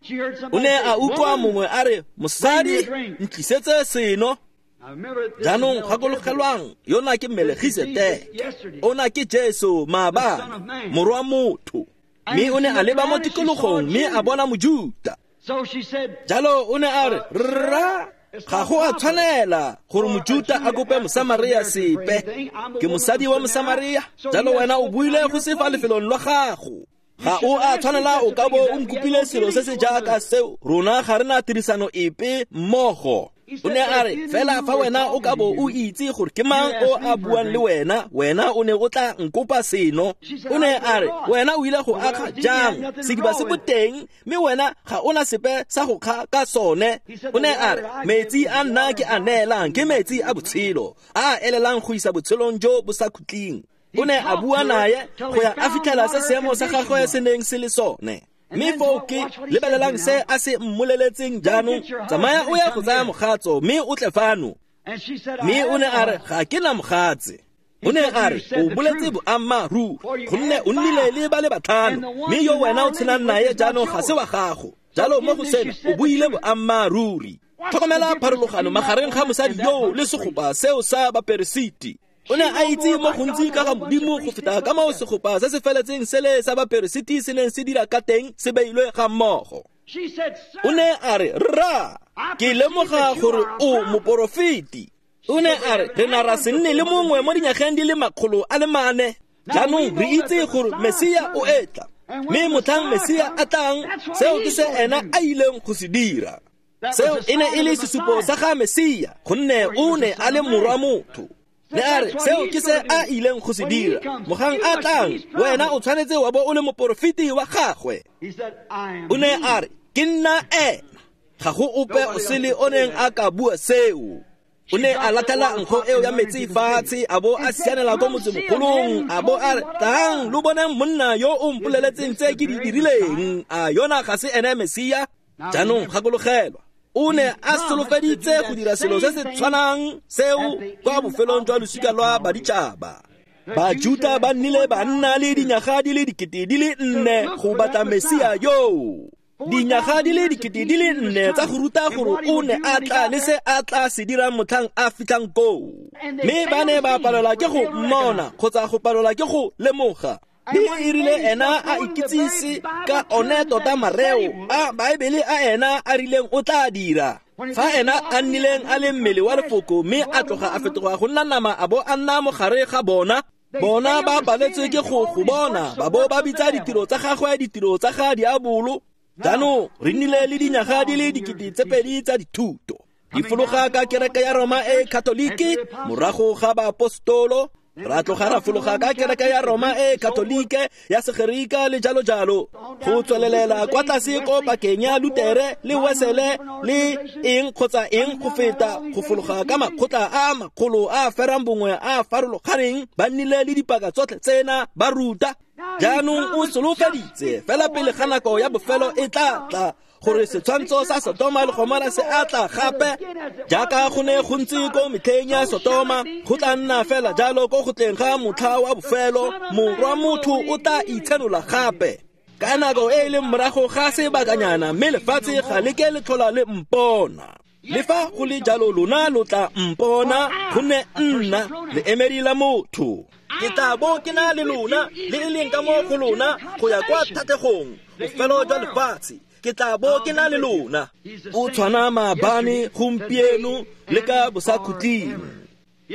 O ne a utlwa mongwe a re, mosadi, ntlisetse seno. Jaanong gakologelwang, yona ke Melegiseteke, ona ke Jesu maabane, morwa motho. Mme o ne a leba mo tikologong mme a bona Mojuta. Jalo o ne a re, rra, ga go a tshwanela gore Mojuta a kope Mosamaria sepe. Ke mosadi wa Mosamaria, jalo wena o buile go se fa lefelong lwa gago. Ga o a tshwanela o ka bo o nkopile selo se se jaaka seo, rona ga re na tirisano epe mmogo. O ne a re, fela fa wena o ka bo o itse gore ke mang o a buang le wena, wena o ne o tla nkopa seno. O ne a re, wena o ile go akga jang? Sediba se boteng, mme wena ga ona sepe sa go kga ka sone. O ne a re, metsi a nna ke a neelang ke metsi a botshelo, a a elelang go isa botshelong jo bo sa khutleng. O ne a bua naye go ya a fitlhela se seemo sa gagwe se neng se le sone. Mme foo ke lebelelang se a se mmoleletseng jaanong, tsamaya o ya go tsaya mogatso mme o tle fano. Mme o ne a re, ga ke na mogatse. O ne a re, o boletse boammaaruri, gonne o nnile le ba le batlhano, mme yo wena o tshelang naye jaanong ga se wa gago. Jalo mo go sena o buile boammaaruri. Tlhokomela pharologano magareng ga mosadi yoo le segopa seo sa baperesiti. O ne a itse mo gontsi ka ga Modimo go feta ka moo segopa se se feletseng sele sa baperesiti se neng se dira ka teng se beilwe ga mmogo. O ne a re, rra, ke lemoga gore o moporofeti. O ne a re, re na ra se nne le mongwe mo dinyageng di le makgolo a le mane. Jaanong re itse gore Mesia o etla, mme motlhang Mesia a tlang, seo ke se ena a ileng go se dira. Seo e ne e le sesupo sa ga Mesia, gonne o ne a le morwa motho. Ne a re, seo ke se a ileng go se dira. Mogang a tlang, wena o tshwanetse wa bo o le moporofeti wa gagwe. O ne a re, ke nna ena. Ga go ope o sele o neng a ka bua seo. O ne a latlhela nkgo eo ya metsi fatshe, a bo a sianela ko motsemogolong, a bo a re, tlang lo boneng monna yo o mpoleletseng tse ke di dirileng. A yona ga se ene Mesia? Jaanong gakologelwa, o ne a solofeditse go dira selo se se tshwanang seo kwa bofelong jwa losika lwa baditšhaba. Bajuta ba nnile ba nna le dinyaga di le dikete di le nne go batla Mesia yoo. Dinyaga di le dikete di le nne tsa go ruta gore o ne a tla le se a tla se dirang motlhang a fitlhang koo. Mme ba ne ba palelwa ke go mmona kgotsa go palelwa ke go lemoga. Mme e rile ena a ikitsise ka one tota mareo a Baebele a ena a rileng o tla dira. Fa ena a nnileng a le mmele wa lefoko mme a tloga a fetoga go nna nama a bo a nna mogare ga bona, bona ba paletswe ke go go bona, ba bo ba bitsa ditiro tsa gagwe ditiro tsa ga diabolo. Jaanong re nnile le dinyaga di le dikete tse pedi tsa dithuto di fologa ka kereke ya Roma e Katoliki morago ga baapostolo, ra tloga ra fologa ka kereke ya Roma e Katolike ya Segerika le jalo jalo, go tswelelela kwa tlase ko pakeng ya Lutere le Wesele le eng kgotsa eng go feta, go fologa ka makgotla a makgolo a ferang bongwe a farologaneng, ba nnile le dipaka tsotlhe tsena ba ruta. Jaanong o solofeditse fela pele ga nako ya bofelo e tla tla gore setshwantsho sa Sotoma le Gomora se a tla gape, jaaka go ne go ntse ko metlheng ya Sotoma, go tla nna fela jalo ko go tleng ga motlha wa bofelo, morwa motho o tla itshenola gape. Ka nako e e leng morago ga sebakanyana, mme lefatshe ga le ke le tlhola le mpona. Le fa go le jalo lona lo tla mpona, gonne nna leemedi la motho ke tla bo ke na le lona, le e leng ka mo go lona go ya kwa thategong, bofelo jwa lefatshe. Ke tla bo ke na le lona. O tshwana maabane, gompieno le ka bosakhutleng.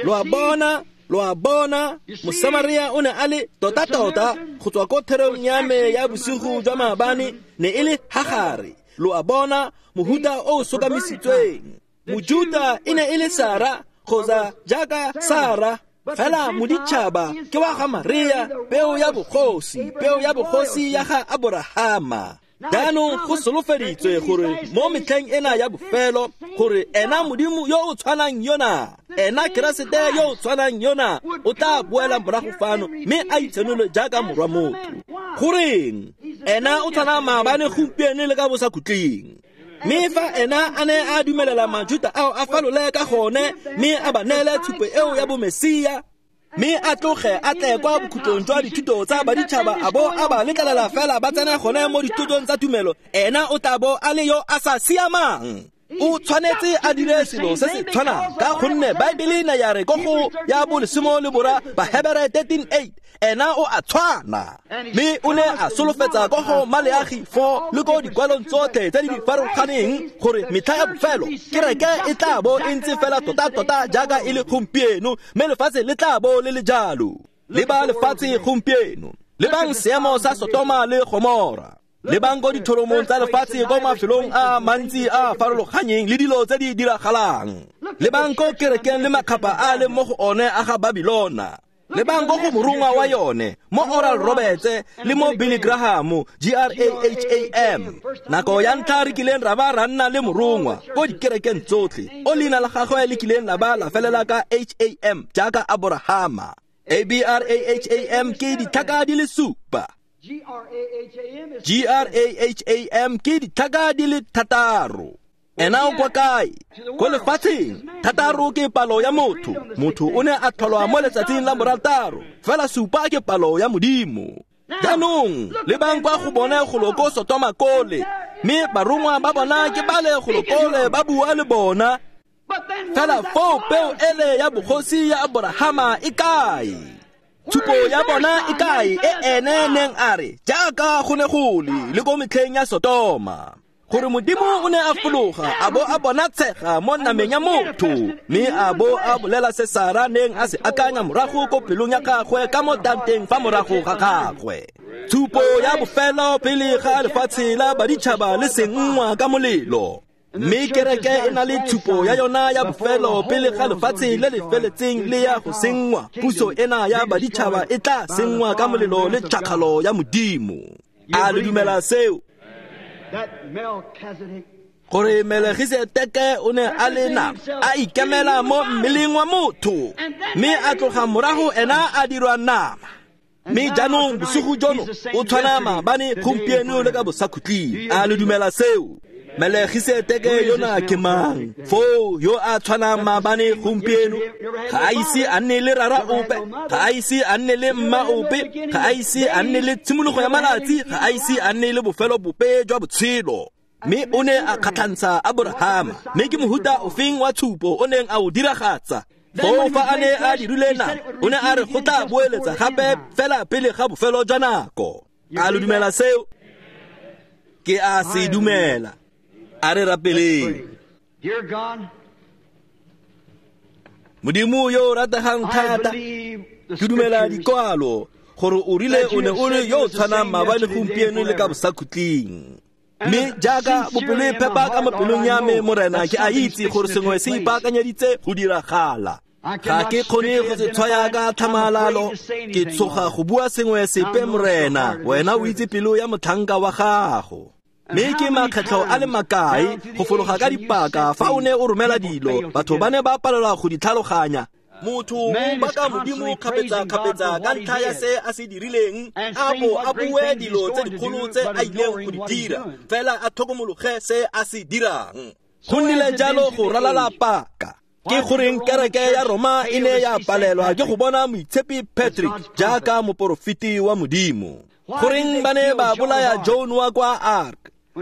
Lo a bona, lo a bona, Mosamaria o ne a le tota-tota go tswa ko therong ya me ya bosigo jwa maabane, ne e le Hagare. Lo a bona, mohuta o o sokamisitsweng. Mojuta e ne e le Sara kgotsa jaaka Sara, fela moditšhaba ke wa ga Maria, peo ya bogosi, peo ya bogosi ya ga Aborahama. Jaanong go solofeditswe gore mo metlheng ena ya bofelo, gore ena Modimo yo o tshwanang yona, ena Keresete yo o tshwanang yona, o tla boela morago fano mme a itshenole jaaka morwa motho. Goreng? Ena o tshwana maabane, gompieno le ka bosakhutleng. Mme fa ena a ne a dumelela Majuta ao a falole ka gone, mme a ba neele tshupo eo ya bomesia, mme a tloge a tle kwa bokhutlong jwa dithuto tsa baditšhaba a bo a ba letlelela fela ba tsena gone mo dithutong tsa tumelo, ena o tla bo a le yo a sa siamang. O tshwanetse a dire selo se se tshwanang, ka gonne Baebele ne ya re ko go ya bolesome le bora Bahebere thirteen eight, ena o a tshwana. Mme o ne a solofetsa ko go Maleagi four le ko dikwalong tsotlhe tse di farologaneng gore metlha ya bofelo kereke e tla bo e ntse fela tota-tota jaaka e le gompieno, mme lefatshe le tla bo le le jalo. Leba lefatshe gompieno, lebang seemo sa Sotoma le Gomora, lebang ko dithoromong tsa lefatshe ko mafelong a mantsi a farologanyeng le dilo tse di diragalang, lebang ko kerekeng le makgapha a leng mo go one a ga Babilona, lebang ko go morongwa wa yone mo Oral Roberts le mo Billy Graham, G R A H A M. Nako ya ntlha re kileng ra ba ra nna le morongwa ko dikerekeng tsotlhe o leina la gagwe le kileng la ba la felela ka H A M jaaka Aborahama. A B R A H A M ke ditlhaka di le supa. G R A H A M ke ditlhaka di le thataro. Ena o kwa kae? Ko lefatsheng. Thataro ke palo ya motho. Motho o ne a tlholwa mo letsatsing la borataro, fela supa ke palo ya Modimo. Jaanong lebang kwa go bone golo ko Sotoma kole, mme barongwa ba bona ke bale golo kole ba bua le bona. Fela foo peo ele ya bogosi ya Aborahama e kae? Tshupo ya bona e kae e ene neng a re jaaka go ne go le le ko metlheng ya Sotoma, gore Modimo o ne a fologa a bo a bona tshega mo nameng ya motho, mme a bo a bolela se Sara neng a se akanya morago ko pelong ya gagwe ka mo tanteng fa morago ga gagwe. Tshupo ya bofelo pele ga lefatshe la baditšhaba le senngwa ka molelo. Mme kereke e na le tshupo ya yona ya bofelo pele ga lefatshe le le feletseng le ya go senngwa. Puso ena ya baditšhaba e tla senngwa ka molelo le tšhakgalo ya Modimo. A le dumela seo? Gore Melkisedeke o ne a le nama, a ikemela mo mmeleng wa motho, mme a tloga morago ena a dirwa nama. Mme jaanong bosigo jono o tshwana maabane, gompieno le ka bosakhutleng. A le dumela seo? Melkisedeke yona ke mang? Foo yo a tshwanang maabane, gompieno, ga a ise a nne le rara ope, ga a ise a nne le mma ope, ga a ise a nne le tshimologo ya malatsi, ga a ise a nne le bofelo bope jwa botshelo. Mme o ne a kgatlhantsha Aborahama. Mme ke mohuta ofeng wa tshupo o neng a o diragatsa? Foo fa a ne a dirile nama, o ne a re go tla boeletsa gape fela pele ga bofelo jwa nako. A lo dumela seo? Ke a se dumela. A re rapeleng. Modimo yo o rategang thata, ke dumela dikwalo gore o rile o ne o le yo o tshwanang maabane, gompieno le ka bosakhutleng. Mme jaaka bopelo e phepa ka mo pelong ya me, Morena, ke a itse gore sengwe se ipaakanyeditse go diragala. Ga ke kgone go se tshwaya ka tlhamalalo, ke tshoga go bua sengwe sepe, Morena. Wena o itse pelo ya motlhanka wa gago. Mme ke makgetlho a le makae go fologa ka dipaka fa o ne o romela dilo, batho ba ne ba palelwa go di tlhaloganya. Motho o baka Modimo kgapetsa-kgapetsa ka ntlha ya se a se dirileng, a bo a bue dilo tse dikgolo tse a ileng go di dira, fela a tlhokomologe se a se dirang. Go nnile jalo go ralala paka. Ke goreng kereke ya Roma e ne ya palelwa ke go bona Moitshepi Patrick jaaka moporofeti wa Modimo? Goreng ba ne ba bolaya Joan wa kwa Ark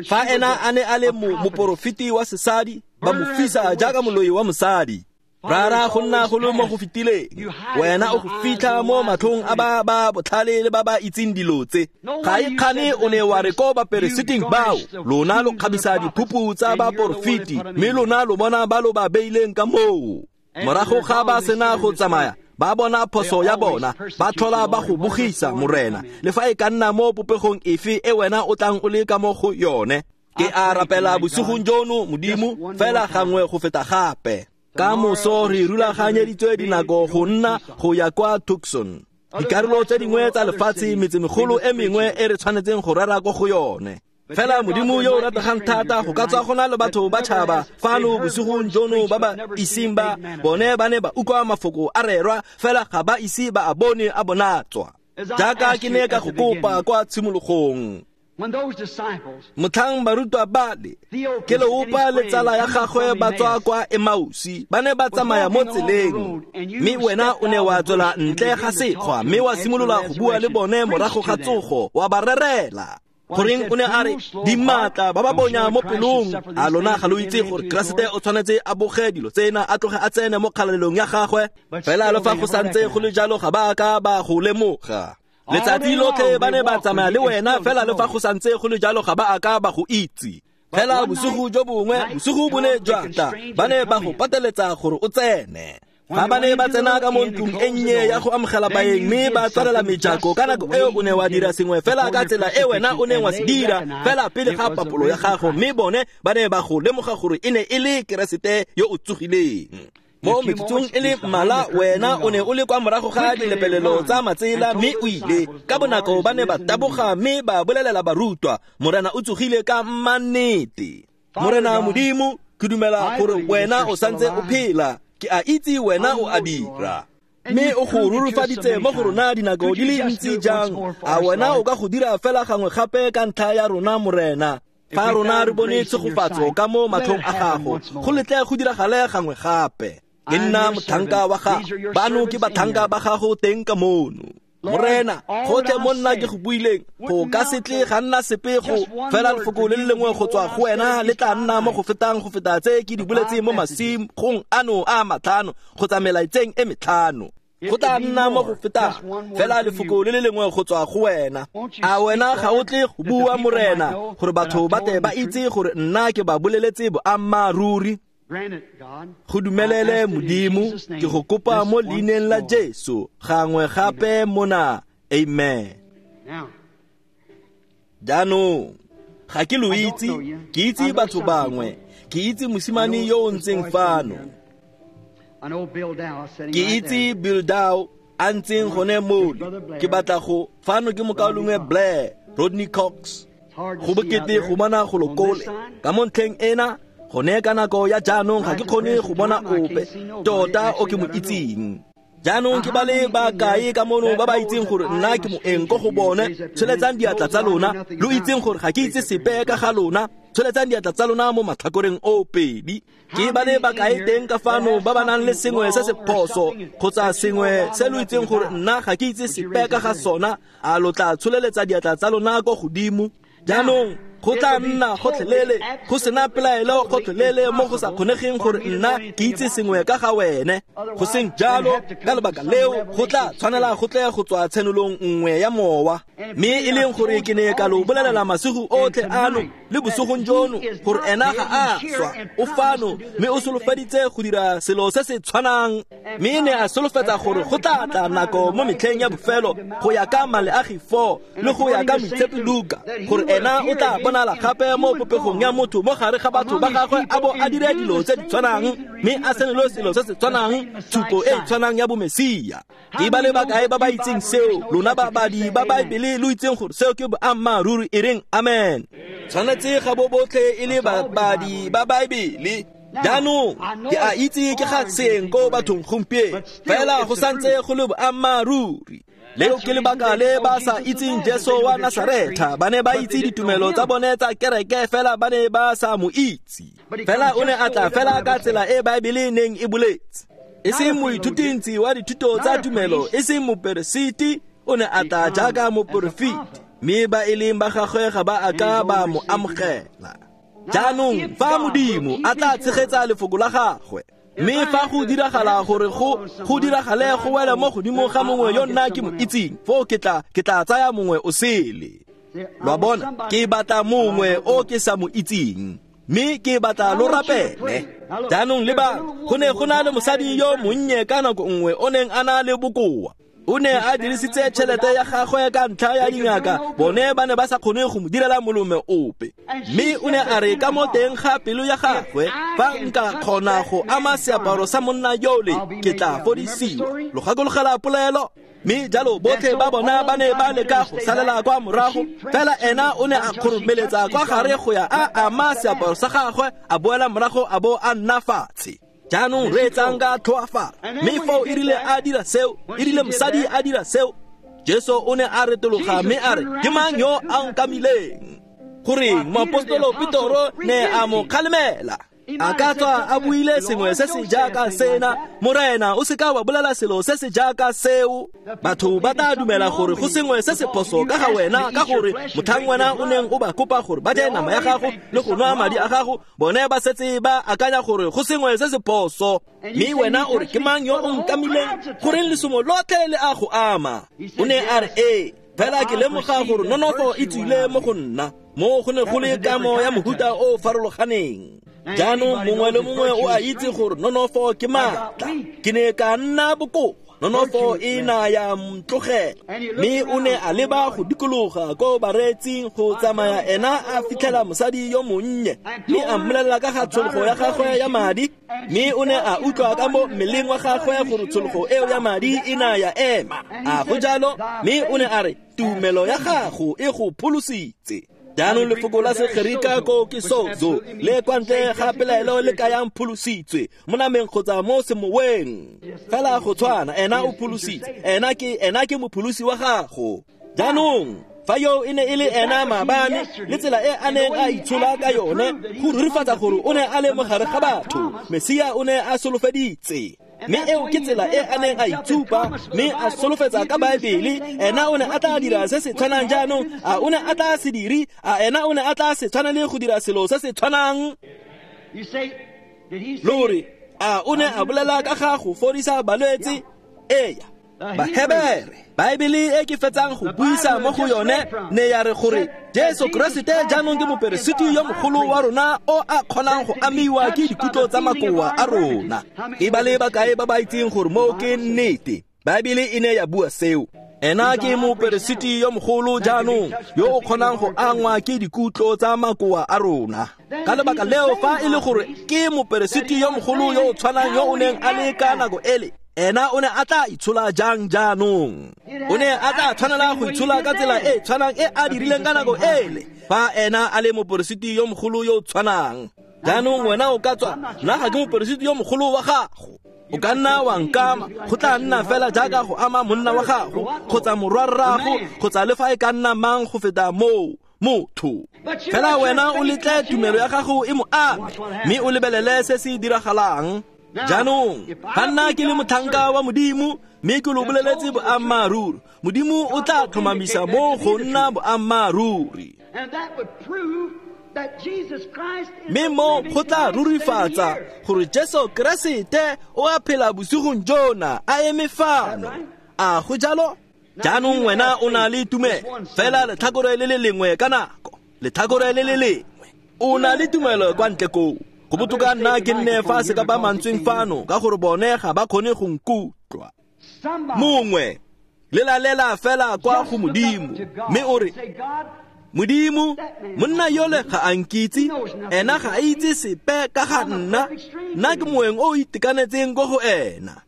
fa ena a ne a le moporofeti wa sesadi, ba mo fisa jaaka moloi wa mosadi? Rara, go nna go le mo go fetileng, wena o go fitlha mo matlhong a ba ba botlhale le ba ba itseng dilo tse. Ga e kgane o ne wa re ko baperesiting bao, lona lo kgabisa diphupu tsa baporofeti, mme lona lo bona ba lo ba beileng ka moo. Morago ga ba sena go tsamaya, ba bona phoso ya bona, ba tlhola ba go bogisa, Morena, le fa e ka nna mo popegong efe e wena o tlang o le ka mo go yone. Ke a rapela bosigong jono, Modimo, fela gangwe go feta gape. Ka moso re rulaganyeditswe dinako go nna go ya kwa Tucson, dikarolo tse dingwe tsa lefatshe, metsemegolo e mengwe e re tshwanetseng go rera ko go yone. Fela Modimo yo o rategang thata, go ka tswa go na le batho ba tšhaba fano bosigong jono ba ba iseng ba bone ba ne ba utlwa mafoko a rerwa, fela ga ba ise ba a bone a bonatswa. Jaaka ke ne ka go kopa kwa tshimologong, motlhang barutwa bale ke leopa le tsala ya gagwe ba tswa kwa Emausi, ba ne ba tsamaya mo tseleng, mme wena o ne wa tswela ntle ga sekgwa mme wa simolola go bua le bone morago ga tsogo, wa ba rerela. Goreng o ne a re dimatla ba ba bonya mo pelong? A lona ga lo itse gore Keresete o tshwanetse a boge dilo tsena, a tloge a tsene mo kgalalelong ya gagwe? Fela le fa go santse go le jalo ga ba ka ba go lemoga. Letsatsi lotlhe ba ne ba tsamaya le wena, fela le fa go santse go le jalo ga ba a ka ba go itse. Fela bosigo jo bongwe, bosigo bo ne jwa tla, ba ne ba go pateletsa gore o tsene. Fa ba ne ba tsena ka mo ntlong e nnye ya go amogela baeng mme ba tswalela mejako, ka nako eo o ne wa dira sengwe fela ka tsela e wena o neng wa se dira fela pele ga papolo ya gago, mme bone ba ne ba go lemoga gore e ne e le Keresete yo o tsogileng. Mo metsotsong e le mmalwa wena o ne o le kwa morago ga dilepelelo tsa matsela mme o ile. Ka bonako ba ne ba taboga mme ba bolelela barutwa, Morena o tsogile ka mannete. Morena Modimo, ke dumela gore wena o santse o phela, ke a itse wena o a dira, mme o go rurufaditse mo go rona dinako di le ntsi jang. A wena o ka go dira fela gangwe gape ka ntlha ya rona, Morena? Fa rona re bone tshegofatso ka mo matlhong a gago, go letle go diragale gangwe gape. Ke nna motlhanka wa gago, bano ke batlhanka ba gago teng ka mono. Morena, gotlhe mo nna ke go buileng, go ka se tle ga nna sepego, fela lefoko le le lengwe go tswa go wena le tla nna mo go fetang go feta tse ke di boletseng mo masimong ano a matlhano kgotsa melaetseng e metlhano. Go tla nna mo go fetang fela lefoko le le lengwe go tswa go wena. A wena ga o tle go bua, Morena, gore batho ba tle ba itse gore nna ke ba boleletse boammaaruri? Go dumelele, Modimo, ke go kopa mo leineng la Jesu gangwe gape mona. Amen. Jaanong ga ke lo itse, ke itse batho bangwe, ke itse mosimane yo o ntseng fano, ke itse Bill Dow a ntseng gone mole. Ke batla go fano ke mokaulengwe Blair Rodney Cox. Go bokete go bona go lokole ka mo ntlheng ena gone ka nako ya jaanong ga ke kgone go bona ope tota o ke mo itseng. Jaanong ke ba le ba kae ka mono ba ba itseng gore nna ke moeng ko go bone? Tsholetsang diatla tsa lona, lo itseng gore ga ke itse sepe ka ga lona. Tsholetsang diatla tsa lona mo matlhakoreng o pedi. Ke ba le ba kae teng ka fano ba ba nang le sengwe se se phoso kgotsa sengwe se lo itseng gore nna ga ke itse sepe ka ga sona? A lo tla tsholeletsa diatla tsa lona ko godimo? Jaanong Go tla nna gotlhelele go sena pelaelo gotlhelele mo go sa kgonegeng gore nna ke itse sengwe ka ga wene. Go seng jalo, ka lebaka leo go tla tshwanela go tle go tswa tshenolong nngwe ya mowa. Mme e leng gore ke ne ka lo bolelela masigo otlhe ano le bosigong jono gore ena ga a swa, o fano mme o solofeditse go dira selo se se tshwanang. Mme ne a solofetsa gore go tla tla nako mo metlheng ya bofelo go ya ka Maleagi four le go ya ka Moitshepi Luka gore ena o tla bonala gape mo popegong ya motho mo gare ga batho ba gagwe a bo a dire dilo tse di tshwanang mme a senole selo se se tshwanang, tshupo e e tshwanang ya bomesia. Ke ba le bakae ba ba itseng seo? Lona babadi ba Baebele lo itseng gore seo ke boammaaruri, e reng amen. Tshwanetse ga bo botlhe e le babadi ba Baebele. Jaanong ke a itse ke ga seeng ko bathong gompieno, fela go santse go le boammaaruri. Leo ke lebaka le ba sa itseng Jesu wa Nasaretha. Ba ne ba itse ditumelo tsa bone tsa kereke, fela ba ne ba sa mo itse. Fela o ne a tla fela ka tsela e Baebele neng e boletse. E seng moithutintsi wa dithuto tsa tumelo, e seng moperesiti, o ne a tla jaaka moporofeti, mme ba e leng ba gagwe ga ba a ka ba mo amogela. Jaanong fa Modimo a tla tshegetsa lefoko la gagwe, mme fa go diragala gore go go diragale go wela mo godimo ga mongwe yo nna ke mo itseng, foo ke tla ke tla tsaya mongwe o sele. Lo a bona, ke batla mongwe o ke sa mo itseng, mme ke batla lo rapele. Jaanong leba, go ne go na le mosadi yo monnye ka nako nngwe o neng a na le bokoa. O ne a dirisitse tšhelete ya gagwe ka ntlha ya dingaka, bone ba ne ba sa kgone go mo direla molome ope. Mme o ne a re ka mo teng ga pelo ya gagwe, fa nka kgona go ama seaparo sa monna yole, ke tla fodisiwa. Lo gakologela polelo? Mme jalo botlhe ba bona ba ne ba leka go salela kwa morago, fela ena o ne a kgoromeletsa kwa gare go ya a ama seaparo sa gagwe, a boela morago a bo a nna fatshe. Jaanong reetsang ka tlhoafalo. Mme foo e rile a dira seo, e rile mosadi a dira seo, Jesu o ne a retologa mme a re, ke mang yo a nkamileng? Goreng moapostolo Petoro ne a mo kgalemela? A ka tswa a buile sengwe se se jaaka sena, Morena, o seka wa bolela selo se se jaaka seo. Batho ba tla dumela gore go sengwe se se phoso ka ga wena, ka gore motlhang wena o neng o ba kopa gore ba je nama ya gago le go nwa madi a gago, bone ba setse ba akanya gore go sengwe se se phoso. Mme wena o re, ke mang yo o nkamileng? Goreng lesomo lotlhe le a go ama? O ne a re, ee, fela ke lemoga gore nonofo e tswile mo go nna. Mo go ne go le kamo ya mohuta o farologaneng. Jaanong mongwe le mongwe o a itse gore nonofo ke maatla. Ke ne ka nna bokoa, nonofo e na ya ntlogela. Mme o ne a leba go dikologa ko bareetsing go tsamaya ena a fitlhela mosadi yo monnye, mme a mmolelela ka ga tshologo ya gagwe ya madi. Mme o ne a utlwa ka mo mmeleng wa gagwe gore tshologo eo ya madi e na ya ema. A go jalo? Mme o ne a re, tumelo ya gago e go pholositse. Jaanong lefoko la Segerika ko ke sozo, le kwa ntle ga pelaelo le kayang pholositswe mo nameng kgotsa mo semoweng. Fela go tshwana, ena o pholositse, ena ke ena ke mopholosi wa gago. Jaanong fa yo e ne e le ena maabane, le tsela e a neng a itshola ka yone go rurifatsa gore o ne a le mo gare ga batho, Mesia o ne a solofeditse. Mme eo ke tsela e a neng a itshupa mme a solofetsa ka Baebele, ena o ne a tla dira se se tshwanang. Jaanong a o ne a tla se dire? A ena o ne a tla se tshwana le go dira selo se se tshwanang? Lore, a o ne a bolela ka ga go fodisa balwetse? Eya. Bahebere, Baebele e ke fetsang go buisa mo go yone ne ya re gore Jesu Keresete jaanong ke moperesiti yo mogolo wa rona o a kgonang go amiwa ke dikutlo tsa makoa a rona. Ke ba le bakae ba ba itseng gore moo ke nnete? Baebele e ne ya bua seo. Ena ke moperesiti yo mogolo jaanong yo o kgonang go angwa ke dikutlo tsa makoa a rona. Ka lebaka leo, fa e le gore ke moperesiti yo mogolo yo o tshwanang yo o neng a le ka nako ele, ena o ne a tla itshola jang jaanong? O ne a tla tshwanela go itshola ka tsela e tshwanang e a dirileng ka nako ele, fa ena a le moperesiti yo mogolo yo o tshwanang. Jaanong wena o ka tswa, nna ga ke moperesiti yo mogolo wa gago. O ka nna wa nkama, go tla nna fela jaaka go ama monna wa gago kgotsa morwarrago kgotsa le fa e ka nna mang go feta moo motho. Fela wena o letle tumelo ya gago e mo ame, mme o lebelele se se diragalang. Jaanong fa nna ke le motlhanka wa Modimo mme ke lo boleletse boammaaruri, Modimo o tla tlhomamisa mo go nna boammaaruri. Mme mo go tla rurifatsa gore Jesu Keresete o a phela bosigong jona a eme fano. A go jalo? Jaanong wena o na le tumelo fela letlhakore le le lengwe ka nako, letlhakore le le lengwe. O na le tumelo kwa ntle koo. Go botoka nna ke nne fa se ka ba mantsweng fano ka gore bone ga ba kgone go nkutlwa. Mongwe lelalela fela kwa go Modimo mme o re, Modimo, monna yole ga a nkitse, ena ga a itse sepe ka ga nna, nna ke moeng o itekanetseng ko go ena.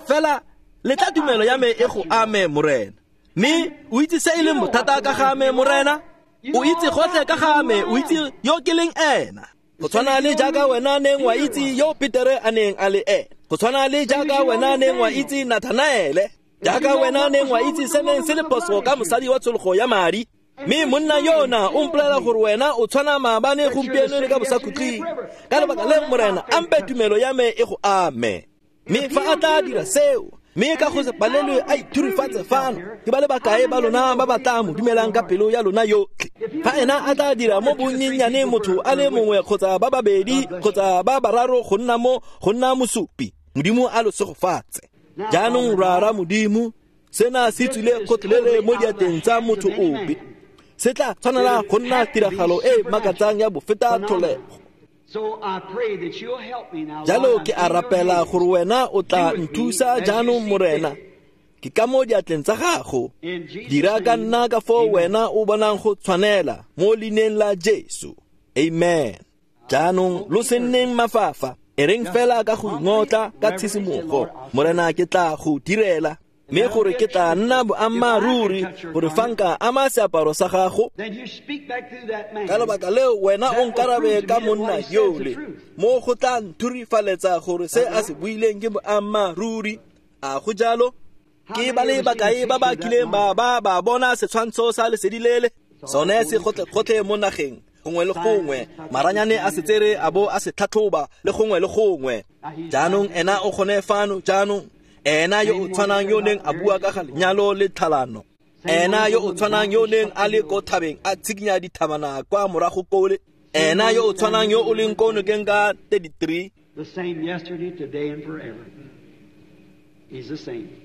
Fela letla tumelo ya me e go ame, Morena. Mme o itse se e leng bothata ka ga me, Morena? O itse gotlhe ka ga me, o itse yo ke leng ena. Go tshwana le jaaka wena neng wa itse yo Petere a neng a le ena. Go tshwana le jaaka wena neng wa itse Nathanaele. Jaaka wena neng wa itse se neng se le phoso ka mosadi wa tshologo ya madi. Mme monna yona o mpolelela gore wena o tshwana maabane gompieno le ka bosakhutleng. Ka lebaka le, Morena, a mpe tumelo ya me e go ame. Mme fa a tla dira seo, mme ka go se palelwe a ithurifatse fano, ke ba le bakae ba lona ba ba tla mo dumelang ka pelo ya lona yotlhe? Fa ena a tla dira mo bonnyennyane motho a le mongwe kgotsa ba babedi kgotsa ba bararo go nna mo go nna mosupi, Modimo a lo segofatse. Jaanong Rara Modimo, sena se tswile gotlhelele mo diatleng tsa motho ope. Se tla tshwanela go nna tiragalo e makatsang ya bofeta tlholego. Jalo ke a rapela gore wena o tla nthusa jaanong, Morena. Ke ka mo diatleng tsa gago. Dira ka nna ka foo wena o bonang go tshwanela, mo leineng la Jesu. Amen. Jaanong lo se nneng mafafa, e reng fela ka go ingotla ka tshisimogo. Morena, ke tla go direla, mme gore ke tla nna boammaaruri gore fa nka ama seaparo sa gago. Ka lebaka leo wena o nkarabe ka monna yole, mo go tla nthurifaletsa gore se a se buileng ke boammaaruri. A go jalo? Ke ba le bakae ba ba kileng ba ba ba bona setshwantsho sa lesedi lele? Sone se gotlhe mo nageng, gongwe le gongwe. Maranyane a se tsere a bo a se tlhatlhoba le gongwe le gongwe. Jaanong ena o gone fano jaanong. Ena yo o tshwanang yo neng a bua ka ga lenyalo le tlhalano. Ena yo o tshwanang yo neng a le ko thabeng a tshikinya dithabana kwa morago kole. Ena yo o tshwanang yo o leng ko nokeng ka thirty-three. The same yesterday, today and forever. He's the same.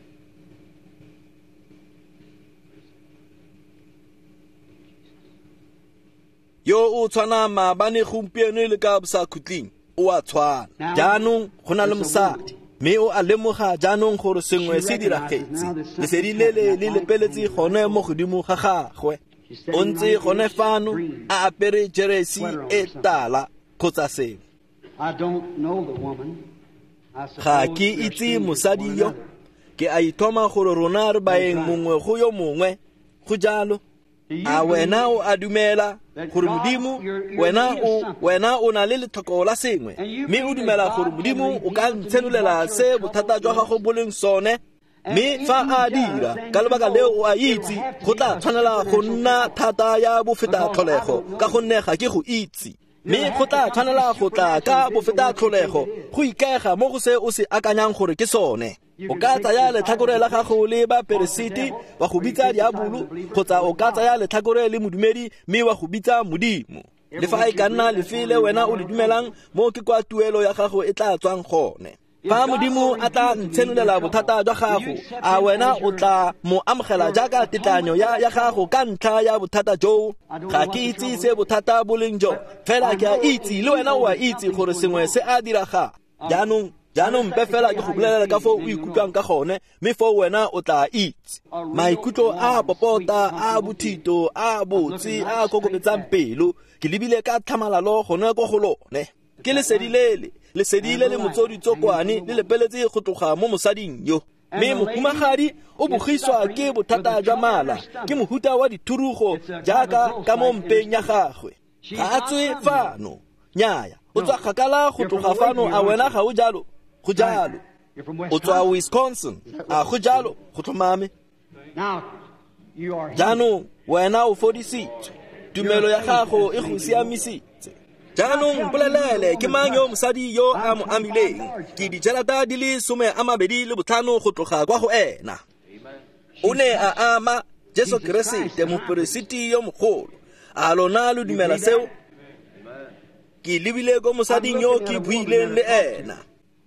Yo o tshwana maabane gompieno le ka bosakhutleng, o a tshwana. Jaanong go na le mosadi, mme o a lemoga jaanong gore sengwe se diragetse. Lesedi lele le lepeletse gone mo godimo ga gagwe. O ntse gone fano a apere jeresi e tala kgotsa sengwe. Ga ke itse mosadi yo. Ke a ithoma gore rona re baeng mongwe go yo mongwe. Go jalo. A wena o a dumela gore Modimo, wena o wena o na le letlhoko la sengwe, mme o dumela gore Modimo o ka ntshenolela se bothata jwa gago bo leng sone? Mme fa a dira, ka lebaka leo o a itse go tla tshwanela go nna thata ya bofeta tlholego, ka gonne ga ke go itse. Mme go tla tshwanela go tla ka bofeta tlholego go ikaega mo go se o se akanyang gore ke sone. O ka tsaya letlhakore la gago le baperesiti wa go bitsa diabolo, kgotsa o ka tsaya letlhakore le modumedi mme wa go bitsa Modimo. Le fa e ka nna lefe le wena o le dumelang, mo ke kwa tuelo ya gago e tla tswang gone. Fa Modimo a tla ntshenolela bothata jwa gago, a wena o tla mo amogela jaaka tetlanyo ya ya gago ka ntlha ya bothata joo? Ga ke itse se bothata bo leng jo, fela ke a itse le wena o a itse gore sengwe se a diragala. Jaanong Jaanong mpe fela ke go bolelela ka foo o ikutlwang ka gone, mme foo wena o tla itse. Maikutlo a popota, a bothito, a botse, a kokobetsang pelo, ke lebile ka tlhamalalo gone ko go lone. Ke lesedi lele, lesedi le le motsoditsokwane le lepeletse go tloga mo mosading yo. Mme mohumagadi o bogiswa ke bothata jwa mala, ke mohuta wa dithurugo jaaka ka mo mpeng ya gagwe. Ga a tswe fano, nnyaya, o tswa kgakala go tloga fano. A wena ga o jalo? Go jalo. O tswa Wisconsin. A go jalo? Go tlhomame. Jaanong wena o fodisitswe, tumelo ya gago e go siamisitse. Jaanong mpolelele, ke mang yo mosadi yo a mo amileng? Ke dijarata di le some a mabedi le botlhano go tloga kwa go ena. O ne a ama Jesu Keresete, moperesiti yo mogolo, A lona lo dumela seo? Ke lebile ko mosading yo ke buileng le ena.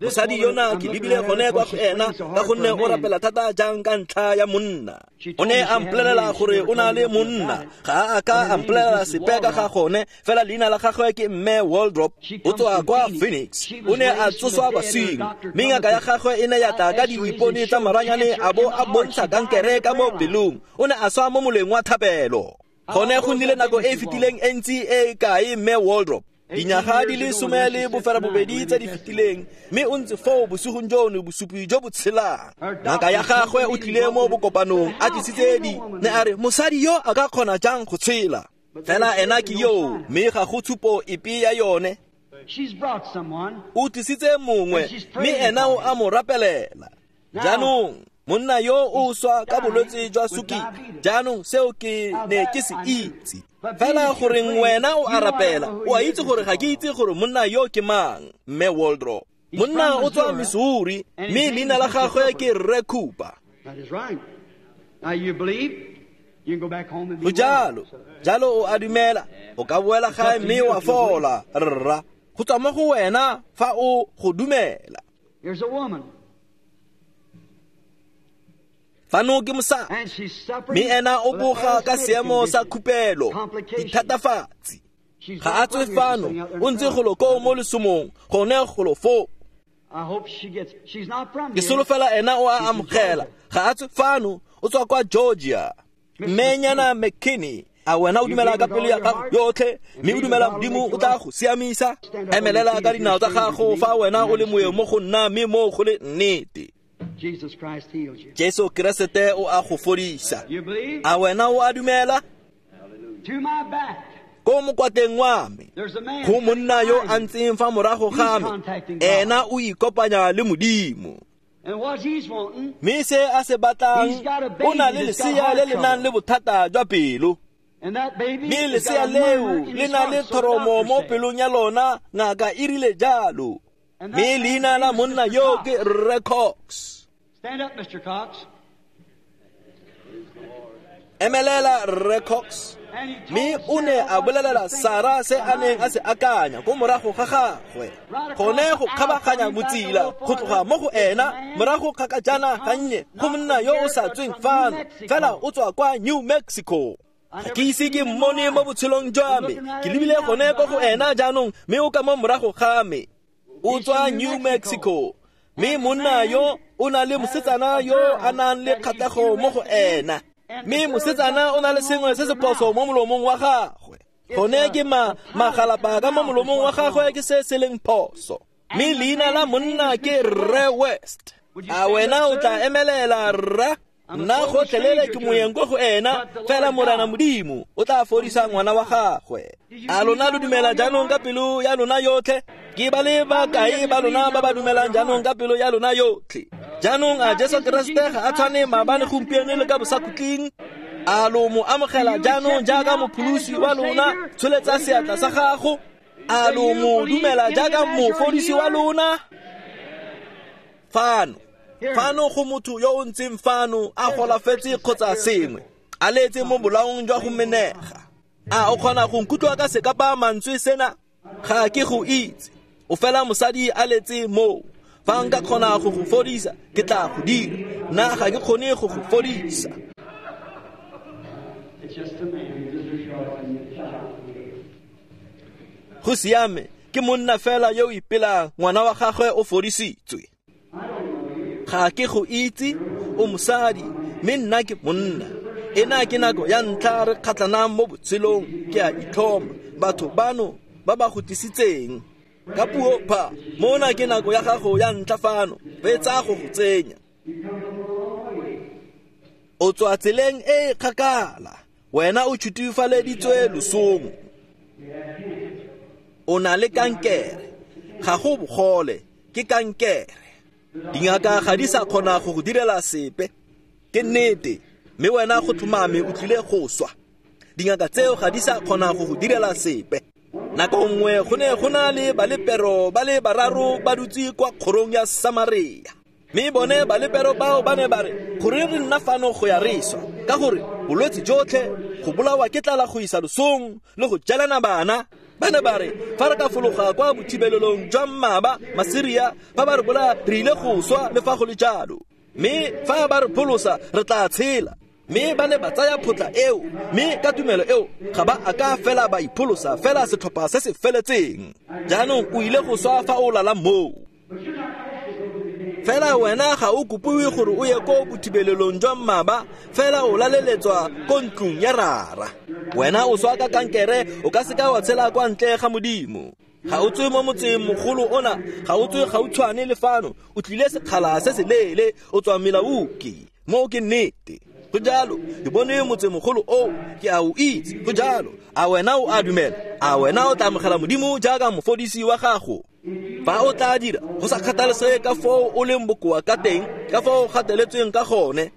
Mosadi yona ke lebile gone kwa go ena ka gonne o rapela thata jang ka ntlha ya monna. O ne a mpolelela gore o na le monna. Ga a ka a mpolelela sepe ka ga gone, fela leina la gagwe ke Mme Waldrop. O tswa kwa Phoenix. O ne a tsoswa baswing, mme ngaka ya gagwe e ne ya tla ka diipone tsa maranyane a bo a bontsha kankere ka mo pelong. O ne a swa mo moleng wa thapelo. Gone go nnile nako e e fetileng e ntsi e kae Mme Waldrop? Dinyaga di le some le boferabobedi tse di fetileng, mme o ntse foo bosigong jono bosupi jo bo tshelang. Ngaka ya gagwe o tlile mo bokopanong a tlisitse di ne a re mosadi yo a ka kgona jang go tshela? Fela ena ke yo, mme ga go tshupo epe ya yone. O tlisitse mongwe, mme ena o a mo rapelela. Jaanong monna yo o swa ka bolwetse jwa sukiri. Jaanong seo ke ne ke se itse. Fela goreng wena o a rapela, o a itse gore ga ke itse gore monna yo ke mang, Mme Waldrop. Monna o tswa Missouri, mme leina la gagwe ke Rre Cooper. Go jalo, jalo o a dumela, o ka boela gae mme wa fola, rra. Go tswa mo go wena fa o go dumela. Fano ke mosadi, mme ena o boga ka seemo sa khupelo, dithatafatsi. Ga a tswe fano, o ntse golo koo mo lesomong, gone golo foo. Ke solofela ena o a amogela. Ga a tswe fano, o tswa kwa Georgia. Mmenyana McKinney, a wena o dumela ka pelo ya gago yotlhe, mme o dumela Modimo o tla go siamisa? Emelela ka dinao tsa gago fa wena o le moeng mo go nna, mme mo go le nnete. Jesu Keresete o a go fodisa. A wena o a dumela? Ko mokwateng wa me go monna yo a ntseng fa morago ga me, ena o ikopanya le Modimo. Mme se a se batlang, o na le lesea le le nang le bothata jwa pelo. Mme lesea leo le na le thoromo mo pelong ya lona, ngaka e rile jalo. Mme leina la monna yo ke Rre Cox. Stand up, Mister Cox. Emelela Rre Cox. Mme o ne a bolelela Sara se a neng a se akanya ko morago ga gagwe. Gone go kgabaganya motsila go tloga mo go ena morago kgakajana gannye go monna yo o sa tsweng fano, fela o tswa kwa New Mexico. Ga ke ise ke mmone mo botshelong jwa me. Ke lebile gone ko go ena jaanong, mme o ka mo morago ga me. O tswa New Mexico. Mme monna yo o na le mosetsana yo a nang le kgatlhego mo go ena. Mme mosetsana o na le sengwe se se phoso mo molomong wa gagwe. Gone ke ma magalapa ka mo molomong wa gagwe ke se se leng phoso. Mme leina la monna ke Rre West. A wena o tla emelela, rra? Nna gotlhelele ke moeng ko go ena, fela Morena Modimo o tla fodisa ngwana wa gagwe. A lona lo dumela jaanong ka pelo ya lona yotlhe? Ke ba le bakae ba lona ba ba dumelang jaanong ka pelo ya lona yotlhe? Jaanong a Jesu Keresete ga a tshwane maabane, gompieno le ka bosakhutleng? A lo mo amogela jaanong jaaka mopholosi wa lona? Tsholetsa seatla sa gago. A lo mo dumela jaaka mofodisi wa lona? Fano, fano go motho yo o ntseng fano a golafetse kgotsa sengwe, a letse mo bolaong jwa go menega. A o kgona go nkutlwa ka sekapa mantswe sena? Ga ke go itse. O fela mosadi a letse moo. Fa nka kgona go go fodisa, ke tla go dira. Nna ga ke kgone go go fodisa. Go siame, ke monna fela yo o ipelang, ngwana wa gagwe o fodisitswe. Ga ke go itse, o mosadi, mme nna ke monna. Ena ke nako ya ntlha re kgatlhanang mo botshelong, ke a itlhoma. Batho bano ba ba go tlisitseng ka puo pha, mona ke nako ya gago ya ntlha fano, re tsa go go tsenya. O tswa tseleng e e kgakala, wena o tšhutifaleditswe losong. O na le kankere, ga go bogole, ke kankere. Dingaka ga di sa kgona go go direla sepe, ke nnete, mme wena go tlhomame o tlile go swa. Dingaka tseo ga di sa kgona go go direla sepe. Nako nngwe go ne go na le balepero ba le bararo ba dutse kwa kgorong ya Samaria. Mme bone balepero bao ba ne ba re, goreng re nna fano go ya re swa? Ka gore bolwetse jotlhe go bolawa ke tlala go isa losong le go jalana bana. Ba ne ba re fa re ka fologa kwa bothibelelong jwa mmaba Masiria, fa ba re bolaya re ile go swa le fa go le jalo, mme fa ba re pholosa re tla tshela. Mme ba ne ba tsaya photla eo, mme ka tumelo eo ga ba a ka fela ba ipholosa fela setlhopha se se feletseng. Jaanong o ile go swa fa o lala moo. Fela wena ga o kopiwe gore o ye ko bothibelelong jwa mmaba, fela o laleletswa ko ntlong ya rara. Wena o swa ka kankere, o ka seka wa tshela kwa ntle ga Modimo. Ga o tswe mo motseng mogolo ona, ga o tswe gautshwane le fano, o tlile sekgala se se leele, o tswa Milwaukee. Moo ke nnete. Go jalo, ke bone motsemogolo oo, ke a o itse. Go jalo, a wena o a dumela? A wena o tla amogela Modimo jaaka mofodisi wa gago? Fa o tla dira, go sa kgathalesege ka foo o leng bokoa ka teng, ka foo o gateletsweng ka gone,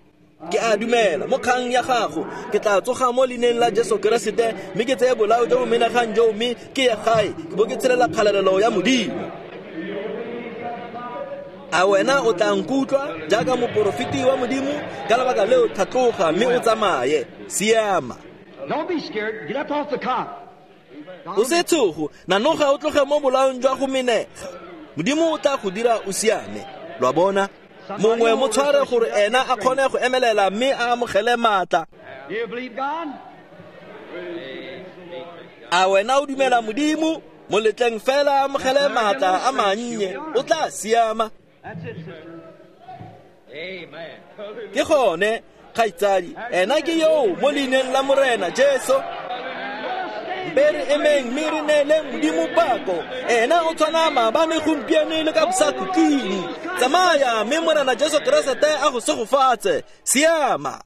ke a dumela mo kgang ya gago, ke tla tsoga mo leineng la Jesu Keresete, mme ke tseye bolao jo bo menagang joo, mme ke ye gae, ke bo ke tshelela kgalalelo ya Modimo. A wena o tla nkutlwa jaaka moporofeti wa Modimo? Ka lebaka leo tlhatloga mme o tsamaye. Siama. Don't be scared. Get up off the cot. O se tshogo, nanoga o tloge mo bolaong jwa go menega. Modimo o tla go dira o siame. Lo a bona? Mongwe mo tshware gore ena a kgone go emelela mme a amogele maatla. Do you believe God? A wena o dumela Modimo? Mo letleng fela a amogele maatla a mannye, o tla siama. That's it, sister. Amen. Ke gone, kgaitsadi, ena ke yo mo leineng la Morena Jesu. Be re emeng mme re neeleng Modimo pako. Ena o tshwana maabane, gompieno le ka bosakhutleng. Tsamaya mme Morena Jesu Keresete a go segofatse. Siama.